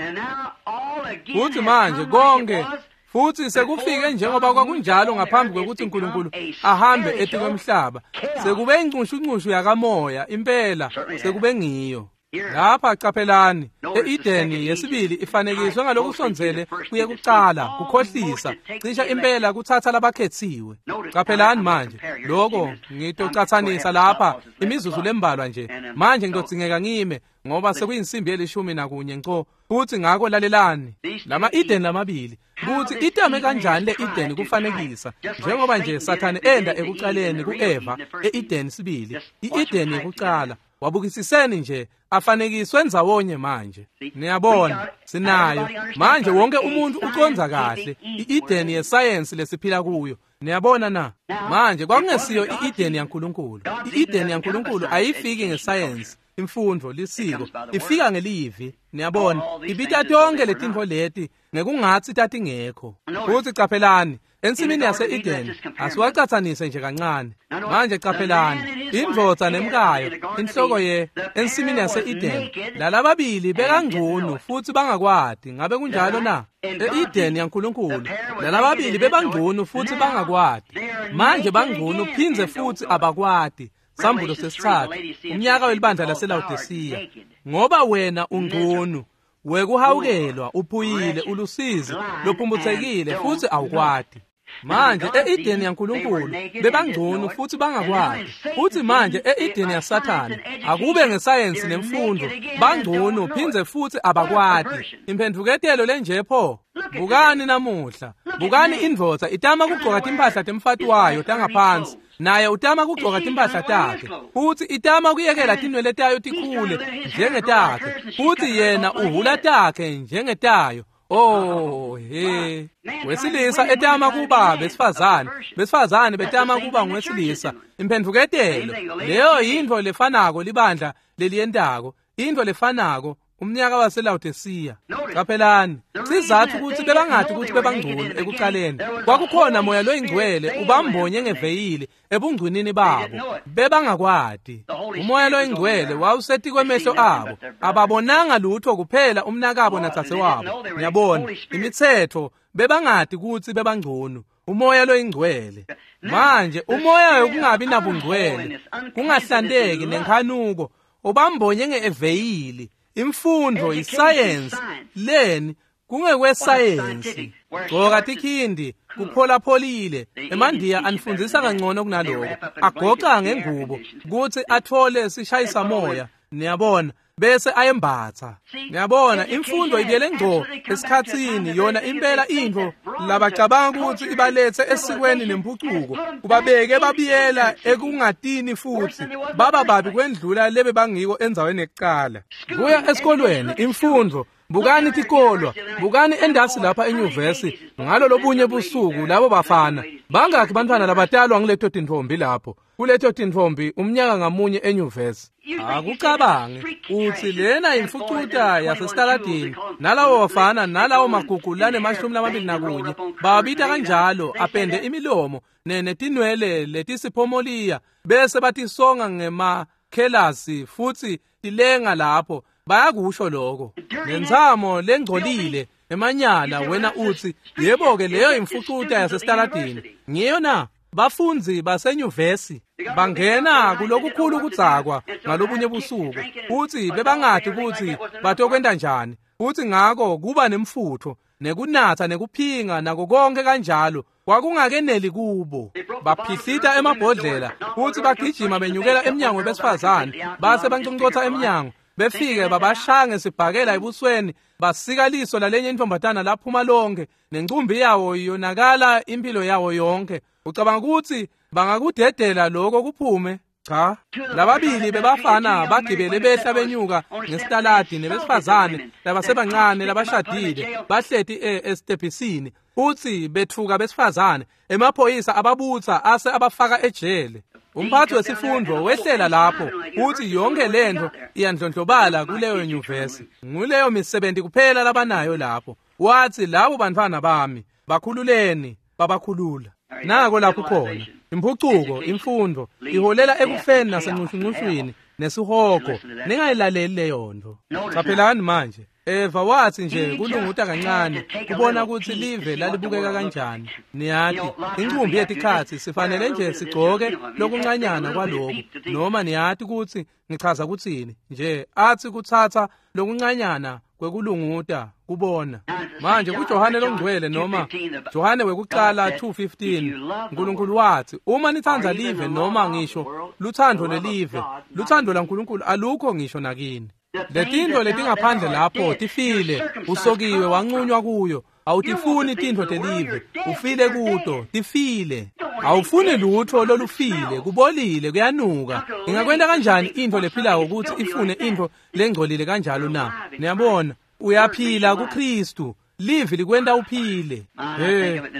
Futhi manje konke futhi sekufike njengoba kwakunjalo ngaphambi kwekuthi uNkulunkulu ahambe etikwemhlaba, sekube incushuncushu yakamoya impela, sekube ngiyo. Lapha qaphelani, e-Edeni yesibili ifanekiswe ngalokusondzele kuye kucala, kukhohlisa, cisha impela kuthatha labakhethiwe. Qaphelani manje, lokho ngitocathanisa lapha imizuzu lembalwa nje. Manje ngitodzingeka ngime ngoba sekuyinsimbi ye-11 nco. Futhi ngakho lalelani, lama Eden lamabili, kuthi itame kanjani le Eden kufanekisa, njengoba nje Sathane enda ekucaleni kuEva e-Eden sibili, i-Eden yekucala. Wabukisiseni nje afanekiswe ndzawonye manje. Niyabona, sinayo manje. Wonke umuntu uconza kahle i-Eden yesayensi lesiphila kuyo. Niyabona na? Manje kwakungesiyo i-Eden yaNkulunkulu. I-Eden yaNkulunkulu ayifiki ngesayensi, imfundo, lisiko, ifika ngelivi. Niyabona, ibita tonke letintfo leti ngekungatsi tatingekho. Futsi caphelani, ensimini yase-Eden asiwacatsanise nje kancane. Manje caphelani, indvodza nemkayo, inhloko ye ensimini yase-Eden, lalababili bekangcunu futsi bangakwati. Ngabe kunjalo na? E-Eden yaNkulunkulu lalababili bebangcunu futsi bangakwati. Manje bangcunu phindze futsi abakwati. Sambulo sesithathu, umnyaka welibandla laseLawodisiya. Ngoba wena ungcunu, wekuhawukelwa, uphuyile, ulusizi, lophumbuthekile futsi awukwati. Manje e-Eden yaNkulunkulu bebangcunu futhi bangakwati. Futhi manje e-Eden yaSathane akube ngesayensi nemfundo bangcunu phindze futhi abakwati. Imphendvuketelo lenje pho. Bukani namuhla, bukani indvodza itama kugcoka timphahla temfati wayo tangaphansi, naye utama kugcoka timphahla takhe, futhi itama kuyekela tinwele tayo tikhule njengetakhe, futhi yena uhula takhe njengetayo. Oh he, wesilisa etama kuba besifazane, besifazane betama kuba ngwesilisa. Imphendvuketelo leyo yintfo lefanako libandla leliyentako, intfo lefanako umnyaka waseLawodisiya. Caphelani, sizathu ukuthi bebangati ukuthi bebangcunu ekuqaleni. Kwakukhona moya loyingcwele ubambonye ngeveyili ebungcwinini babo, bebangakwati. Umoya loyingcwele wawusetikwemehlo abo, ababonanga lutho kuphela umnakabo nadzadzewabo. Niyabona, imitsetfo bebangati ukuthi bebangcunu. Umoya loyingcwele. Manje umoya wokungabi nabungcwele, kungahlanteki nenkhanuko ubambonye ngeeveyili. Imfundo, isayensi, leni kungekwesayensi. Gcoka tikhindi, kupholapholile. Emandiya anifundisa kangcono kunaloko. Agoca ngengubo kutsi atfole sishayisa moya. Niyabona, bese ayembatsa. Niyabona, imfundo ibiyele ngco esikhatsini yona impela intfo labacabanga kutsi ibaletse esikweni nemphucuko, kubabeke babiyela ekungatini futsi baba babi kwendlula lebe bangiko endzaweni yekucala. Kuya esikolweni, imfundo, bukani tikolwa, bukani endasi lapha enyuvesi ngalo lobunye busuku labo bafana. Bangakhi bantfwana labatalwa nguleto tintfombi lapho? Kuleto tintfombi umnyaka ngamunye enyuvesi. Akucabange utsi lena imfucuta yasesitaladini, nalawo bafana nalawo magugu lanemashumi lamabili nakunye babita kanjalo, apende imilomo netinwele letisiphomoliya bese batisonga ngemakhelasi futsi tilenga lapho. Bayakusho lokho ngentsamo lengcolile emanyala. Wena utsi yebo-ke leyo imfucuta yasesitaladini. Ngiyo na? Bafundzi basenyuvesi bangena kulokukhulu kudzakwa ngalobunye busuku, futsi bebangati kutsi batokwenta njani, futsi ngako kuba nemfutfo nekunatsa nekuphinga nako konke kanjalo kwakungakeneli kubo. Baphihlita emabhodlela futsi bagijima benyukela emnyango webesifazane, base banconcotsa emnyango, befike babashaya ngesibhakela ebusweni, basika liso lalenye intombatana laphuma lonke, nencumbi yawo yonakala impilo yawo yonke. Ucabanga ukuthi bangakudedela lokho kuphume? Cha. Lababili bebafana bagibele behla benyuka ngesitaladi nebesifazane labasebancane labashadile bahleti esitebhisini, futsi betfuka besifazane. Emaphoyisa ababutsa ase abafaka ejele. Umphathi wesifundvo wehlela lapho futsi yonke lento iyandlondlobala kuleyo nyuvesi. Nguleyo misebenti kuphela labanayo lapho. Wathi labo bantfwana bami bakhululeni, babakhulula. Nako lapho khona imphucuko, imfundo iholela ekufeni nasencushuncushwini nesihogo. Ningayilaleli leyo nto. Caphelani manje, Eva wathi nje kulunguta kancane kubona ukuthi live lalibukeka kanjani. Niyati, incumbi yetikhatsi sifanele nje sigcoke lokuncanyana kwaloku, noma niyati kutsi ngichaza kutsini nje, athi kutsatsa lokuncanyana kwekulunguta kubona. Manje kuJohane longcwele noma Johane wekuqala 2:15, uNkulunkulu wathi uma nitsandza live noma ngisho lutsandvo lelive, lutsandvo laNkulunkulu alukho ngisho nakini. Letintfo letingaphandle lapho tifile, usokiwe wanqunywa kuyo. Awutifuni tintfo telive, ufile kuto, tifile. Awufuni lutho lolufile, kubolile, kuyanuka. Ingakwenta kanjani intfo lephilako kutsi ifune intfo lengcolile kanjalo na? Niyabona, uyaphila kuKristu. Livi likwenta uphile.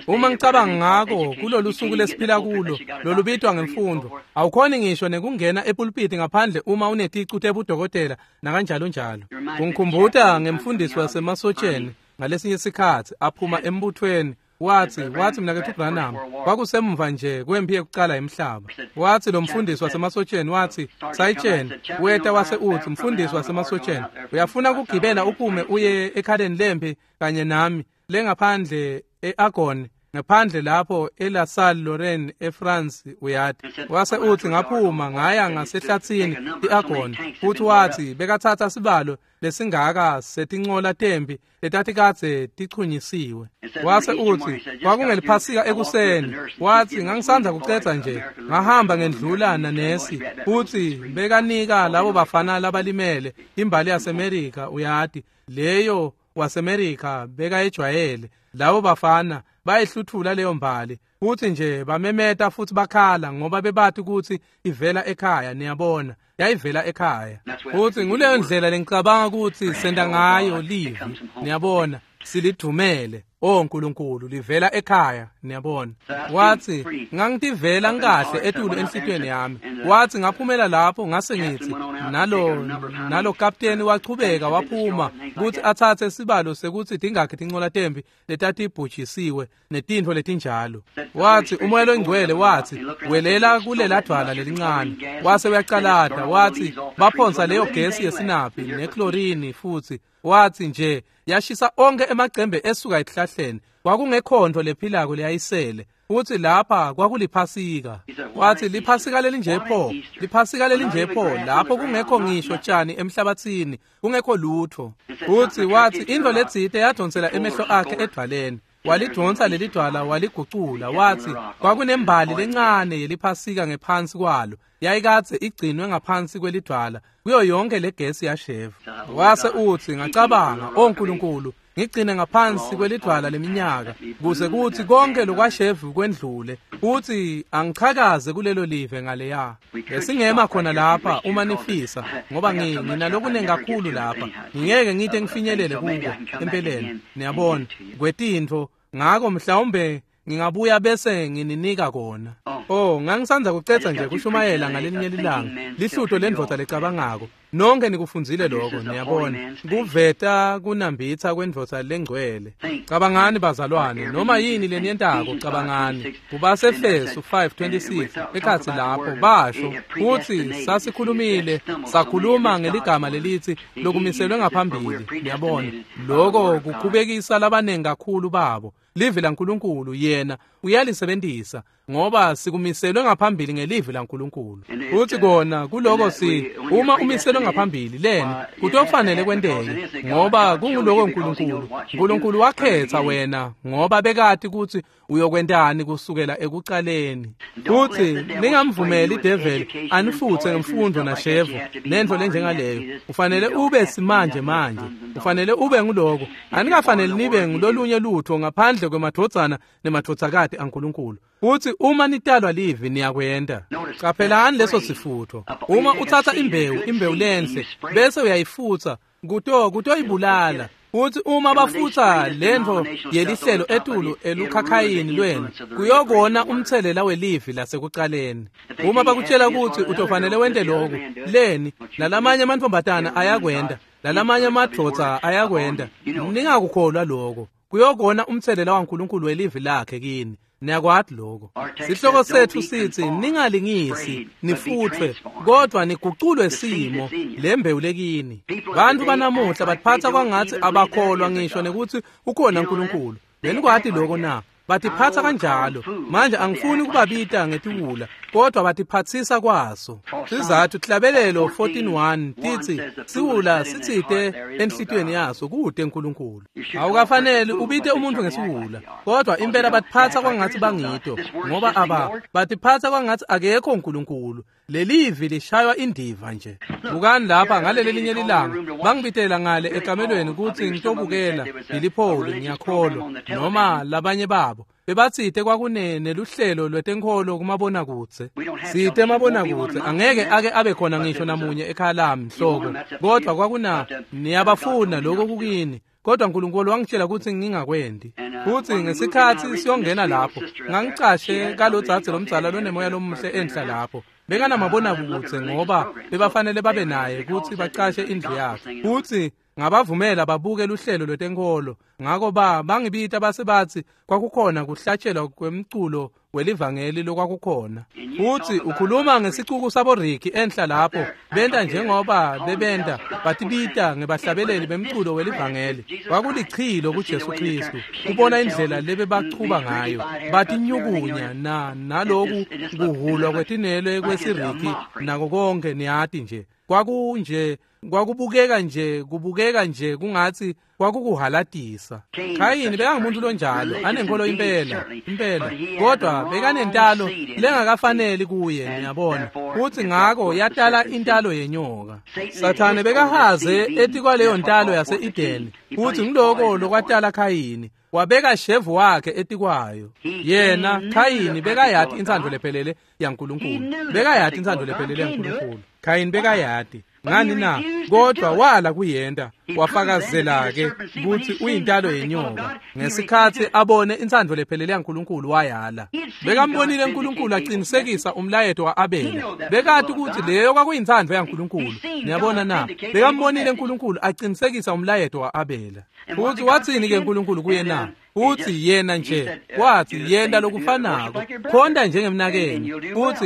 Uma ngicabanga ngako kulolu suku lesiphila kulo lolubitwa ngemfundo, awukhoni ngisho nekungena epulpiti ngaphandle uma uneticu tebudokotela nakanjalo njalo. Kungikhumbuta ngemfundisi wasemasotsheni ngalesinye sikhatsi aphuma embuthweni. Wathi mnaketfu Branham, kwakusemva nje kwempi yekucala emhlaba. Wathi lo mfundisi wasemasotsheni, wathi sayitsheni weta wase uthi mfundisi wasemasotsheni, uyafuna kugibela uphume uye ekhaleni lempi kanye nami lengaphandle eArgonne, ngaphandle lapho eLa Salle Lorraine eFrance, uyati. Wase uthi ngaphuma ngaya ngasehlathini iArgonne, futhi wathi bekathatha sibalo lesingaka setincola tempi letatikadze tichunyisiwe. Wase uthi kwakungeliphasika ekuseni, wathi ngangisandza kucedza nje ngahamba ngendlula nanesi, futhi bekanika labo bafana labalimele imbali yaseMerika, uyati, leyo waseMerika bekayejwayele. Labo bafana bayihluthula leyo mbali, futhi nje bamemeta futhi bakhala ngoba bebati ukuthi ivela ekhaya. Niyabona, yayivela ekhaya. Futhi nguleyo ndlela lengicabanga ukuthi senta ngayo livi. Niyabona, silidumele. Oh nkulunkulu, livela ekhaya. Niyabona. Wathi ngangitivela ngikahle etulu enhlitiyweni yami. Wathi ngaphumela lapho ngase ngithi nalo kapteni wachubeka waphuma ukuthi athathe sibalo sekuthi tingakhi tincola tempi letatibhujisiwe netintfo letinjalo. Wathi umoya longcwele wathi welela kulela dvwala lelincane. Wase uyacalata, wathi baphonsa leyo gesi yesinaphi neklorini, futhi wathi nje yashisa onke emacembe esuka esihlahleni. Kwakungekhonto lephilako leyayisele. Futhi lapha kwakuliphasika. Wathi liphasika lelinje pho, liphasika lelinje pho, lapho kungekho ngisho tshani emhlabathini, kungekho lutho. Futhi wathi into letsite yadonsela emehlo akhe edvwaleni. Walidonsa lelidwala waligucula. Wathi kwakunembali lencane yeliphasika ngephansi kwalo, yayikadze igcinwe ngaphansi kwelidwala kuyo yonke legesi yashevu. Wase uthi ngacabanga, oh nkulunkulu, ngigcine ngaphansi kwelidwala leminyaka kuze kuthi konke lokwashevu kwendlule, uthi angichakaze kulelo live ngaleya. Besingema khona lapha uma nifisa, ngoba nginalokuningi kakhulu lapha, ngingeke ngite ngifinyelele kuko empeleni. Niyabona, kwetintfo, ngako mhlawumbe ngingabuya bese ngininika kona. Oh, ngangisandza kucetha nje kushumayela ngalelinye lilanga lihlutho lendvodza lecabangako. Nonke nikufundzile lokho, niyabona, kuveta kunambitha kwendvodza lengcwele. Cabangani bazalwane, noma yini leniyentako cabangani. KubaseEfesu 5:26 ekhatsi lapho basho kuthi sasikhulumile, sakhuluma ngeligama lelithi lokumiselwe ngaphambili. Niyabona, lokho kukhubekisa labanengi kakhulu babo. Livi laNkulunkulu yena uyalisebenzisa ngoba sikumiselwe ngaphambili ngelivi laNkulunkulu. Uthi kona kuloko si uma umiselwe ngaphambili leni kutofanele kwenteke ngoba kunguloko uNkulunkulu. uNkulunkulu wakhetha wena ngoba bekati ukuthi uyokwentani kusukela ekucaleni. Uthi ningamvumeli ideveli anifuthe ngemfundo nashevu nento lenjengaleyo. Ufanele ube simanje manje, ufanele ube nguloko. Anikafanele nibe ngulolunye lutho ngaphandle kwemadvodzana nemadvodzakati aNkulunkulu. Uthi uma nitalwa livi niyakwenda. Qaphelani leso sifutho. Uma uthatha imbewu lenhle bese uyayifutha kutoyibulala. Uthi uma bafutha lento yelihlelo etulu elukhakhayini lwenu kuyokona umthelela welivi lasekucaleni. Uma bakutshela ukuthi utofanele wente lokhu, leni nalamanye amantombazana ayakwenda, nalamanye amadvodza ayakwenda, ningakukholwa lokho. Kuyokona umthelela waNkulunkulu welivi lakhe kini. Niyakwati lokho. Sihloko sethu sithi ningalingisi nifuthwe kodwa niguculwe simo lembewu lekini. Bantu banamuhla batiphatha kwangathi abakholwa ngisho nekuthi ukhona uNkulunkulu. Benikwati lokho na? Batiphatha kanjalo. Manje angifuni ukubabita ngetiwula kodwa batiphathisa kwaso. Sizathu Hlabelelo 14:1 tithi siwula sitsite enhlitiyweni yaso kude uNkulunkulu. Awukafanele ubite umuntu ngesiwula kodwa impela batiphatha kwangathi bangito ngoba batiphatha kwangathi akekho uNkulunkulu. Lelivi lishaywa indiva nje. Bukani lapha ngaleli linye lilanga bangibitela ngale ekamelweni ukuthi ngitobukela Billy Paul, ngiyakholwa noma labanye babo. Bebatsite kwakunene luhlelo lwetenkholo kumabonakudze. Site mabonakudze angeke ake abe khona ngisho namunye ekhaya lami mhloko. Kodwa kwakuna niyabafuna lokho kukini. Kodwa uNkulunkulu wangitshela ukuthi ngingakwendi. Futhi ngesikhathi siyongena lapho, ngangicashe kalodzadze lomdzala lonemoya lomuhle enhla lapho. Bekanamabonakudze ngoba bebafanele babe naye ukuthi bacashe indlu yakhe. Futhi ngabavumela babuke luhlelo lwetenkholo. Ngako bangibita base bathi kwakukhona kuhlatshelwa kwemculo welivangeli lokwakukhona. Futhi ukhuluma ngesicuku saboriki enhla lapho benta njengoba bebenta batibita ngebahlabeleli bemculo welivangeli. Kwakulichilo kuJesu Kristu kubona indlela lebebachuba ngayo, batinyukunya naloku kuhulwa kwetinwele kwesiriki nako konke, niyati nje. Kwakunje kwakubukeka nje kubukeka nje kungathi kwakukuhalatisa. Khayini bekangumuntu lonjalo, anenkolo impela impela, kodwa bekanentalo lengakafaneli kuye, niyabona. Futhi ngako yatala intalo yenyoka. Sathane bekahaze etikwaleyo ntalo yase-Edeni, futhi ngiloko lokwatala Khayini. Wabeka shevu wakhe etikwayo. Yena Khayini bekayati intsandvo lephelele yaNkulunkulu. Bekayati intsandvo lephelele yaNkulunkulu. Khayini bekayati. Ngani na? Kodwa wala kuyenta. Wafakazela ke ukuthi uyintalo yenyoka. Ngesikhathi abone intsandvo lephelele yaNkulunkulu wayala. Bekambonile uNkulunkulu aqinisekisa umlayeto wa-Abela. Bekati ukuthi leyo kwakuyintsandvo yaNkulunkulu. Niyabona na? Bekambonile uNkulunkulu aqinisekisa umlayeto wa-Abela. Futhi wathini ke uNkulunkulu kuye na? Uthi yena nje wathi yenta lokufanako, khonta njengemnakeni,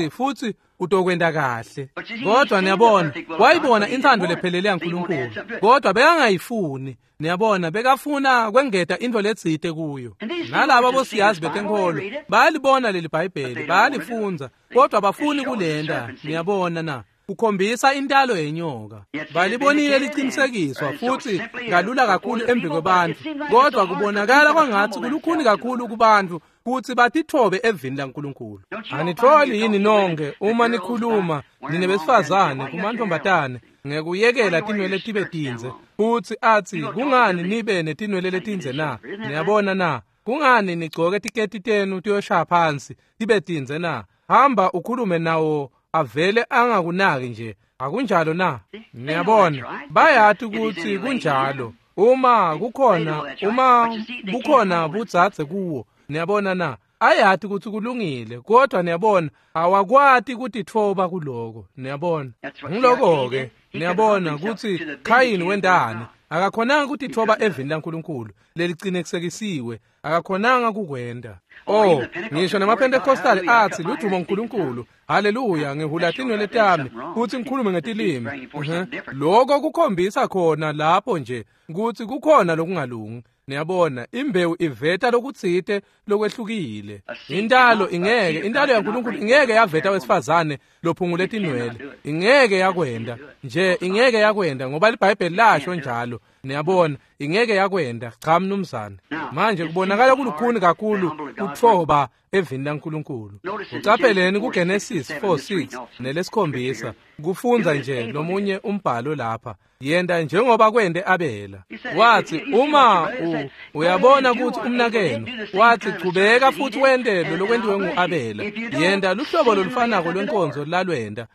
futhi utokwenta kahle. Kodwa niyabona, wayibona intsandvo lephelele yaNkulunkulu, kodwa bekangayifuni. Niyabona, bekafuna kwengeta intfo letsite kuyo. Nalaba bosiyazi betenkholo bayalibona leli Bhayibheli, bayalifundza, kodwa bafuni kulenta. Niyabona na? Kukhombisa intalo yenyoka. Balibonile liqinisekiswa futhi kalula kakhulu embi kwebantfu, kodwa kubonakala kwangathi kulukhuni kakhulu kubantfu kutsi batitfobe evini laNkulunkulu. Anitfoli yini nonke uma nikhuluma nine besifazane kumantfombatane ngekuyekela tinwele tibe tindze, futsi atsi kungani nibe netinwele letindze na? Niyabona na? Kungani nigcoke tiketi tenu tiyoshaya phansi tibe tindze na? Hamba ukhulume nawo avele angakunaki nje. Akunjalo na? Niyabona, bayati ukuthi kunjalo. Uma kukhona budzadze kuwo, niyabona na? Ayati ukuthi kulungile, kodwa niyabona awakwati kutitfoba kuloko. Niyabona, ngiloko-ke. Niyabona ukuthi Khayini wentani. Akakhonanga kutitfoba evini laNkulunkulu lelicinisekisiwe, akakhonanga kukwenta. Oh, ngisho nemaPentecostal athi ludumo uNkulunkulu, haleluya, ngihula tinwele tami futhi ngikhulume ngetilimi. Lokho kukhombisa khona lapho nje ukuthi kukhona lokungalungi. Niyabona, imbewu iveta lokutsite lokwehlukile. Intalo ingeke, intalo yaNkulunkulu ingeke yaveta wesifazane lophungule tinwele. Ingeke yakwenda nje, ingeke yakwenda ngoba iBhayibheli lasho njalo. Niyabona, ingeke yakwenda. Cha mnumzane. Manje kubonakala kulukhuni kakhulu kutfoba evini laNkulunkulu. Ucapheleni kuGenesis 4:6 nelesikhombisa. Kufundza nje lomunye umbhalo lapha. Yenta njengoba kwente Abela. Wathi uma uyabona ukuthi umnakenu, wathi chubeka futhi wente lokwentiwe nguAbela. Yenta luhlobo lolufanako lwenkonzo lalwenda.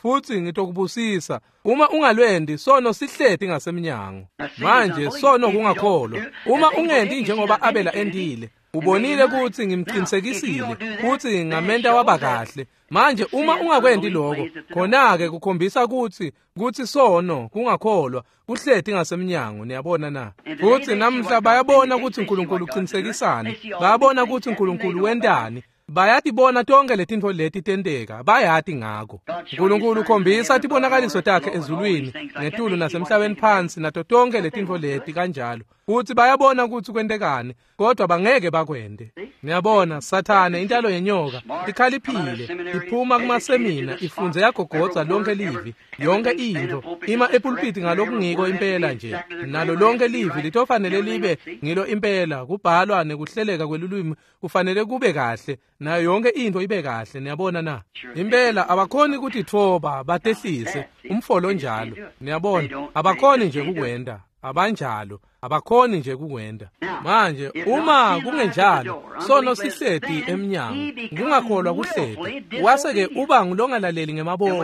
Futhi ngitokubusisa. Uma ungalwendi, sono sihleti ngasemnyango. Manje sono kungakholwa. Uma ungendi njengoba Abela endile, ubonile ukuthi ngimqinisekisile futhi ngamenta waba kahle. Manje uma ungakwendi lokho, khona-ke kukhombisa ukuthi sono kungakholwa kuhleti ngasemnyango. Niyabona na? Futhi namhla bayabona ukuthi uNkulunkulu uqinisekisani, bayabona ukuthi uNkulunkulu wentani, bayatibona tonke letintfo leti tenteka, bayati ngako. uNkulunkulu ukhombisa tibonakaliso takhe ezulwini ngetulu nasemhlabeni phansi nato tonke letintfo leti kanjalo. Futhi bayabona ukuthi kwentekani, kodwa bangeke bakwente. Niyabona, Sathane intalo yenyoka ikhaliphile, iphuma kumasemina, ifunze yagogodza lonke livi, yonke intfo, ima epulpiti ngalokungiko impela nje. Nalo lonke livi litofanele libe ngilo impela, kubhalwa nekuhleleka kwelulwimi kufanele kube kahle, nayo yonke intfo ibe kahle. Niyabona na? Impela abakhoni kutitfoba batehlise umfolo njalo. Niyabona, abakhoni nje kukwenta, abanjalo. Abakhoni nje kukwenta. Manje uma kungenjalo, sono sihleti emnyango, kungakholwa kuhleti. Wase-ke uba ngulongalaleli ngemabomu.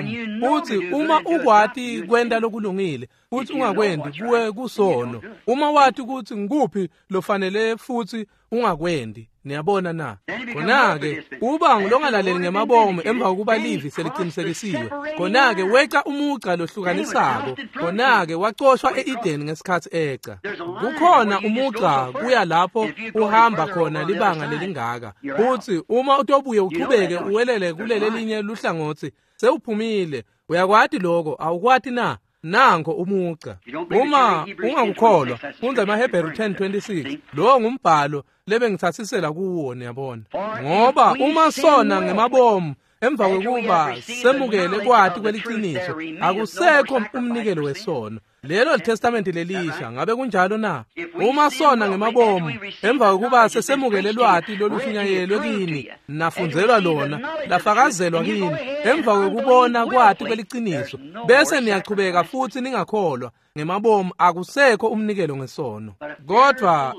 Uthi uma ukwati kwenta lokulungile, futhi ungakwendi, kuwe kusono. Uma wati ukuthi ngikuphi lofanele futhi ungakwendi. Niyabona na? Khona-ke uba ngulongalaleli ngemabomu emva kokuba livi seliqinisekisiwe. Khona-ke weca umugca lohlukanisako. Khona-ke wacoshwa e-Edeni ngesikhathi eca. Kukhona umugca kuya lapho uhamba khona libanga lelingaka. Futhi uma utobuye uchubeke uwelele kuleli linye luhlangothi, sewuphumile. Uyakwati lokho, awukwati na? Nango umugca. Uma ungakukholwa, fundza emaHebheru 10:26. Lowo ngumbhalo lebengithatsisela kuwo, niyabona. Ngoba uma sona ngemabomu emva kokuba semukele kwati kweliciniso, akusekho umnikelo wesono. Lelo liTestamente lelisha, ngabe kunjalo na? Uma sona ngemabomu emva kokuba sesemukele lwati lolufinyayelwe kini, nafundzelwa lona, lafakazelwa kini, emva kokubona kwati kweliciniso, bese niyachubeka futhi ningakholwa ngemabomu, akusekho umnikelo ngesono. Kodwa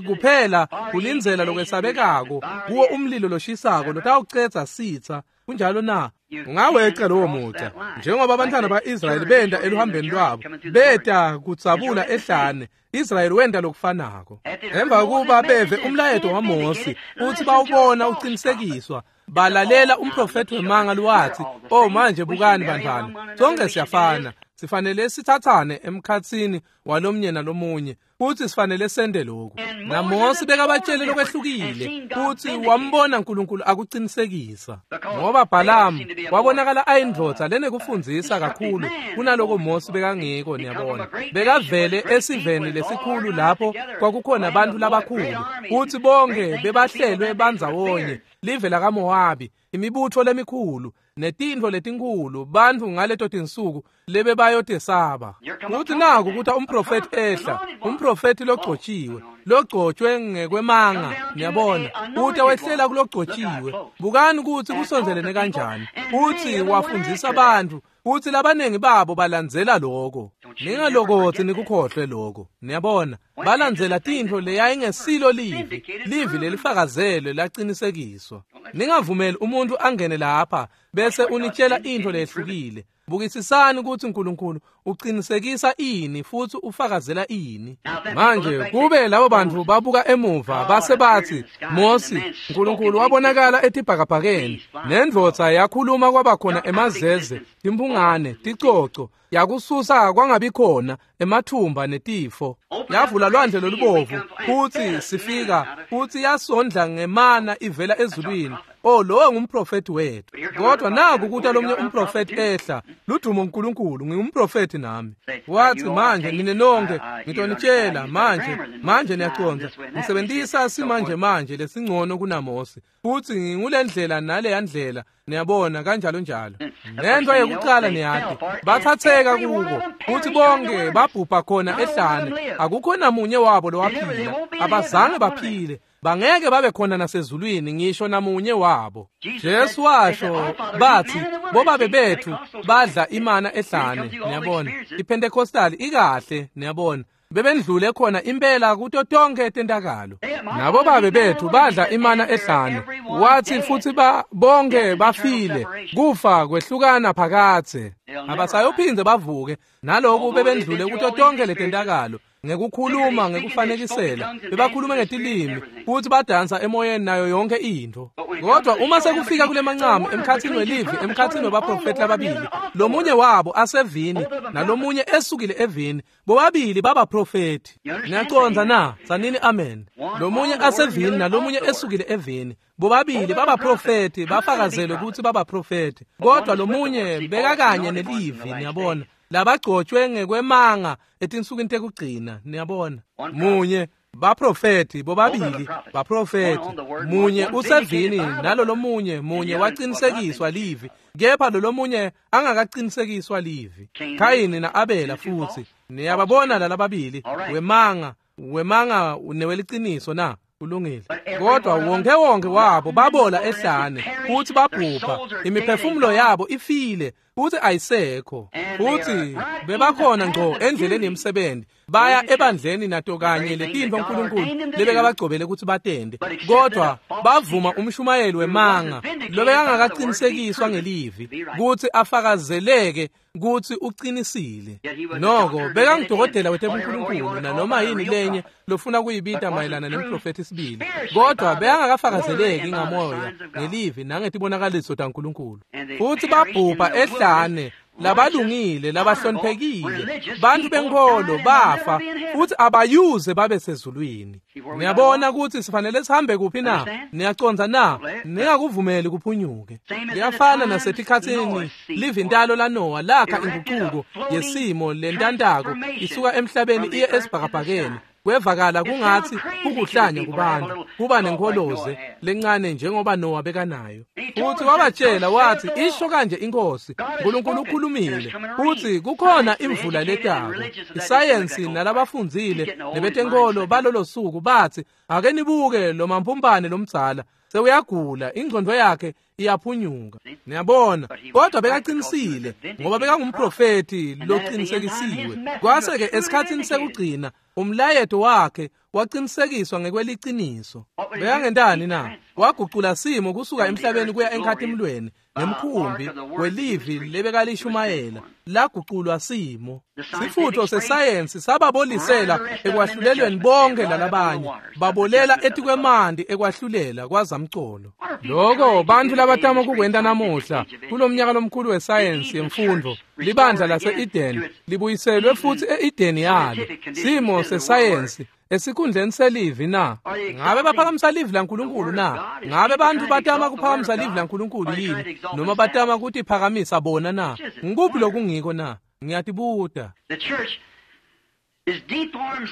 kuphela kulindzela lokwesabekako kuwo umlilo loshisako lotawucedza sitsa. Kunjalo na? Ungaweca lowo mugca, njengoba abantwana ba-Israyeli benta eluhambeni lwabo, beta kudzabula ehlane. Israyeli wenta lokufanako. Emva kokuba beve umlayeto waMosi futhi bawubona uqinisekiswa, balalela umprofethi wemanga lwathi, "Oh manje bukani bantwana, sonke siyafana, sifanele sithathane emkhatsini walomnye nalomunye, futhi sifanele sende lokhu." NaMosi bekabatshele lokwehlukile, futhi wambona uNkulunkulu akuqinisekisa. Ngoba Balamu wabonakala ayindvodza lenekufundzisa kakhulu kunaloko Mosi bekangiko, niyabona. Bekavele esiveni lesikhulu lapho kwakukhona abantu labakhulu, futhi bonke bebahlelwe bandzawonye, live lakaMowabi, imibutho lemikhulu netintfo letinkhulu, bantfu ngaleto tinsuku lebebayotesaba. Futhi naku kuthi umprofethi ehla, umprofethi logcotshiwe, logcotshwe ngekwemanga, niyabona, uthi wehlela kulogcotshiwe. Bukani ukuthi kusondzelene kanjani. Uthi wafundzisa abantu, uthi labaningi babo balandzela lokho. Ningalokothi nikukhohlwe lokho. Niyabona, balandzela tintfo leyayingesilo livi, livi lelifakazelwe laqinisekiswa. Ningavumeli umuntu angene lapha bese unitshela intfo lehlukile. Bukisisani ukuthi uNkulunkulu uqinisekisa ini futhi ufakazela ini. Manje kube labo bantu babuka emuva base bathi, Mosi, uNkulunkulu wabonakala etibhakabhakeni, nendvodza yakhuluma kwabakhona emazeze, timphungane, ticoco, yakususa kwangabikhona emathumba netifo, yavula lwandle lolubovu futhi sifika, futhi yasondla ngemana ivela ezulwini. Oh, lowo ngumprofethi wethu. Kodwa naku kuthi lomnye umprofethi ehla, ludumo uNkulunkulu, ngingumprofethi nami. Wathi, manje nine nonke ngitonitshela manje, manje niyacondza, ngisebenzisa simanje manje lesingcono kunaMosi, futhi ngingulendlela naleya ndlela, niyabona, kanjalo njalo. Nento yokuqala niyati, bathatheka kuko, futhi bonke babhubha khona ehlane, akukho namunye wabo lowaphila, abazange baphile. Bangeke babe khona nasezulwini ngisho namunye wabo. Jesu washo, bathi bobabe bethu badla imana ehlane, niyabona. IPentecostal ikahle, niyabona. Bebendlule khona impela kuto tonke tentakalo. Nabo babe bethu badla imana ehlane. Wathi futhi bonke bafile, kufa kwehlukana phakathe. Abasayophinde bavuke naloku bebendlule kuto tonke letentakalo. Ngekukhuluma, ngekufanekisela, bebakhuluma ngetilimi futhi badansa emoyeni nayo yonke into. Kodwa uma sekufika kule mancamu emkhathini welivi, emkhathini wabaprofethi lababili, lomunye wabo asevini nalomunye esukile evini, bobabili babaprofethi. Niyacondza na? Sanini amen. Lomunye asevini nalomunye esukile evini, bobabili babaprofethi, bafakazelwe ukuthi babaprofethi. Kodwa lomunye bekakanye nelivi, niyabona, labagcotshwe ngekwemanga etinsukwini tekugcina, niyabona. Munye baprofethi, bobabili baprofethi, munye usevini nalo lomunye, munye waqinisekiswa livi, kepha lo lomunye angakaqinisekiswa livi. Khayini na-Abela futhi, niyababona lalababili, wemanga, wemanga neweliciniso na? Kulungile. Kodwa wonke wonke wabo babola ehlane futhi babhubha, imiphefumulo yabo ifile. Futhi ayisekho. Futhi bebakhona ngco endleleni yemsebenzi, baya ebandleni nato kanye letintfo uNkulunkulu lebekabagcobele ukuthi batende, kodwa bavuma umshumayeli wemanga lobekangakaqinisekiswa ngelivi kutsi afakazeleke kutsi uqinisile. Noko bekangudokotela wetebunkulunkulu nanoma yini lenye lofuna kuyibita mayelana nemprofethi sibili, kodwa bekangakafakazeleki ngamoya ngelivi nangetibonakaliso taNkulunkulu. Futhi babhubha ehlane labalungile labahloniphekile, bantu benkolo bafa futhi abayuze babe sezulwini. Niyabona ukuthi sifanele sihambe kuphi na? Niyacondza na? Ningakuvumeli kuphunyuke. Liyafana nasetikhatsini livintalo laNowa lakha inguquko yesimo lentantako isuka emhlabeni iye esibhakabhakeni. Kwevakala kungathi kukuhlanya kubantu kuba nenkoloze lencane njengoba Noah bekanayo. Futhi wabatshela wathi isho kanje inkosi, uNkulunkulu ukhulumile futhi kukhona imvula letako. Isayensi nalabafundzile nebetenkolo balolo suku bathi ake nibuke lo mampumpane lomdzala sewuyagula, ingqondo yakhe iyaphunyuka. Niyabona, kodwa bekaqinisile ngoba bekangumprofeti loqinisekisiwe. Kwase-ke esikhathini sekugcina umlayeto wakhe waqinisekiswa ngekweliciniso. Bekangentani na? Wagucula simo kusuka emhlabeni kuya enkhatimlweni ngemkhumbi welivi lebekalishumayela laguculwa simo. Sifutho sesayensi sababolisela ekwahlulelweni bonke lalabanye, babolela etikwemanti ekwahlulela kwazamcolo. Loko bantu labatama kukwenta namuhla kulomnyaka lomkhulu wesayensi yemfundo, libandla lase-Eden libuyiselwe futhi e-Eden yalo. Simo sesayensi esikhundleni selivi na? Ngabe baphakamisa livi laNkulunkulu na? Ngabe bantu batama kuphakamisa livi laNkulunkulu yini, noma batama kutiphakamisa bona na? Ngikuphi lokungiko na? Ngiyatibuta.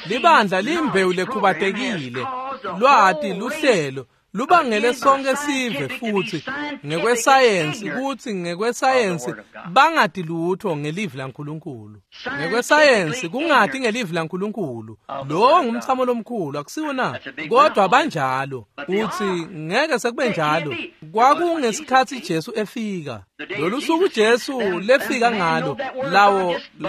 Libandla limbewu lekhubatekile, lwati luhlelo lubangele sonke sive futhi ngekwesayensi kuthi ngekwesayensi bangati lutho ngelivi laNkulunkulu. Ngekwesayensi kungati ngelivi laNkulunkulu, lo ngumthamo lomkhulu akusiwo na? Kodwa banjalo. Uthi ngeke sekube njalo. Kwakungesikhathi Jesu efika. Lolu suku Jesu lefika ngalo,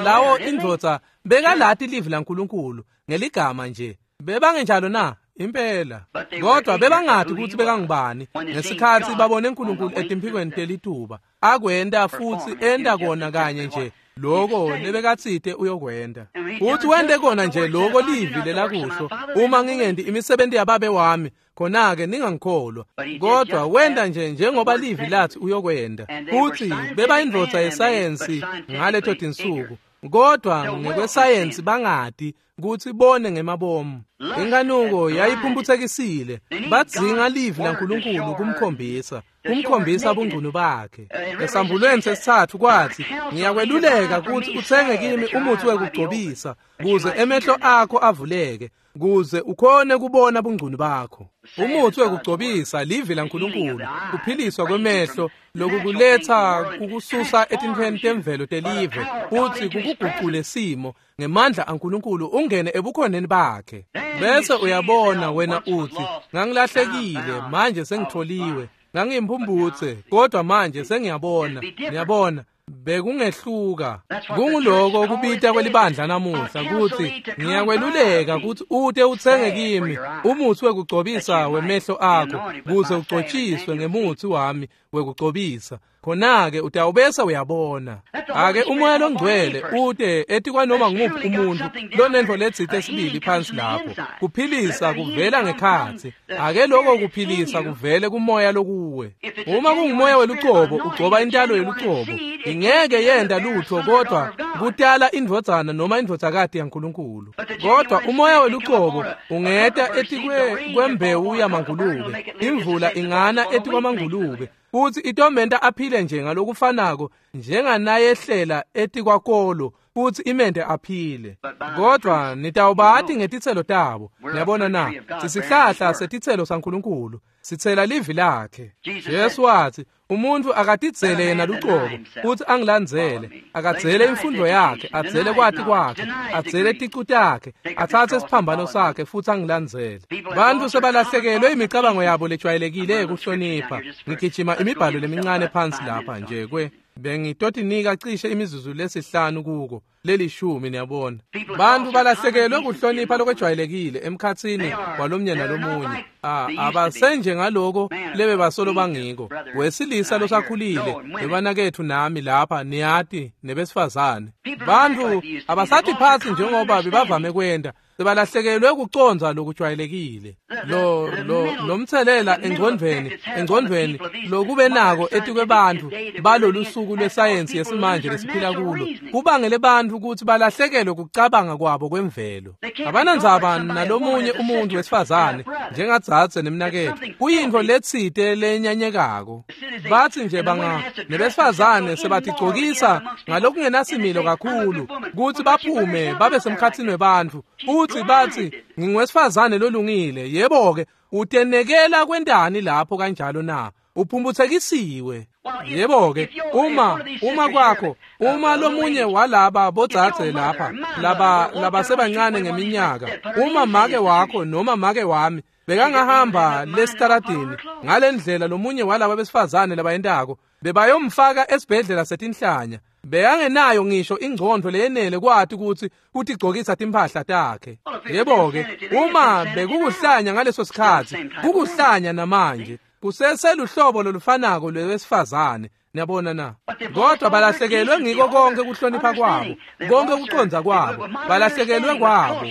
lawo indvodza bekalati livi laNkulunkulu ngeligama nje. Bebangenjalo na? Impela. Kodwa bebangati ukuthi bekangubani ngesikhathi babone uNkulunkulu etimphikweni telituba akwenta futhi enda kona kanye nje loko lebekatsite uyokwenta. Futhi wente kona nje loko livi lelakusho, uma ngingendi imisebenzi yababe wami khona-ke ningangikholwa. Kodwa wenta nje njengoba livi lathi uyokwenta. Futhi bebayindvodza yesayensi ngaleto tinsuku, kodwa ngekwesayensi bangati kutsi bone ngemabomu. Inkanuko yayiphumphutsekisile, badzinga livi laNkulunkulu kumkhombisa bungcunu bakhe. Esambulweni sesithathu kwathi, ngiyakweluleka kutsi utsenge kimi umuthi wekugcobisa kuze emehlo akho avuleke, kuze ukhone kubona bungcunu bakho. Umuthi wekugcobisa livi laNkulunkulu, kuphiliswa kwemehlo lokukuletha kukususa etintfweni temvelo telive futhi kukugucule simo ngemandla aNkulunkulu ungene ebukhoneni bakhe. Bese uyabona wena uthi, ngangilahlekile manje sengitholiwe, ngangiyimphumphutse kodwa manje sengiyabona. Niyabona, bekungehluka. Kunguloko kubita kwelibandla namuhla kuthi ngiyakweluleka kuthi ute utsenge kimi umuthi wekugcobisa wemehlo akho kuze ugcotshiswe ngemuthi wami wekugcobisa, khona-ke utawubese uyabona. Ake umoya longcwele ute etikwanoma ngumuphi umuntu lonentfo letsite sibili phansi lapho. Kuphilisa kuvela ngekhatsi. Ake loko kuphilisa kuvele kumoya lokuwe. Uma kungumoya welucobo ugcoba intalo yelucobo, ingeke yenta lutho kodwa kutala indvodzana noma indvodzakati yaNkulunkulu. Kodwa umoya welucobo ungeta etikwembewu yamangulube, imvula ingana etikwamangulube futhi itomenta aphile nje ngalokufanako njenganayehlela etikwakolo futhi imente aphile. Kodwa nitawubati ngetitselo tabo. Niyabona na? Sisihlahla setitselo saNkulunkulu, sitsela livi lakhe. Jesu wathi umuntu akatidzele yena lucobo futhi angilandzele, akadzele imfundo yakhe, adzele kwati kwakhe, adzele ticu takhe, atsatse isiphambano sakhe futhi angilandzele. Bantu sebalahlekelwe imicabango yabo lejwayelekile yekuhlonipha. Ngigijima imibhalo lemincane phansi lapha nje kwe. Bengitotinika cishe imizuzu lesihlanu kuko lelishumi, niyabona. Bantu balahlekelwe kuhlonipha lokwejwayelekile emkhatsini walomnye nalomunye. Abasenje ngaloko lebe basolo bangiko. Wesilisa losakhulile bebanakethu nami lapha niyati nebesifazane. Bantu abasathi phansi njengoba bebavame kwenta. Sebalahlekelwe kucondza lokujwayelekile. Lo mthelela engcondvweni lokube nako etikwebantu balolu suku lwesayensi yesimanje lesiphila kulo kubangele bantu ukuthi balahlekelwe kucabanga kwabo kwemvelo. Abanandzaba nalomunye umuntu wesifazane njengadzadze nemnaketfu, kuyintfo letsite lenyanyekako. Bathi nje banga nebesifazane sebatigcokisa ngalokungenasimilo kakhulu kutsi baphume babe semkhatsini webantfu, futhi bathi ngingwesifazane lolungile. Yebo-ke, utenekela kwentani lapho kanjalo na? Uphumbuthekisiwe. Yebo-ke, uma kwakho, uma lomunye walaba bodzadze lapha labasebancane ngeminyaka, uma make wakho noma make wami bekangahamba lesitaradini ngalendlela lomunye walaba besifazane labayentako, bebayomfaka esibhedlela setinhlanya. Bekangenayo ngisho ingcondvo leyenele kwati kutsi kutigcokisa timphahla takhe. Yebo-ke, uma bekukuhlanya ngaleso sikhatsi, kukuhlanya namanje. Kuseseluhlobo lolufanako lwesifazane, niyabona na? Kodwa balahlekelwe ngiko konke kuhlonipha kwabo, konke kucondza kwabo, balahlekelwe kwabo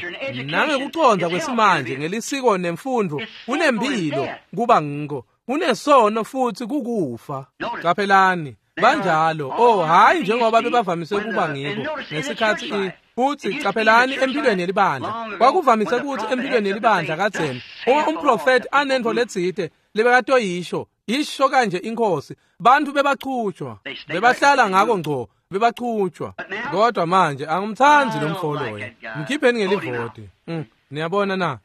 nangekucondza kwesimanje ngelisiko nemfundo. Kunempilo kuba ngiko, kunesono futhi kukufa. Qaphelani, banjalo. Oh, hayi njengoba bebavamise kuba ngiko ngesikhathi. Futhi qaphelani empilweni yelibandla, kwakuvamise ukuthi empilweni yelibandla kadzeni uma umprofeti anentfo letsite lebekatoyisho, isho kanje inkosi, bantu bebachutshwa, bebahlala ngako ngco, bebachutshwa. Kodwa manje angimtsandzi lo mfo loyo, mkhipheni ngelivoti. Niyabona na?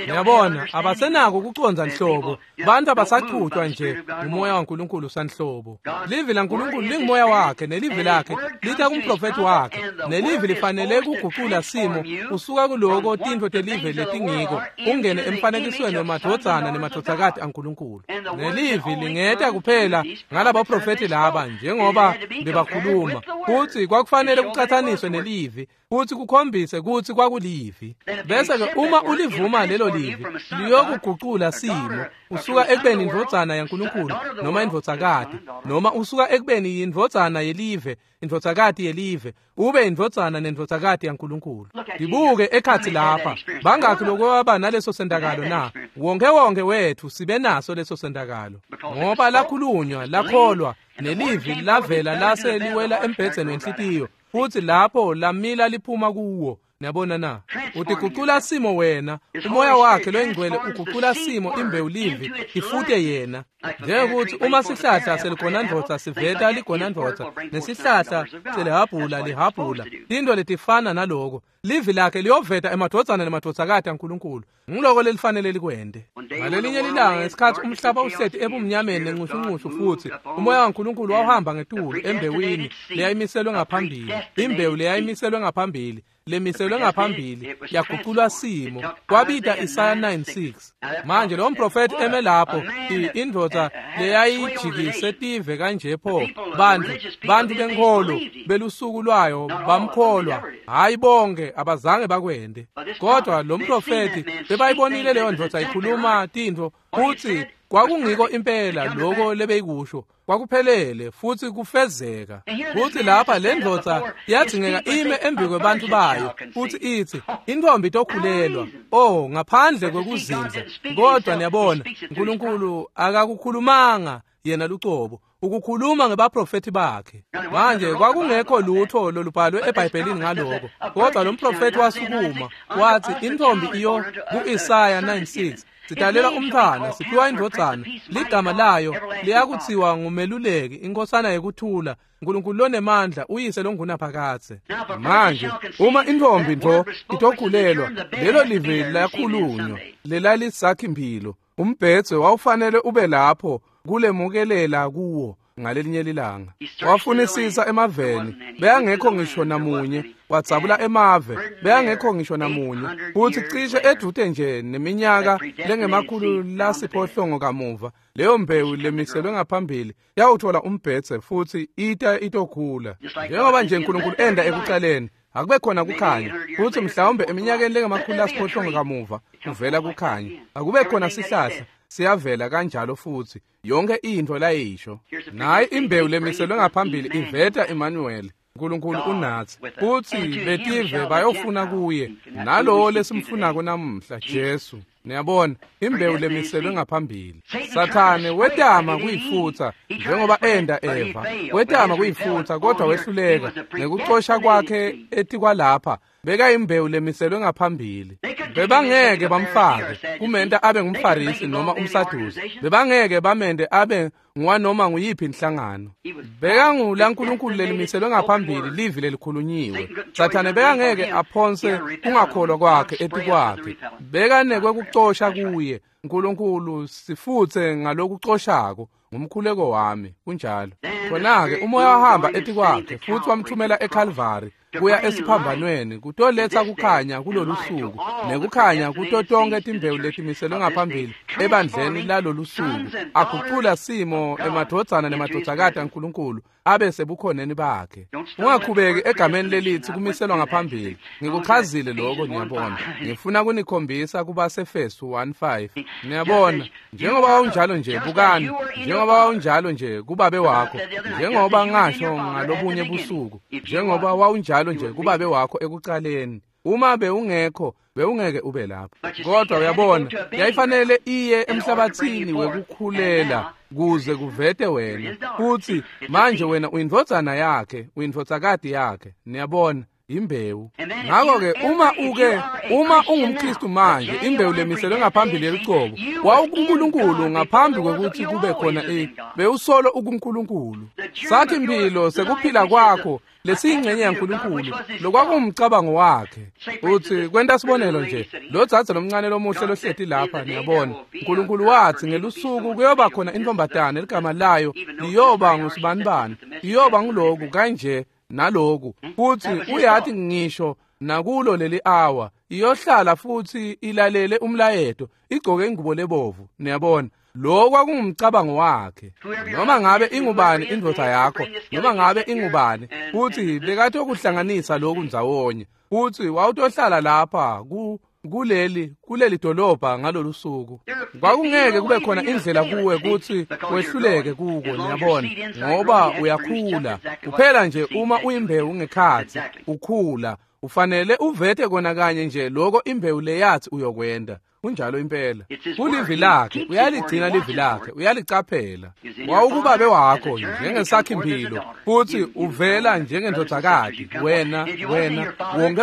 Niyabona, abasenako kucondza nhlobo. Bantu abasachutshwa nje umoya waNkulunkulu sanhlobo. Livi laNkulunkulu lingumoya wakhe, nelivi lakhe lita kumprofeti wakhe, nelivi lifanele kugucula simo usuka kuloko tintfo telive letingiko ungene emfanekisweni wemadvodzana nemadvodzakati aNkulunkulu. Nelivi lingeta kuphela ngalabaprofeti laba njengoba bebakhuluma, futhi kwakufanele kucatsaniswe nelivi futhi kukhombise kutsi kwakulivi. Bese-ke uma ulivuma lelo livi, liyokugucula simo usuka ekubeni indvodzana yaNkulunkulu noma indvodzakati, noma usuka ekubeni yindvodzana yelive, indvodzakati yelive, ube indvodzana nendvodzakati yaNkulunkulu. Ndibuke ekhatsi lapha, bangakhi lokwaba naleso sentakalo na? Wonke wethu sibe naso leso sentakalo, ngoba lakhulunywa, lakholwa, nelivi lavela lase liwela embhedzeni wenhlitiyo, futhi lapho lamila liphuma kuwo. Niyabona na? Utigucula simo wena. Umoya wakhe loyingcwele ugucula simo imbewu livi ifute yena. Njengokuthi uma sihlahla seligonandvodza siveta ligonandvodza, nesihlahla selihabhula lihabhula, tintfo letifana naloko, livi lakhe liyoveta emadvodzana nemadvodzakati aNkulunkulu. Ngiloko lelifanele likwente. Ngalelinye lilanga ngesikhatsi umhlaba uhleti ebumnyameni nencushunqushu, futhi umoya waNkulunkulu wawuhamba ngetulu embewini leyayimiselwe ngaphambili, imbewu leyayimiselwe ngaphambili, lemiselwe ngaphambili yaguculwa simo. Kwabita Isaya 9:6. Manje lo mprofeti eme lapho, indvodza leyayijikise tive kanje pho, bantu benkholo belusuku lwayo bamkholwa. Hayi bonke abazange bakwende, kodwa lo mprofeti bebayibonile leyo ndvodza ikhuluma tintfo, futhi kwakungiko impela loko lebeyikusho, kwakuphelele futhi kufezeka. Futhi lapha le ndvodza yadzingeka ime embi kwebantu bayo futhi ithi intombi itokhulelwa. Oh, ngaphandle kwekuzindla. Kodwa niyabona, uNkulunkulu akakukhulumanga yena lucobo, ukukhuluma ngebaprofeti bakhe. Manje kwakungekho lutho lolubhalwe eBhayibhelini ngaloko, kodwa lo mprofeti wasukuma wathi intombi iyo ku-Isaya 9:6 sidalela umntwana, siphiwa indvodzana, ligama layo liyakuthiwa ngumeluleki, inkosana yekuthula, uNkulunkulu lonemandla, uyise longunaphakadze. Manje uma intombi ntfo itokhulelwa, lelo livi lakhulunywa lelalisakhi-mphilo, umbhedze wawufanele ube lapho kulemukelela kuwo. ngalelinye lilanga. Wafunisisa emaveni, beyangekho ngisho namunye. Wadzabula emave, beyangekho ngisho namunye. Futhi cishe edvute nje neminyaka lengama-800 kamuva, leyo mbewu lemiselwe ngaphambili yawuthola umbhedze futhi ita itokhula. Njengoba nje uNkulunkulu enda ekucaleni, akube khona kukhanya, futhi mhlawumbe eminyakeni lengama-800 kamuva kuvela kukhanya. Akube khona sihlahla, siyavela kanjalo futhi yonke into layisho. Nayi imbewu lemiselwe ngaphambili iveta Emmanuel, uNkulunkulu unathi, futhi betive bayofuna kuye, nalowo lesimfunako namuhla, Jesu. Niyabona, imbewu lemiselwe ngaphambili. Sathane wetama kuyifutsa njengoba enda Eva, wetama kuyifutsa kodwa wehluleka. Ngekucosha kwakhe etikwalapha, beka imbewu lemiselwe ngaphambili. Bebangeke bamfake kumenta abe ngumFarisi noma umSadusi. Bebangeke bamente abe ngwanoma nguyiphi inhlangano. Bekangula uNkulunkulu lelimiselwe ngaphambili, livi lelikhulunyiwe. Sathane bekangeke aphonse kungakholwa kwakhe etikwakhe. Bekanekwe kucosha kuye. uNkulunkulu sifutse ngalokucoshako ngumkhuleko wami. Kunjalo. Khona-ke umoya wahamba etikwakhe futhi wamthumela eCalvary kuya esiphambanweni kutoletsa kukhanya kulolu suku, nekukhanya kuto tonke timbewu letimiselwe ngaphambili ebandleni lalolu suku, agucula simo emadvodzana nemadvodzakati aNkulunkulu abe sebukhoneni bakhe. Ungakhubeki egameni lelithi kumiselwa ngaphambili. Ngikuchazile lokho, niyabona. Ngifuna kunikhombisa kubaseEfesu 1:5. Niyabona, njengoba wawunjalo nje, bukani, njengoba wawunjalo nje kubabe wakho, njengoba ngasho ngalobunye busuku, njengoba wawunjalo nje kubabe wakho ekucaleni. Uma bewungekho, bewungeke ube lapho. Kodwa uyabona, yayifanele iye emhlabathini wekukhulela kuze kuvete wena. Futhi manje wena uyindvodzana yakhe, uyindvodzakati yakhe. Niyabona, imbewu. Ngakho-ke uma ungumKristu manje, imbewu lemiselwe ngaphambili yelucobo, wawukuNkulunkulu ngaphambi kwekuthi kube khona bewusolo ukuNkulunkulu. Sathi impilo sekuphila kwakho lesiyingxenye yaNkulunkulu, lokwakuwumcabango wakhe. Uthi kwenta sibonelo nje, lo dzadze lomncane lomuhle lohleti lapha, niyabona, uNkulunkulu wathi ngelusuku kuyoba khona intombatane ligama layo liyoba ngusibanibani, iyoba nguloku kanje naloku, futhi uyathi ngisho nakulo leli hour iyohlala futhi ilalele umlayeto, igcoke ingubo lebovu. Niyabona, lo kwakungumcabango wakhe. Noma ngabe ingubani indvodza yakho, noma ngabe ingubani, futhi bekathi ukuhlanganisa lokhu ndzawonye, futhi wawutohlala lapha kuleli dolobha ngalolu suku. Kwakungeke kube khona indlela kuwe kuthi wehluleke kuko, niyabona, ngoba uyakhula. Kuphela nje uma uyimbewu ngekhathi ukhula, ufanele uvete kona kanye nje lokho imbewu leyathi uyokwenda. Kunjalo impela. Kulivi lakhe, uyaligcina livi lakhe, uyalicaphela. Wawukubabe wakho njengesakhimpilo, futhi uvela njengendvodzakati. Wena,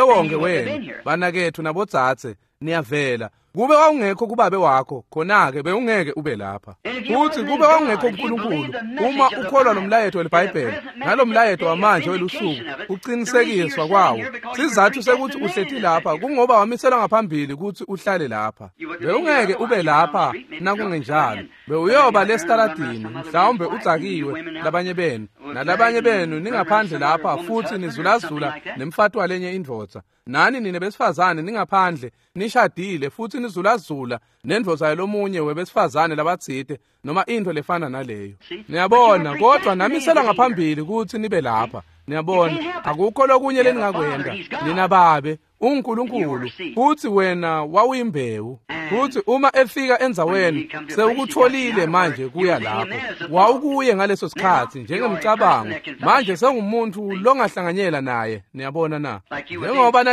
wonke wena, banakethu nabodzadze, niyavela. Kube wawungekho kubabe wakho, khona-ke bewungeke ube lapha. Futhi kube wawungekho kuNkulunkulu, uma ukholwa lomlayeto weliBhayibheli, nalomlayeto wamanje welusuku, uqinisekiswa kwawo. Sizathu sekuthi uhleti lapha kungoba wamiselwa ngaphambili ukuthi uhlale lapha. Bewungeke ube lapha nakungenjalo. Bewuyoba lesitaladini, mhlawumbe udzakiwe labanye benu, nalabanye benu ningaphandle lapha futhi nizulazula nemfati walenye indvodza. Nani nine besifazane ningaphandle nishadile futhi nizulazula nendvodza yalomunye webesifazane labatsite noma into lefana naleyo. Niyabona, kodwa namisela ngaphambili ukuthi nibe lapha. Niyabona, akukho lokunye leningakwenda. Nina babe uNkulunkulu, futhi wena wawuyimbewu. Futhi uma efika endzaweni sewukutholile manje kuya lapho. Wawukuye ngaleso sikhathi njengemcabango. Manje sengumuntu longahlanganyela naye. Niyabona na? Njengoba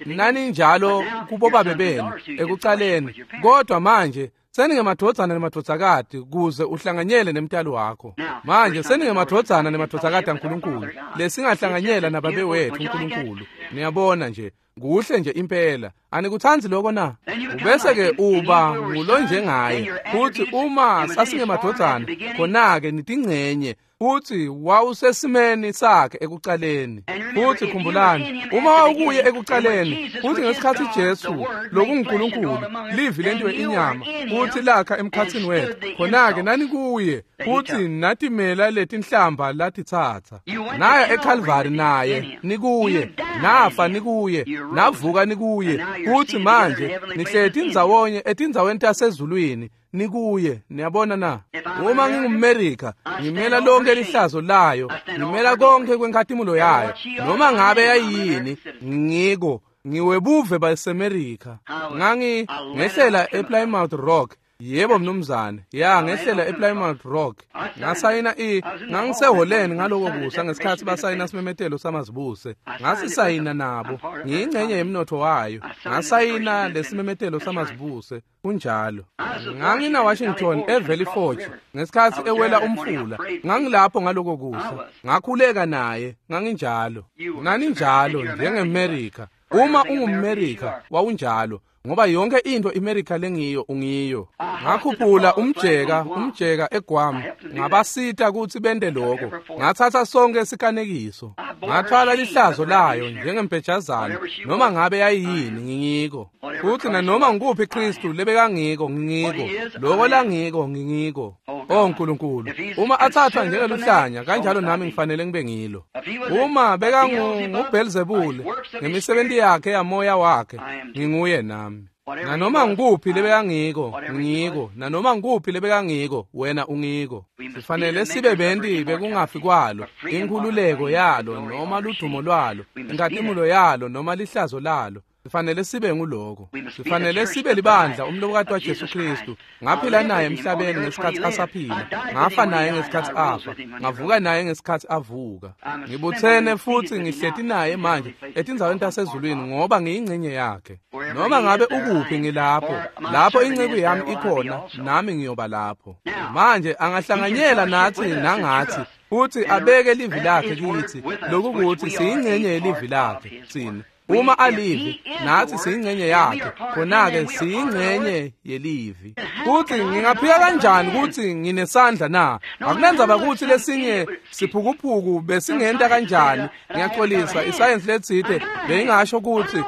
naninjalo kubobabe benu ekucaleni, kodwa manje seningemadvodzana nemadvodzakati kuze uhlanganyele nemtali wakho. Manje seningemadvodzana nemadvodzakati aNkulunkulu lesingahlanganyela nababe wethu uNkulunkulu. Niyabona nje, kuhle nje impela. Anikuthandzi lokho na? Ubese-ke uba ngulonjengaye, futhi uma sasingemadvodzana, khona-ke nitingcenye, futhi wawusesimeni sakhe ekucaleni. Futhi khumbulani, uma wawukuye ekucaleni, futhi ngesikhathi Jesu lokunguNkulunkulu, livi lentiwe inyama, futhi lakha emkhatsini wethu, khona-ke nanikuye, futhi natimela letinhlamba latitsatsa. Naya eKalvari naye, nikuye, nafa nikuye, navuka nikuye, futhi manje nihleti ndzawonye etindzaweni tasezulwini, nikuye. Niyabona na? Uma ngingumMerika, ngimela lonke lihlazo layo, ngimela konke kwenkhatimulo yayo, noma ngabe yayini, ngiko, ngiwebuve baseMerika. Ngehlela ePlymouth Rock. Yebo mnumzane, ya ngehlela ePlymouth Rock. Ngasayina ngangiseholeni ngaloko kusa ngesikhathi basayina simemetelo samazibuse. Ngasisayina nabo, ngiyingcenye yemnotho wayo. Ngasayina lesimemetelo samazibuse, kunjalo. Ngangina Washington eValley Forge ngesikhathi ewela umfula. Ngangilapho ngaloko kusa. Ngakhuleka naye, nganginjalo. Naninjalo njengeMerika. Uma ungumMerika, wawunjalo. Ngoba yonke into iMerika lengiyo ungiyo. Ngakhuphula umjeka eGuam, ngabasita ukuthi bende lokho. Ngathatha sonke isikanekiso, ngathwala lihlazo layo njengempejazana, noma ngabe yayini ngingiko. Futhi nanoma ngikuphi Kristu lebekangiko ngingiko, lokho langiko ngingiko. Oh Nkulunkulu, uma athathwa njengeluhlanya kanjalo nami ngifanele ngibe ngilo. Uma bekanguBelzebule ngemisebenzi yakhe yamoya wakhe, nginguye nami. Nanoma ngikuphi lebekangiko, ngiko. Nanoma ngikuphi lebekangiko, wena ungiko. Sifanele sibe benti bekungafi kwalo, inkhululeko yalo noma ludumo lwalo, inkhatimulo yalo noma lihlazo lalo. Sifanele sibe nguloko. Sifanele sibe libandla umlobokati waJesu Kristu. Ngaphila naye emhlabeni ngesikhathi asaphila, ngafa naye ngesikhathi afa, ngavuka naye ngesikhathi avuka. Ngibuthene futhi ngihleti naye manje etindzaweni tasezulwini ngoba ngiyingcenye yakhe. Noma ngabe ukuphi ngilapho, lapho inceku yami ikhona, nami ngiyoba lapho. Manje angahlanganyela nathi nangathi, futhi abeke livi lakhe kithi, lokukuthi siyingcenye yelivi lakhe thina. Uma alivi, nathi siyingcenye yakhe, khona-ke siyingcenye yelivi. Futhi ngingaphika kanjani ukuthi nginesandla na? Akunandzaba ukuthi lesinye siphukuphuku besingenta kanjani. Ngiyaxolisa, isayensi letsite beyingasho ukuthi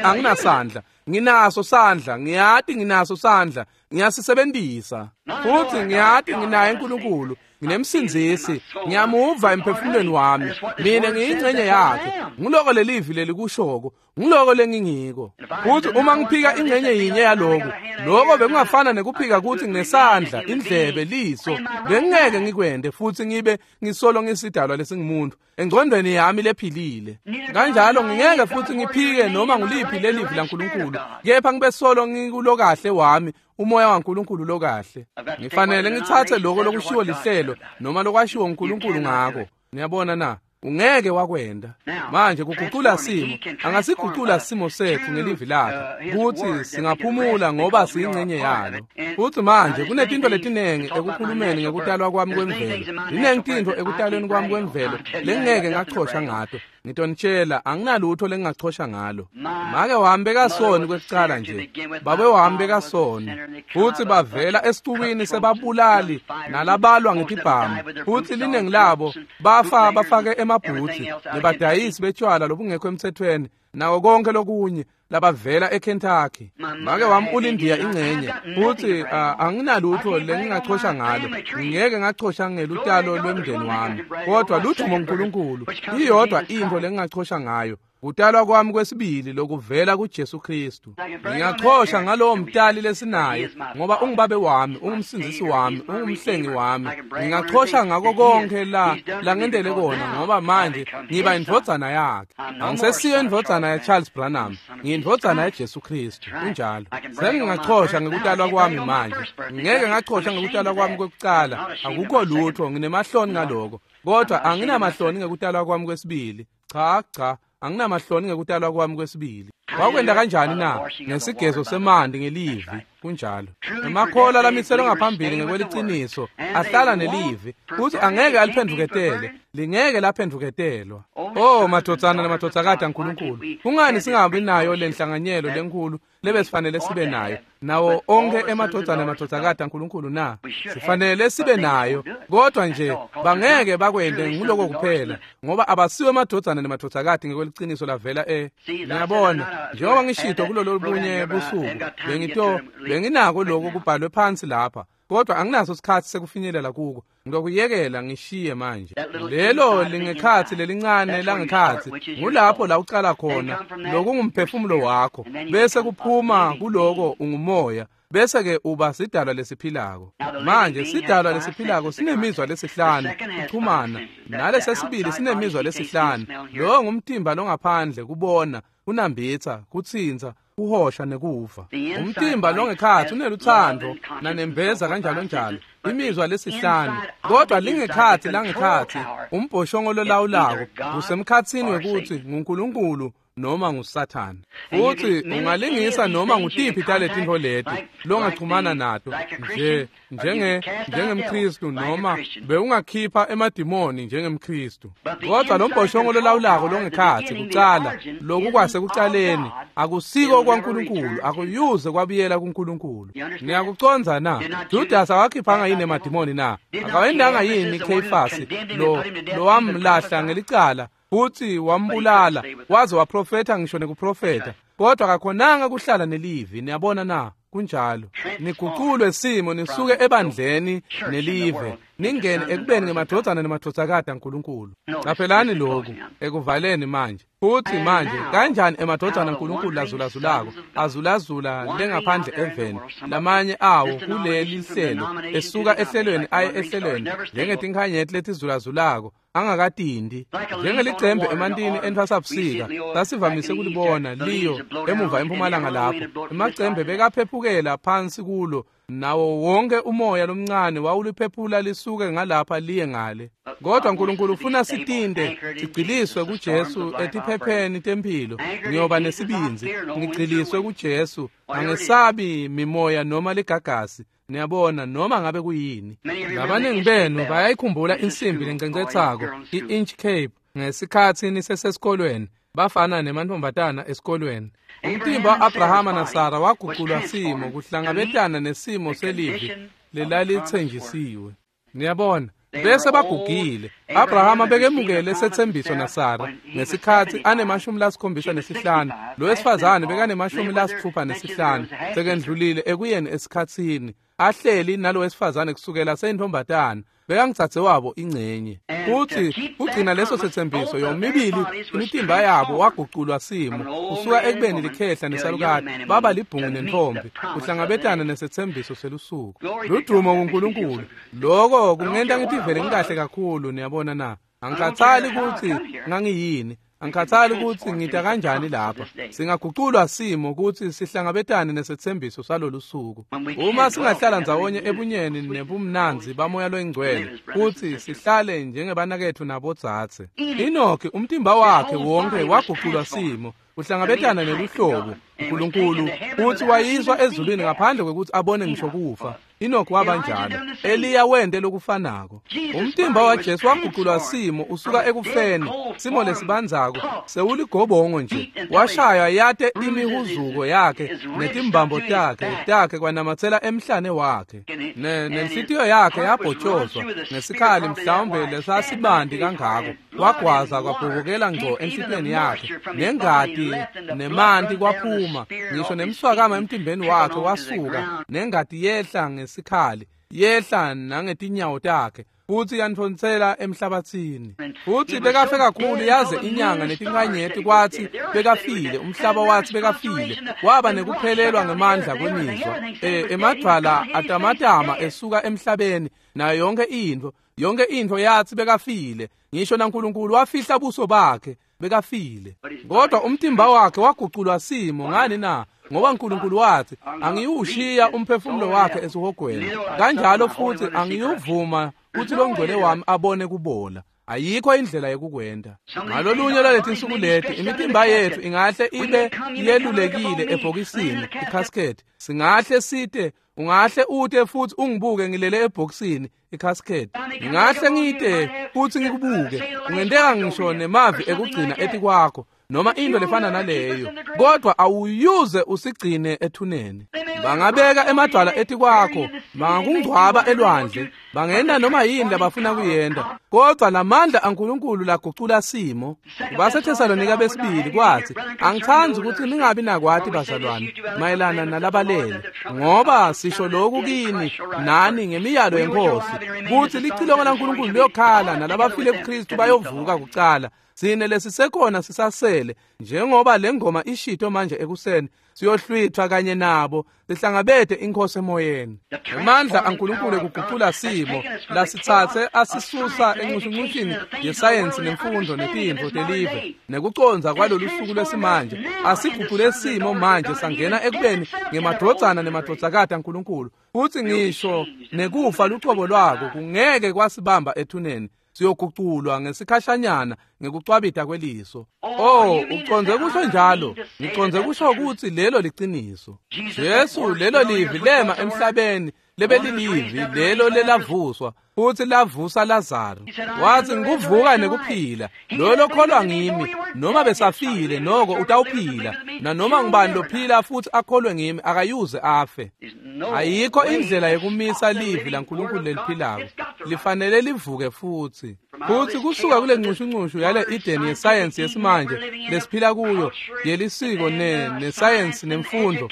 anginasandla. Nginaso sandla, ngiyati nginaso sandla, ngiyasisebenzisa. Futhi ngiyati nginaye uNkulunkulu, nginemsindzisi, ngiyamuva emphefumulweni wami. Mina ngiyingcenye yakhe. Ngiloko lelivi lelikushoko, ngiloko lengingiko. Futhi uma ngiphika ingcenye yinye yaloku, lokho bekungafana nekuphika ukuthi nginesandla, indlebe, liso, bengingeke ngikwende futhi ngibe ngisolo ngisidalwa lesingumuntu engcondweni yami lephilile. Kanjalo ngingeke futhi ngiphike noma nguliphi lelivi laNkulunkulu, kepha ngibe solo ngikulokahle wami, umoya waNkulunkulu lokahle. Ngifanele ngithathe lokho lokushiwo lihlelo noma lokwashiwo uNkulunkulu ngako. Niyabona na? Ungeke wakwenda. Manje kugucula simo, angasigucula simo sethu ngelivi lakhe, kuthi singaphumula ngoba siyingcenye yalo. Futhi manje kunetinto letinengi ekukhulumeni ngekutalwa kwami kwemvelo. Linengi tinto ekutalweni kwami kwemvelo lengeke ngachosha ngato. Ngitonitshela, anginalutho lengingachosha ngalo. Make wami bekasoni kwekucala nje, babe wami bekasoni, futhi bavela esicukwini sebabulali nalabalwa ngetibhamu, futhi linengi labo bafa bafake emabhuthi nebadayisi betshwala lobungekho emthethweni nawo konke lokunye labavela eKentucky. Make wami ulindiya ingcenye, futhi anginalutho lengingachosha ngalo. Ngingeke ngachosha ngelutalo lwemndeni wami, kodwa ludumo uNkulunkulu iyodwa into lengingachosha ngayo, kutalwa kwami kwesibili lokuvela kuJesu Kristu. Ngingachosha ngalowo mtali lesinaye ngoba ungubabe wami, ungumsindzisi wami, ungumhlengi wami. Ngingachosha ngako konke la ngendele kona ngoba manje ngiba indvodzana yakhe. Angisesiyo indvodzana ya Charles Branham, ngiyindvodzana yaJesu Kristu. Kunjalo. Sengingachosha ngekutalwa kwami manje. Ngeke ngachosha ngekutalwa kwami kwekucala. Akukho lutho, nginemahloni ngaloko. Kodwa anginamahloni ngekutalwa kwami kwesibili. Cha cha. Anginamahloni ngekutalwa kwami kwesibili. Wakwenda kanjani na? Ngesigezo semanti ngelivi. Kunjalo. Emakholwa lamiselwe ngaphambili ngekweliciniso ahlala nelivi futhi angeke aliphenduketele, lingeke laphenduketelwa. Oh madvodzana namadvodzakati aNkulunkulu, kungani singabi nayo lenhlanganyelo lenkulu lebesifanele sibe nayo nawo onke emadvodzana namadvodzakati aNkulunkulu na? Sifanele sibe nayo, kodwa nje bangeke bakwente nguloko kuphela, ngoba abasiwe emadvodzana namadvodzakati ngekweliciniso lavela Niyabona, njengoba ngishito kulolo bunye busuku, benginako lokho kubhalwe phansi lapha, kodwa anginaso isikhathi sekufinyelela kuko. Ngiyokuyekela ngishiye manje. Lelo lingekhathi lelincane langekhathi, ngulapho la ucala khona, lokungumphefumulo wakho, bese kuphuma kuloko ungumoya, bese ke uba sidalwa lesiphilako. Manje sidalwa lesiphilako sinemizwa lesihlanu kuxhumana, nalesesibili sinemizwa lesihlanu. Lo ngumtimba longaphandle, kubona, kunambitsa, kutsintsa, kuhosha nekuva. Umtimba longekhathi uneluthando nanembeza kanjalo njalo, imizwa lesihlanu. Kodwa lingekhathi langekhathi, umbhoshongo lolawulako usemkhatsini wekuthi nguNkulunkulu noma nguSathane. Futhi ungalingisa noma ngutiphi taletintfo leti longachumana nato nje njengemKristu, noma bewungakhipha emadimoni njengemKristu. Kodwa lo mbhoshongo lolawulako longekhathi kucala, loku kwasekucaleni akusiko kwaNkulunkulu, akuyuze kwabuyela kuNkulunkulu. Niyakucondza na? Judas awakhiphanga yini emadimoni na? Akawendanga yini Kheyifasi lo lowamlahla ngelicala futhi wambulala, waze waprofetha ngisho nekuprofetha, kodwa akakhonanga kuhlala nelivi. Niyabona na? Kunjalo. Niguculwe simo, nisuke ebandleni nelive, ningene ekubeni ngemadvodzana nemadvodzakati aNkulunkulu. Caphelani lokhu ekuvaleni manje. Futhi manje kanjani emadvodzana aNkulunkulu lazulazulako azulazula lengaphandle eveni, lamanye awo kuleli hlelo esuka ehlelweni aye ehlelweni, njengetinkhanyeti letizulazulako angakatindi, njengelicembe emantini entfwasabusika. Sasivamise kulibona liyo emuva empumalanga lapho emacembe bekaphephukela phansi kulo, nawo wonke umoya lomncane wawuliphephula lisuke ngalapha liye ngale. Kodwa uNkulunkulu ufuna sitinde, sigciliswe kuJesu etiphepheni temphilo. Ngiyoba nesibindzi, ngigciliswe kuJesu, angesabi mimoya noma ligagasi. Niyabona, noma ngabe kuyini. Labaningi benu bayayikhumbula insimbi lencencetsako, i-Inch Cape, ngesikhathi nisesesikolweni, bafana nemantombazana esikolweni. Umtimba wa-Abrahama naSara waguculwa simo kuhlangabetana nesimo selivi lelalithenjisiwe. Niyabona, bese bagugile. Abrahama bekemukele setsembiso naSara ngesikhathi anemashumi lasikhombisa nesihlanu, lo wesifazane bekanemashumi lasitfupha nesihlanu, sekendlulile ekuyeni esikhatsini, ahleli nalo wesifazane kusukela seyintombatana, bekangitsatse wabo ingcenye. Futhi kugcina leso setsembiso, yomibili imitimba yabo waguculwa simo, kusuka ekubeni likhehla nesalukati baba libhungu nentombi, kuhlangabetana nesetsembiso selusuku. Ludumo kuNkulunkulu. Loko kungenta ngitivele ngikahle kakhulu. Niyabona na? Angikhathali ukuthi ngangiyini, angikhathali ukuthi ngita kanjani lapha. Singaguculwa simo ukuthi sihlangabetane nesethembiso salolu suku. Uma singahlala ndzawonye ebunyeni nebumnandzi bamoya loyingcwele, futhi sihlale njengebanaketfu nabodzadze. Enoki umtimba wakhe wonke waguculwa simo uhlangabetana neluhlobo uNkulunkulu, futhi wayiswa ezulwini ngaphandle kwekuthi abone ngisho kufa. Enoki waba njalo. Eliya wente lokufanako. Umtimba waJesu waguculwa simo usuka ekufeni, simo lesibandzako sewuligobongo nje, washaywa yate imihuzuko yakhe netimbambo takhe kwanamatsela emhlane wakhe, nenhlitiyo yakhe yabhotshozwa ngesikhali mhlawumbe lesasibandi kangako, wagwaza kwabhubukela ngco enhlitiyweni yakhe, nengati nemanti kwaphuma, ngisho nemswakama emtimbeni wakhe wasuka, nengati yehla ngesikhali, yehla nangetinyawo takhe, futhi yantfonsela emhlabathini. Futhi bekafe kakhulu yaze inyanga netinkanyeti kwathi bekafile, umhlaba wathi bekafile, waba nekuphelelwa ngemandla kwemizwa. Emadvwala atamatama esuka emhlabeni, nayo yonke intfo yathi bekafile, ngisho naNkulunkulu wafihla buso bakhe, bekafile. Kodwa umtimba wakhe waguculwa simo. Ngani na? Ngoba uNkulunkulu wathi, angiyushiya umphefumulo wakhe esihogweni, kanjalo futhi angiyuvuma kuthi longcwele wami abone kubola. Ayikho indlela yokukwenta. Ngalolunye lwaletinsuku leti imitimba yetfu ingahle ibe yelulekile ebhokisini, icasket. Singahle site, ungahle ute futhi ungibuke ngilele ebhokisini, icasket. Ngingahle ngite futhi ngikubuke. Kungenteka ngisho nemavi ekugcina etikwakho noma into lefana naleyo, kodwa awuyuze usigcine ethuneni. Bangabeka emadwala etikwakho, bangakungcwaba elwandle, bangenta noma yini labafuna kuyenta, kodwa lamandla aNkulunkulu lagucula simo. BaseThesalonika besibili kwathi, angithandi ukuthi ningabi nakwati bazalwane mayelana nalabalele, ngoba sisho lokhu kini nani ngemiyalo yeNkosi, kuthi licilongo laNkulunkulu liyokhala nalabafile kuKristu bayovuka kucala. Sine lesisekhona sisasele, njengoba lengoma ishito manje ekuseni, siyohlwithwa kanye nabo sihlangabete inkosi emoyeni. Amandla aNkulunkulu ekugucula simo lasitsatse asisusa encushuncushini yesayensi nemfundo netintfo telive nekucondza kwalolu suku lwesimanje, asigucule simo manje sangena ekubeni ngemadvodzana nemadvodzakati aNkulunkulu. Futsi ngisho nekufa lucobo lwako kungeke kwasibamba ethuneni, siyoguculwa ngesikhashanyana ngekucwabita kweliso. Oh, ucondze kusho njalo? Ngicondze kusho ukuthi lelo liciniso. Jesu lelo livi lema emhlabeni lebelilivi lelo lelavuswa futhi lavusa Lazaro. Wathi ngikuvuka nekuphila, lo lokholwa ngimi noma besafile noko utawuphila, nanoma ngubani lophila futhi akholwe ngimi akayuze afe. Ayikho indlela yokumisa livi laNkulunkulu leliphilako, lifanele livuke futhi. Futhi kusuka kule ncushunqushu yale Eden yesayensi yesimanje lesiphila kuyo, yelisiko nesayensi nemfundo,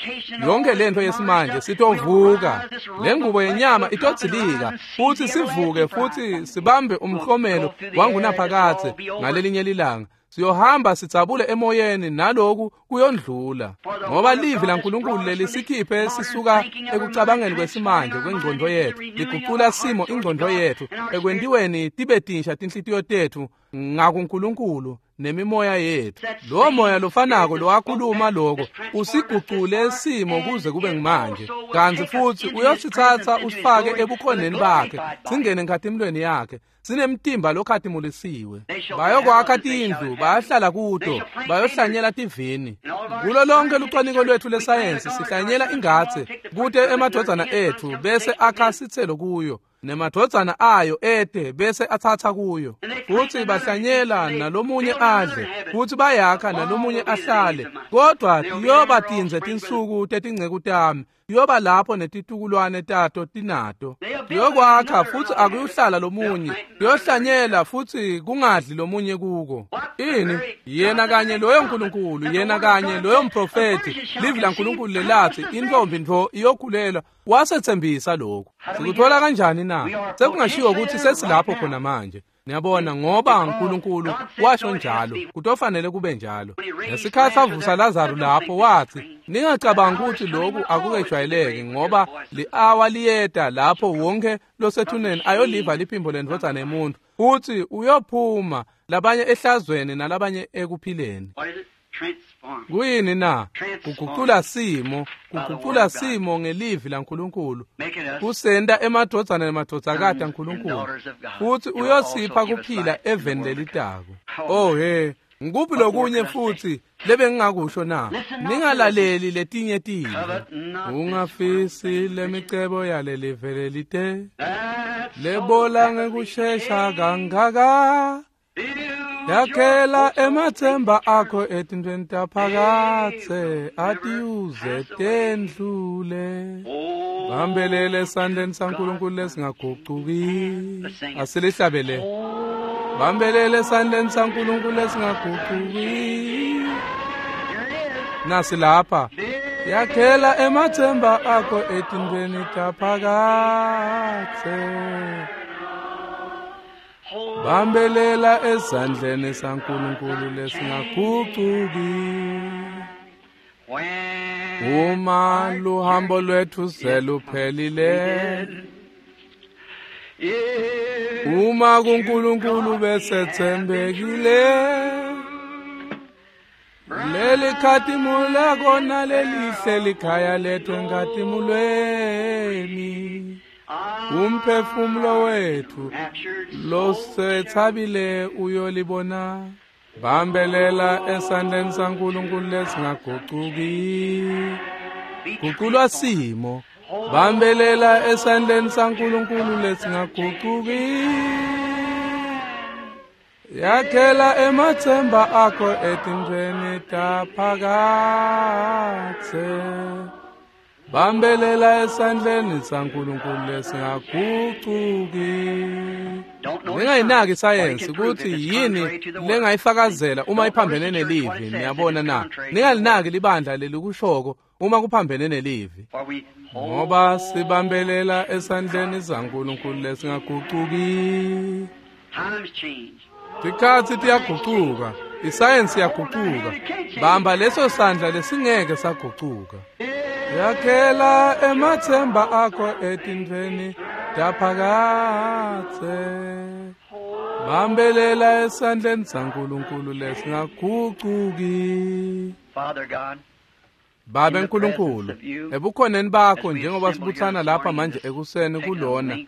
yonke lento yesimanje sitovuka. Le ngubo yenyama itodzilika futhi sivuke futhi sibambe umhlomelo wangunaphakadze ngalelinye lilanga. Siyohamba sidzabule emoyeni naloku kuyondlula, ngoba livi laNkulunkulu lelisikhiphe sisuka ekucabangeni kwesimanje kwengqondo yethu, ligucula simo ingqondo yethu ekwentiweni tibe tinsha tinhlitiyo tethu ngakuNkulunkulu nemimoya yethu. Lo moya lofanako lowakhuluma lokho usigucule simo kuze kube ngimanje, kanti futhi uyosithatha usifake ebukhoneni bakhe, singene enkhatimulweni yakhe, sinemtimba lokhatimulisiwe. Bayokwakha tindlu, bayahlala kuto, bayohlanyela tivini. Kulo lonke lucwaningo lwethu lesayensi sihlanyela ingathe kute emadvodzana ethu bese akha sitselo kuyo, nemadvodzana ayo ete bese athatha kuyo. Futhi bahlanyela nalomunye adle, futhi bayakha nalomunye ahlale, kodwa tiyoba tindze tinsuku tetingceku tami, tiyoba lapho netitukulwane tato tinato. Tiyokwakha futhi akuyuhlala lomunye, tiyohlanyela futhi kungadli lomunye kuko. Ini? Yena kanye loyo Nkulunkulu, yena kanye loyo mprofethi, livi laNkulunkulu lelathi intombi ntfo iyokhulelwa, wasethembisa lokhu. Sikuthola kanjani na? Sekungashiwo ukuthi sesilapho khona manje. Niyabona, ngoba uNkulunkulu washo njalo, kutofanele kube njalo. Ngesikhathi avusa Lazaro lapho wathi, ningacabangi ukuthi lokhu akukejwayeleki, ngoba li-awa liyeta lapho wonke losethuneni ayoliva liphimbo lendvodzana yemuntu, futhi uyophuma, labanye ehlazweni nalabanye ekuphileni. Kuyini na? Kugucula simo, kugucula simo ngelivi laNkulunkulu, kusenta emadvodzana nemadvodzakati aNkulunkulu, futhi uyosipha kuphila eveni lelitako. Oh he, ngikuphi lokunye futhi lebengingakusho na? Ningalaleli letinye tintfo. Ungafisi lemicebo yalelive lelite, lebola ngekushesha kangaka. Yakhela emathemba akho etintweni taphakadze, atiyuze tendlule. Bambelele esandleni saNkulunkulu lesingagucuki. Asilihlabele. Bambelele esandleni saNkulunkulu lesingagucuki. Nasi lapha. Yakhela emathemba akho etintweni taphakadze. Bambelela esandleni saNkulunkulu lesingagucuki. Uma luhambo lwethu seluphelile, uma kuNkulunkulu besethembekile, leli khatimula kona lelihle likhaya lethu enkhatimulweni. Umphefumulo wethu losethabile uyolibona. Bambelela esandleni saNkulunkulu lesingagucuki. Guculwa simo. Bambelela esandleni saNkulunkulu lesingagucuki. Yakhela emathemba akho etintfweni taphakadze. Bambelela esandleni saNkulunkulu lesingagucuki. Ningayinaki isayensi ukuthi yini lengayifakazela uma iphambene nelivi, niyabona na? Ningalinaki libandla lelikushoko uma kuphambene nelivi. Ngoba sibambelela esandleni saNkulunkulu lesingagucuki. Tikhatsi tiyagucuka, isayensi iyagucuka. Bamba leso sandla lesingeke sagucuka. Yakhela emathemba akho etintfweni taphakadze. Bambelela esandleni saNkulunkulu lesingagucuki. Babe Nkulunkulu, ebukhoneni bakho njengoba sibuthana lapha manje ekuseni kulona,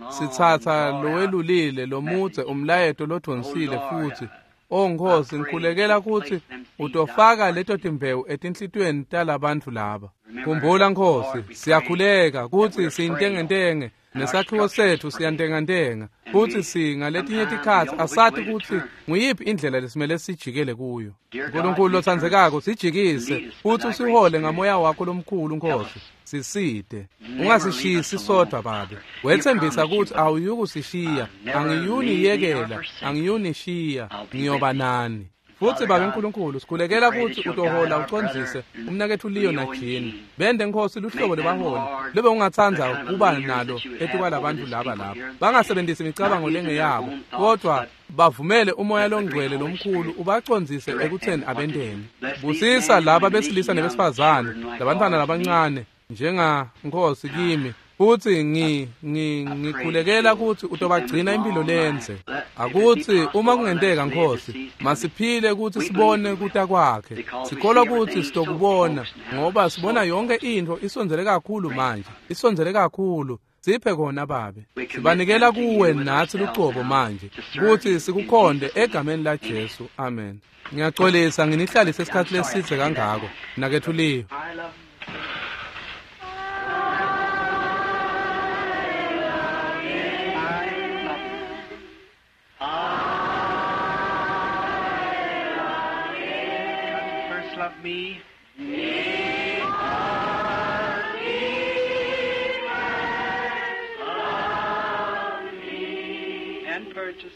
sitsatsa lowelulile lomudze umlayeto lodvonsile futhi. O Nkosi, ngikhulekela ukuthi utofaka leto timbewu etinhlitiyweni talabantfu laba. Khumbula Nkosi, siyakhuleka kutsi siyintengentenge nesakhiwo sethu siyantengantenga futhi singaletinye tikhatsi asati kutsi nguyiphi indlela lesimele sijikele kuyo. Nkulunkulu lotsandzekako, sijikise futhi usihole ngamoya wakho lomkhulu Nkosi. Sisite, ungasishisi sodwa Babe. Wetsembisa kutsi awuyukusishiya, angiyuniyekela, angiyunishiya, ngiyoba nani. Futhi Babe Nkulunkulu, sikhulekela kutsi utohola ucondzise umnaketfu Leo na Jean. Bende Nkosi luhlobo lebaholi lebe ungatsandza kuba nalo etikwalabantfu laba lapha. Bangasebenzisi imicabango lengeyabo, kodwa bavumele umoya longcwele lomkhulu ubacondzise ekutheni abenteni. Busisa laba besilisa nebesifazane, labantfwana labancane njenga Nkosi kimi. Futhi ngikhulekela ukuthi utobagcina impilo lenze. Akuthi uma kungenteka Nkosi, masiphile ukuthi sibone kuta kwakhe. Sikholwa ukuthi sitokubona ngoba sibona yonke intfo isondzele kakhulu manje. Isondzele kakhulu. Siphe kona Babe. Sibanikela kuwe natsi lucobo manje ukuthi sikukhonde egameni la Jesu. Amen. Ngiyaxolisa nginihlalise isikhathi lesidze kangako. Nakethu Leo. Love me. And purchased.